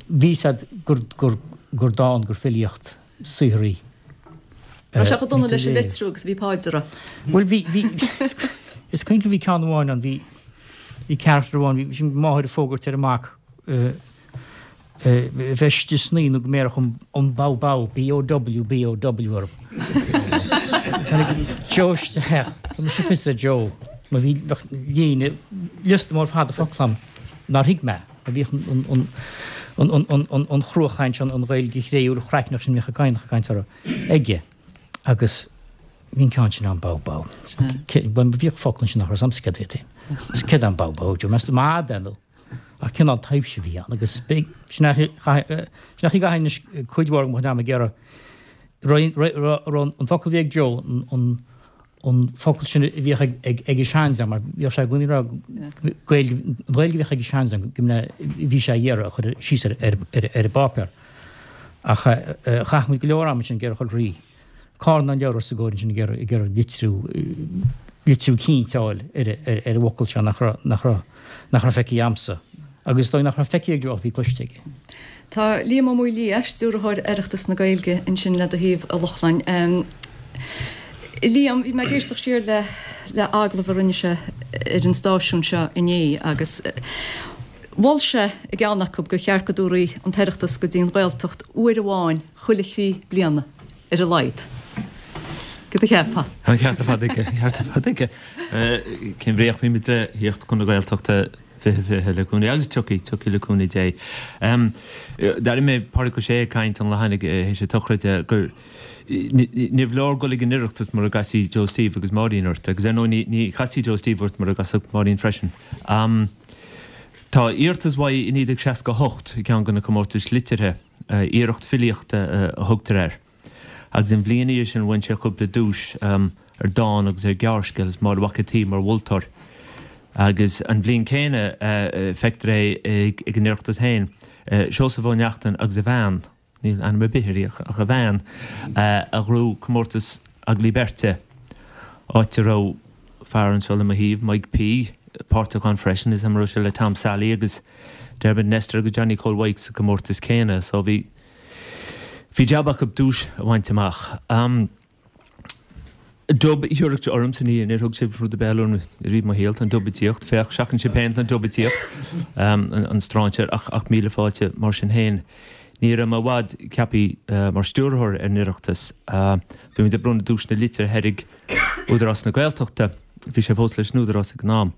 R: bhí siad gur, gur, gur dán, gur filíocht saothar í.
A: Raibh sé chomh dona leis an litriú agus a bhí Páid a rá.
R: Bhuel bhí, bhí, is cuimhin liom bhí ceann amháin ann, bhí, bhí carachtar amháin, bhí sin máthair ag fógairt ar a mac, bheith istigh san oíche nó go mbéarfadh an bow bow, B O W B O W orm. Tháinig Joe isteach, tá mise fios ar Joe, mar bhí líne, liosta mór fada focal agam nár thuig mé, mar bhíodh an chruachaint, an Ghaeilge chréúil chraicneach sin a bhíodh ag Cadhnach ag caint orthu aige agus bhí an ceann sin ann bow bow. Bhíodh focal ansin nach raibh 'fhios a'msa céard é. Agus céard é an bow bow, Joe, meas tú mad é nó? Ach cineál taibhse a bhí ann agus sin é an chaoi a gcaithfinn anois cuid mhór de mo chuid ama ag iarraidh an focal a bhí ag Joe, an an focal sin a bhíodh ag ag an seandream mar bhíodh sé i gcónaí ag rá Gaeilge, an Ghaeilge a bhíodh ag an seandream go mbeadh bhí sé ag iarraidh a chur síos ar ar ar an bpáipéar. Ach chaith muid go leor ama ansin ag iarraidh a chur thrí. Carnán leabhar os a gcomhair ansin ag iarraidh ag iarraidh litriú litriú cinnte a fháil ar ar ar an bhfocal seo nach raibh nach raibh nach raibh feicthe a'msa. Agus is dóigh nach raibh feicthe ag Joe ach bhí cloiste aige.
A: Tá Liam Ó Maolaodha, Stiúrthóir Oireachtas na Gaeilge, ansin le do thaobh, a Lochlainn. Liam, bhí mé ag éisteacht siar le le agallamh a rinne sé ar an stáisiún seo inné agus mhol sé i gceann acu gur cheart go dtabharfaí an tOireachtas go dtí an Ghaeltacht uair amháin chuile thrí bliana ar a laghad. Cad a cheapfá?
S: Tá an ceart ar fad aige, an ceart ar fad aige. Cén bhrí ach bímid le thíocht chun na Gaeltachta fiche fiche le cúnamh agus tiocfaidh, tiocfaidh le cúnamh Dé. D'airigh mé Pádraig Ó Sé ag caint an lá cheana théis an tsochraide gur níorbh leor dul ag an Oireachtas mura gcasfaí Joe Steve agus Máirín ort agus ar ndóigh ní ní chasfaí Joe Steve ort mura gcasfadh Máirín freisin. Tá iarratas uaidh i naoi déag seasca a hocht i gceann de na comórtais liteartha, iarracht filíochta a thugtar air. Agus an bhliain ina dhiaidh sin bhain sé cúpla duais ar dán agus ar ghearrscéal is Máire Mhac an tSaoi mar mholtóir. Agus an bhliain céanna feictear é ag an Oireachtas féin, Seosamh Ó Neachtain agus a bhean, níl ainm ar bith uirthi ach a bhean, a ghnóthaigh comórtas agallaimh beirte, áit a raibh fear anseo le mo thaobh, Mike P, páirteach ann freisin, is an raibh sé le Tom Sally agus Dermot Nestor agus Johnny Chóil Mhaidhc sa gcomórtas céanna. So bhí bhí jab acu duais a bhaint amach. Dub thiúrfadh ormsa ní níor thug sibh rud ar bith eile orm riamh i mo shaol, tá an dub ag tíocht, féach, seachain sibh féin, tá an dub ag tíocht, an stráinséir, ach ach míle fáilte mar sin féin. Ní raibh mé i bhfad ceaptha mar stiúrthóir ar an Oireachtas. Bhí muid ag bronnadh duaiseanna liteartha ar ag Údarás na Gaeltachta, bhí sé fós leis an Údarás ag an am.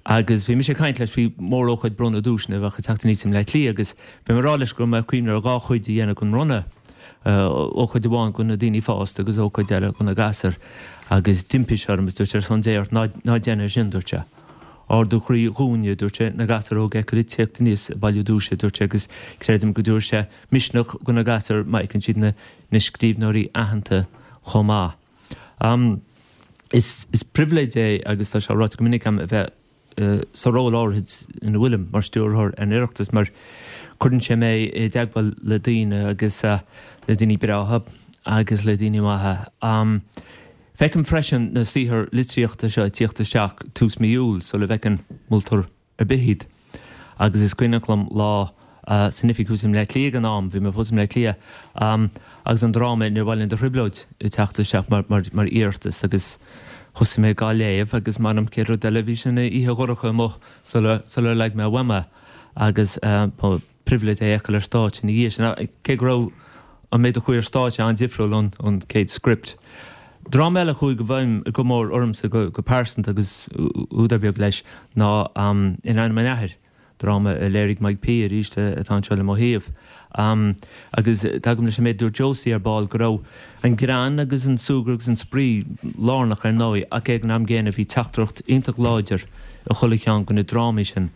S: Agus bhí mise ag caint leis faoi mórócáid bronnadh duaiseanna a bheadh ag teacht aníos i mBleá Cliath agus bhí mé ag rá leis go raibh mé ag cuimhneamh ar dhá chuid a dhéanamh den mbronnadh, ócáid amháin do na daoine fásta agus ócáid eile do na gasúir. Agus d'impigh sé orm agus dúirt sé ar son Dé ort ná ná déan é sin, dúirt sé. Ardú croí dhúinne, dúirt sé, na gasúir óga a fheiceáil ag tíocht aníos ag bailiú duaise, dúirt sé, agus creidim go dtabharfaidh sé misneach do na gasúir má fheiceann siad na na scríbhneoirí aitheanta chomh maith. Is pribhléid é, agus tá sé ráite go minic agam, a bheith sa ról áirithe ina bhfuilim mar stiúrthóir ar an Oireachtas mar cuireann sé mé i dteagmháil le daoine agus le daoine breátha agus le daoine maithe. Feicim freisin na saothair litríochta seo ag tíocht isteach tús mí Iúil sula bhfeiceann moltóir ar bith iad. Agus is cuimhneach liom lá san oifig thuas i mBleá Cliath ag an am, bhí mé fós i mBleá Cliath, agus an dráma Níor Mhaith Linn Do Thrioblóid ag teacht isteach mar mar iarratas agus thosaigh mé dhá léamh agus m'anam cén rud eile, bhí sé ina oíche dhorcha amuigh sula sular leag mé uaim é agus ba pribhléid é a fheiceáil ar stáitse ina dhiaidh sin, cé go raibh an méid a chuaigh ar stáitse an-difriúil ón ón chéad script. Dráma eile a chuaigh i bhfeidhm go mór ormsa go pearsanta agus údar beag leis ná In Ainm an Athar, Dráma a léirigh Mike P arís atá anseo le mo thaobh. Agus tagaim leis an méid a dúirt Josie ar ball go raibh an greann agus an súgradh agus an spraoi lárnach ar ndóigh ach ag an am gcéanna bhí teachtaireacht iontach láidir i chuile cheann de na drámaí sin.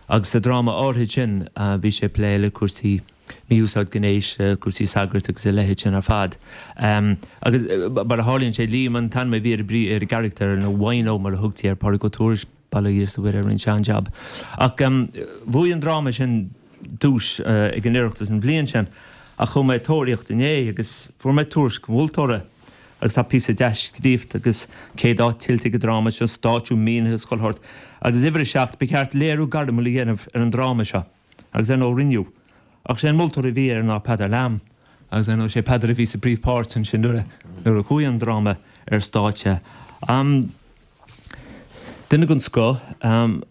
S: Agus sa dráma áirithe sin bhí sé ag plé le cúrsaí mí-úsáid gnéis, cúrsaí sagart agus a leithéid sin ar fad. Agus mar a tharlaíonn sé, Liam an t-ainm a bhí ar an gcarachtar, nó Wino mar a thugtaí air, Pádraig Ó Tuairisg, bail ó Dhia is a Mhuire air an sean-jab. Ach bhuaigh an dráma sin duais ag an Oireachtas an bhliain sin. Ach chuaigh mé ag tóraíocht inné agus fuair mé tuairisc an mholtóra agus tá píosa deas scríofa agus céad áit tuillte ag an dráma seo, stáitsiú mínithe is chuile shórt. Agus uimhir a seacht, ba cheart léiriú gairmiúil a dhéanamh ar an dráma seo. Agus ar ndóigh rinneadh. Ach sé an moltóir a bhí air ná Peadar Lamb. Agus ar ndóigh sé Peadar a bhí sa bpríomhpháirt ansin nuair a chuaigh an dráma ar stáitse. Duine den scoth,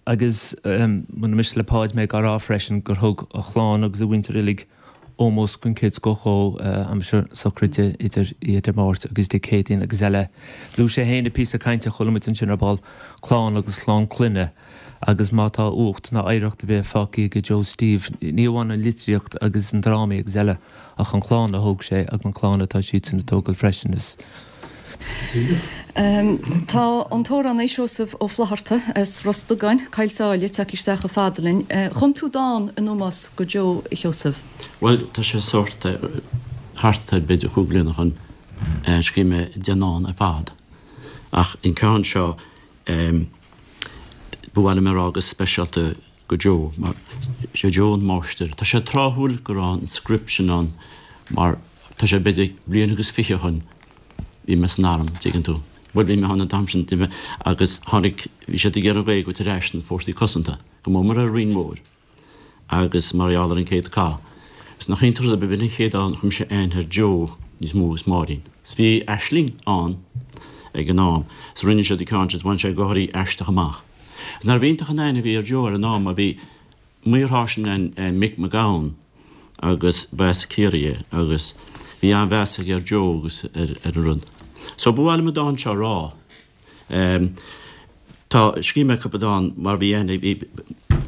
S: agus muna miste le Páid mé á rá freisin gur thug a chlann agus a mhuintir uilig ómós den chéad scoth dhó aimsir sochraide idir oíche Dé Máirt agus Dé Céadaoin agus eile. Luaigh sé féin i bpíosa cainte a chuala muid ansin ar ball, clann agus clann clainne agus má tá uacht ná oidhreacht ar bith fágtha aige Joe Steve, ní amháin an litríocht agus na drámaí agus eile ach an chlann a thóg sé agus an chlann atá siadsan ag tógáil freisin. Is.
A: Tá an t-amhránaí Seosamh Ó Flaithearta as Ros Dugáin, Coill Sáile, tagtha isteach chomh fada linn. Chum tú dán in ómós go Joe, a Sheosaimh.
T: Bhuel, tá sé sórt thart ar b'fhéidir cúig bliana ó shin, scríobh mé deich ndán ar fad. Ach an ceann seo, ba mhaith liom a rá go speisialta go Joe, mar sé Joe an máistir. Tá sé tráthúil go raibh an script sin ann mar tá sé b'fhéidir bliain agus fiche ó shin, Bhí mé san arm, tuigeann tú. Bhuel, bhí mé ann an t-am sin, bhí mé, agus tháinig, bhí siad ag iarraidh an Ghaeilge a thabhairt ar ais sna fórsaí cosanta, go mór mór ar an Rinn Mhór agus mar gheall ar an gcéad cath. Is nach iontach an rud é, b'in an chéad dán a chuir mise aithne ar Joe níos mó agus Máirín. 'S bhí Aisling ann ag an am, 's rinne siad an ceann sin, 's bhain sé gáirí aisteach amach. 'S nárbh iontach an aithne a bhí ar Joe ar an am, mar bhí maorsháirsint ann, Mick McGowan, agus ba as Ciarraí é agus bhí an-mheas aige ar Joe agus ar an rud. So ba mhaith liom an dán seo a rá. Tá, scríobh mé cúpla dán mar bhí aithne, bhí,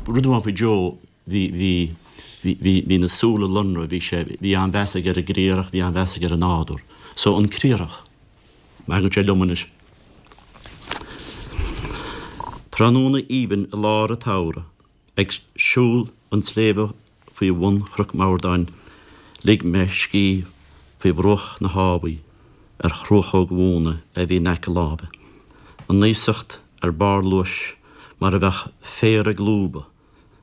T: rud amháin faoi Joe, bhí, bhí, bhí, bhí, bhí na súile lonrach, bhí sé, bhí an-mheas aige ar an gcriathrach, bhí an-mheas aige ar an nádúr. So an criathrach. Má thagann sé liom anois. Tráthnóna aoibhinn i lár an tsamhraidh. Ag siúl an tsléibhe faoi bhun Chnoc Mordáin lig mé scíth faoi bhruach na habha ar chruachóg mhóna a bhí in aice láimhe. An aosacht ar barr luais mar a bheadh féar ag lúbadh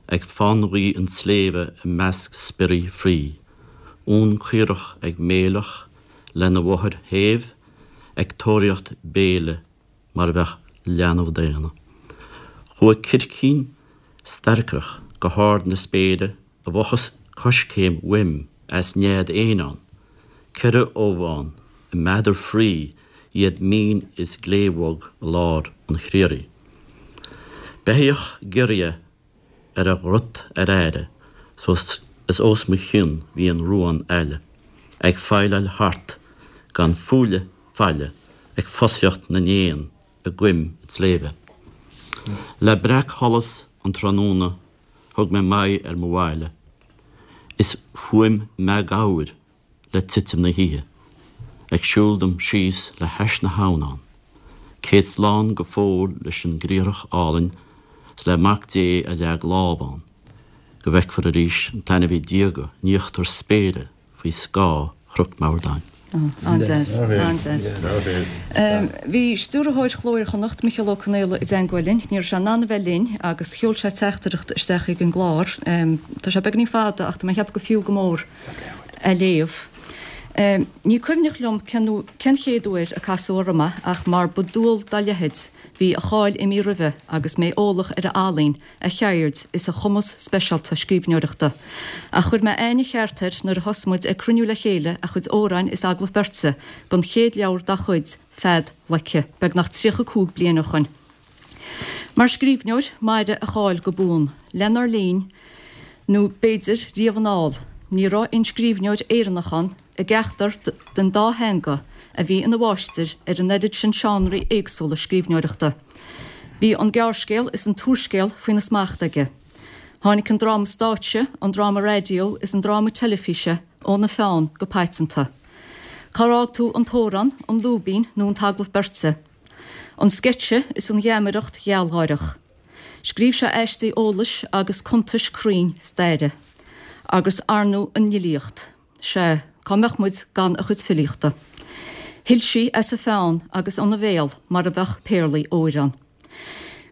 T: ag fánghaoth an tsléibhe i measc spioraí fraoigh. Uan caorach ag méileach lena mháthair shéimh ag tóraíocht béile mar a bheadh leanbh daonna. Chuaigh circín starraiceach go hard na spéire i bhfochair coiscéim uaim as nead éin ann, ceithre ubh ann i meadar fraoigh, iad mín is glébhog i lár an chriathraigh. Beithíoch giorria ar a ghrot ar aire is os mo chionn bhí an ruán aille ag feighlíocht thart gan fuaile faille ag fosaíocht na n-éan i gcoim an tsléibhe. Le breacsholas an tráthnóna thug mé m'aghaidh ar mo bhaile is fuaim m'ghabhair le titim na hoíche, ag siúl dom síos le hais na habhann ann. Céad slán go fóill leis an gcriathrach álainn 's le Mac Dé a leag lámh ann, go bhfeicfear arís an t-ainmhí diaga in íochtar spéire faoi scáth Chnoc Mordáin.
A: An-deas, an-deas. Bhí stiúrthóir Chló Iar-Chonnacht, Micheál Ó Conaola, i dteangmháil linn. Ní raibh sé in ann a bheith linn agus sheol sé teachtaireacht isteach chuig an gclár. Tá sé beagáinín fada ach tá mé ag ceapadh gur fiú go mór é a léamh. Ní cuimhneach liom cén chéad uair a casadh orm é ach mar ba dual dá leithéid, bhí a cháil imithe roimhe agus mé eolach ar a ealaín, a cheird is a chumas speisialta scríbhneoireachta. Ach chuir mé aithne cheart air nuair a thosaigh muid ag cruinniú le chéile a chuid amhráin is agallamh beirte don chéad leabhar dá chuid, Fead Leice, beagnach tríocha cúig bliain ó shoin. Mar scríbhneoir, mairfidh a cháil go buan. Lenár linn, nó b'fhéidir riamh anall, ní raibh aon scríbhneoir Éireannach ann, i gceachtar den dá theanga, a bhí ina mháistir ar an oiread sin seánraí éagsúla scríbhneoireachta. Bhí an gearrscéal is an t-úrscéal faoina smacht aige. Tháinig an dráma stáitse, an dráma raidió is an dráma teilifíse óna pheann go paiteanta. Cár fhág tú an t-amhrán, an lúibín nó an t-agallamh beirte? An sceitse is an gheamaireacht ghealgháireach. Scríobh sé aistí eolais agus cuntais cruinn staire. Agus ar ndóigh an fhilíocht. Sea, cá mbeadh muid gan a chuid filíochta? Shil sí as a pheann agus óna bhéal mar a bheadh péarlaí óir ann.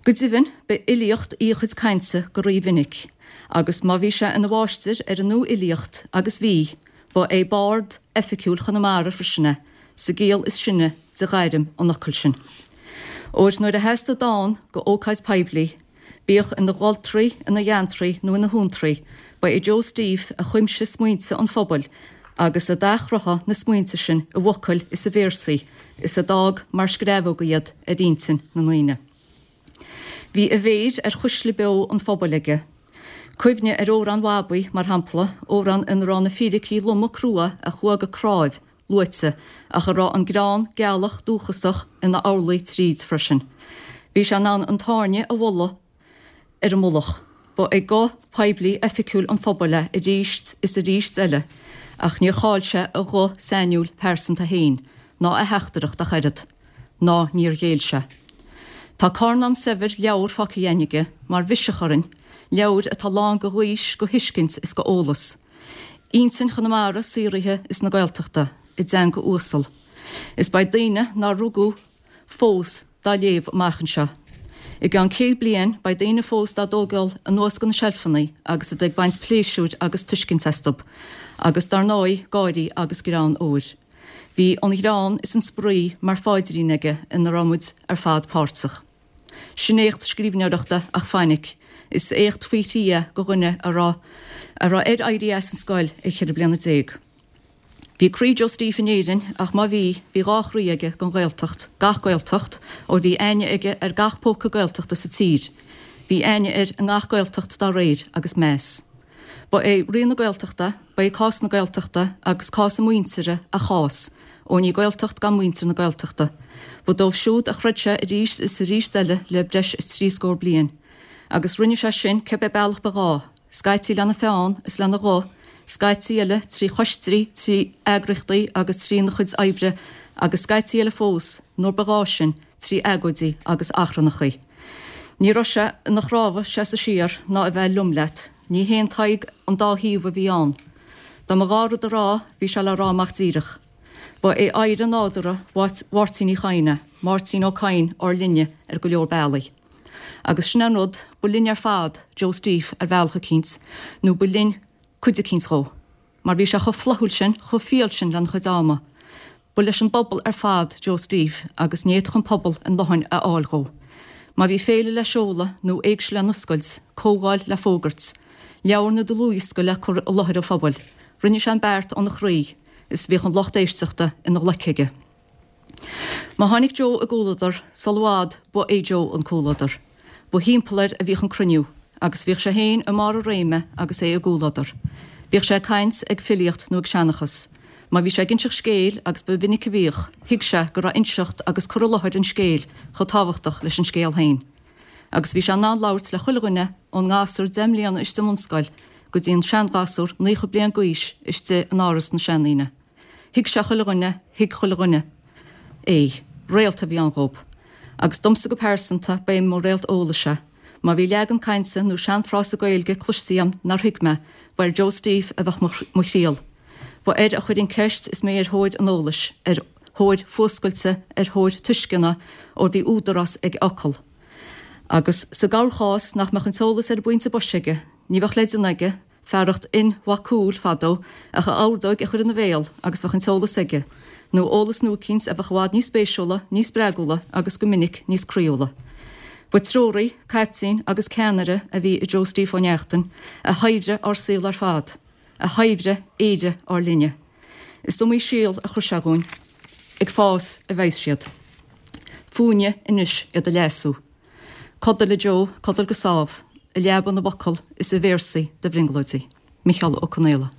A: Go deimhin, ba fhilíocht í a chuid cainte go rímhinic, agus má bhí sé ina mháistir ar an nuafhilíocht, agus bhí, ba é bard oifigiúil Chonamara freisin é, sa gciall is sine de ghairm an fhocail sin. Óir nuair a theastaigh dán go ócáid poiblí, bíodh ina gholtraí, ina gheantraí nó ina shuantraí, ba é Joe Steve a chuimsigh smaointe an phobail agus a d'athchruthaigh na smaointe sin i bhfocail is i véarsaí is a d'fhág mar screamhóga iad ar intinn na ndaoine. Bhí a mhéir ar chuisle beo an phobail aige. Cuimhnigh ar Amhrán Bhabaí, mar shampla, amhrán ina raibh na fíricí loma crua a chuaigh go cnáimh luaite ach a raibh an greann gealach dúchasach ina orlaí tríd freisin. Bhí sé in ann an tairne a mholadh ar an mullach. Ba é guth poiblí oifigiúil an phobail é arís is arís eile, ach níor chaill sé a ghuth sainiúil pearsanta féin, ná a theachtaireacht ach oiread. Ná níor ghéill sé. Tá carnán saibhir leabhar fágtha againn aige mar bhiseach orainn, leabhair atá lán go ghaois, go thuiscint is go eolas. Intinn Chonamara saothraithe is na Gaeltachta, i dteanga uasal. Is beidh daoine nár rugadh fós dá léamh amach anseo. I gceann céad bliain beidh daoine fós dá dtógáil anuas go na seilfeanna agus iad ag baint pléisiúir agus tuiscint astu, agus dar ndóigh gáirí agus greann óir. Bhí an greann is an spraoi mar phaidrín aige ina raibh muid ar fad páirteach. Sin éacht scríbhneoireachta ach fainic, is éacht faoi thrí é go dhuine a raibh a raibh air éirí as an scoil ag ceithre bliana déag. Bhí croí Joe Steve in Éirinn ach má bhí, bhí dhá chroí aige don Ghaeltacht, gach Gaeltacht, óir bhí aithne aige ar gach póca Gaeltachta sa tír. Bhí aithne air i ngach Gaeltacht dá réir agus meas. Ba é Rí na Gaeltachta, ba é cás na Gaeltachta agus cás a muintire a chás, óir ní Gaeltacht gan muintir na Gaeltachta. Ba dóibh siúd a throid sé arís is arís eile le breis is trí scór bliain. Agus rinne sé sin cibé bealach ba ghá, scaití lena pheann is lena ghuth, scaití eile trí choistí, trí eagraíochtaí agus trína chuid oibre agus scaití eile fós, nuair ba ghá sin, trí agóidí agus achrannachaí. Ní raibh sé ina chrábhadh seasamh siar ná a bheith liom leat, ní haon Tadhg an dá thaobh a bhí ann. Dá mba ghá rud a rá, bhí sé le rá amach díreach. Ba é oidhre nádúrtha Mháirtín Uí Chadhain é, Máirtín Ó Cadhain ár linne ar go leor bealaí. Agus sin é an rud, ba linn ar fad Joe Steve ar bhealach eicínt, nó ba linn cuid eicínt dhó. Mar bhí sé chomh flaithiúil sin, chomh fial sin lena chuid ama. Ba leis an bpobal ar fad Joe Steve agus ní fhéadfadh an pobal a ndóthain a fháil dhó. Má bhí féile le seoladh nó éigse le n-oscailt, comhdháil le fógairt, leabhar nó dlúthdhiosca le cur i láthair an phobail, rinne sé an beart óna chroí is bhíodh an lucht éisteachta ina ghlaic aige. Má tháinig Joe i gcomhluadar, sul i bhfad ba é Joe an comhluadar. Ba thimpeall air a bhíodh an cruinniú, agus bhíodh sé féin i mbarr a réime agus é i gcomhluadar. Bíodh sé ag caint, ag filíocht nó ag seanchas. Má bhí sé ag inseacht scéil, agus ba mhinic a bhíodh, thuig sé go raibh inseacht agus cur i láthair an scéil chomh tábhachtach leis an scéal féin. Agus bhí sé in ann labhairt le chuile dhuine, ón ngasúr deich mbliana istigh i mbunscoil go dtí an seanghasúr naocha bliain d'aois istigh in áras na seandaoine. Thuig sé chuile dhuine, thuig chuile dhuine é. Réalt a bhí ann dhób. Agus domsa go pearsanta, ba é mo réalt eolais é. Má bhí leagan cainte nó seanfhrása Gaeilge cloiste agam nár thuig mé, ba ar Joe Steve a bheadh mo thriall. Ba air a chuirfinn ceist is mé ar thóir an eolais, ar thóir fuascailte, ar thóir tuisceana, óir bhí údarás ag a fhocal. Agus sa gcorrchás nach mbeadh an t-eolas ar an bpointe boise aige, ní bheadh le déanamh aige, fearacht Fhinn Mhac Cumhaill fadó, ach a ordóg a chur ina bhéal agus bheadh an t-eolas aige, nó eolas nua eicínt a bheadh i bhfad níos spéisiúla, níos spreagúla agus go minic níos croíúla. Ba treoraí, caiptín agus ceannaire a bhí i Joe Steve Ó Neachtain, a shaibhrigh ár saol ar fad, a shaibhrigh Éire ár linne. Is iomaí síol a chuir sé dhúinn. Ag fás a bheas siad. Fúinne anois iad a leasú. Codail a Joe, codail go sámh, i leaba na bhfocal is i véarsaí do bhrionglóidí. Micheál Ó Conaola.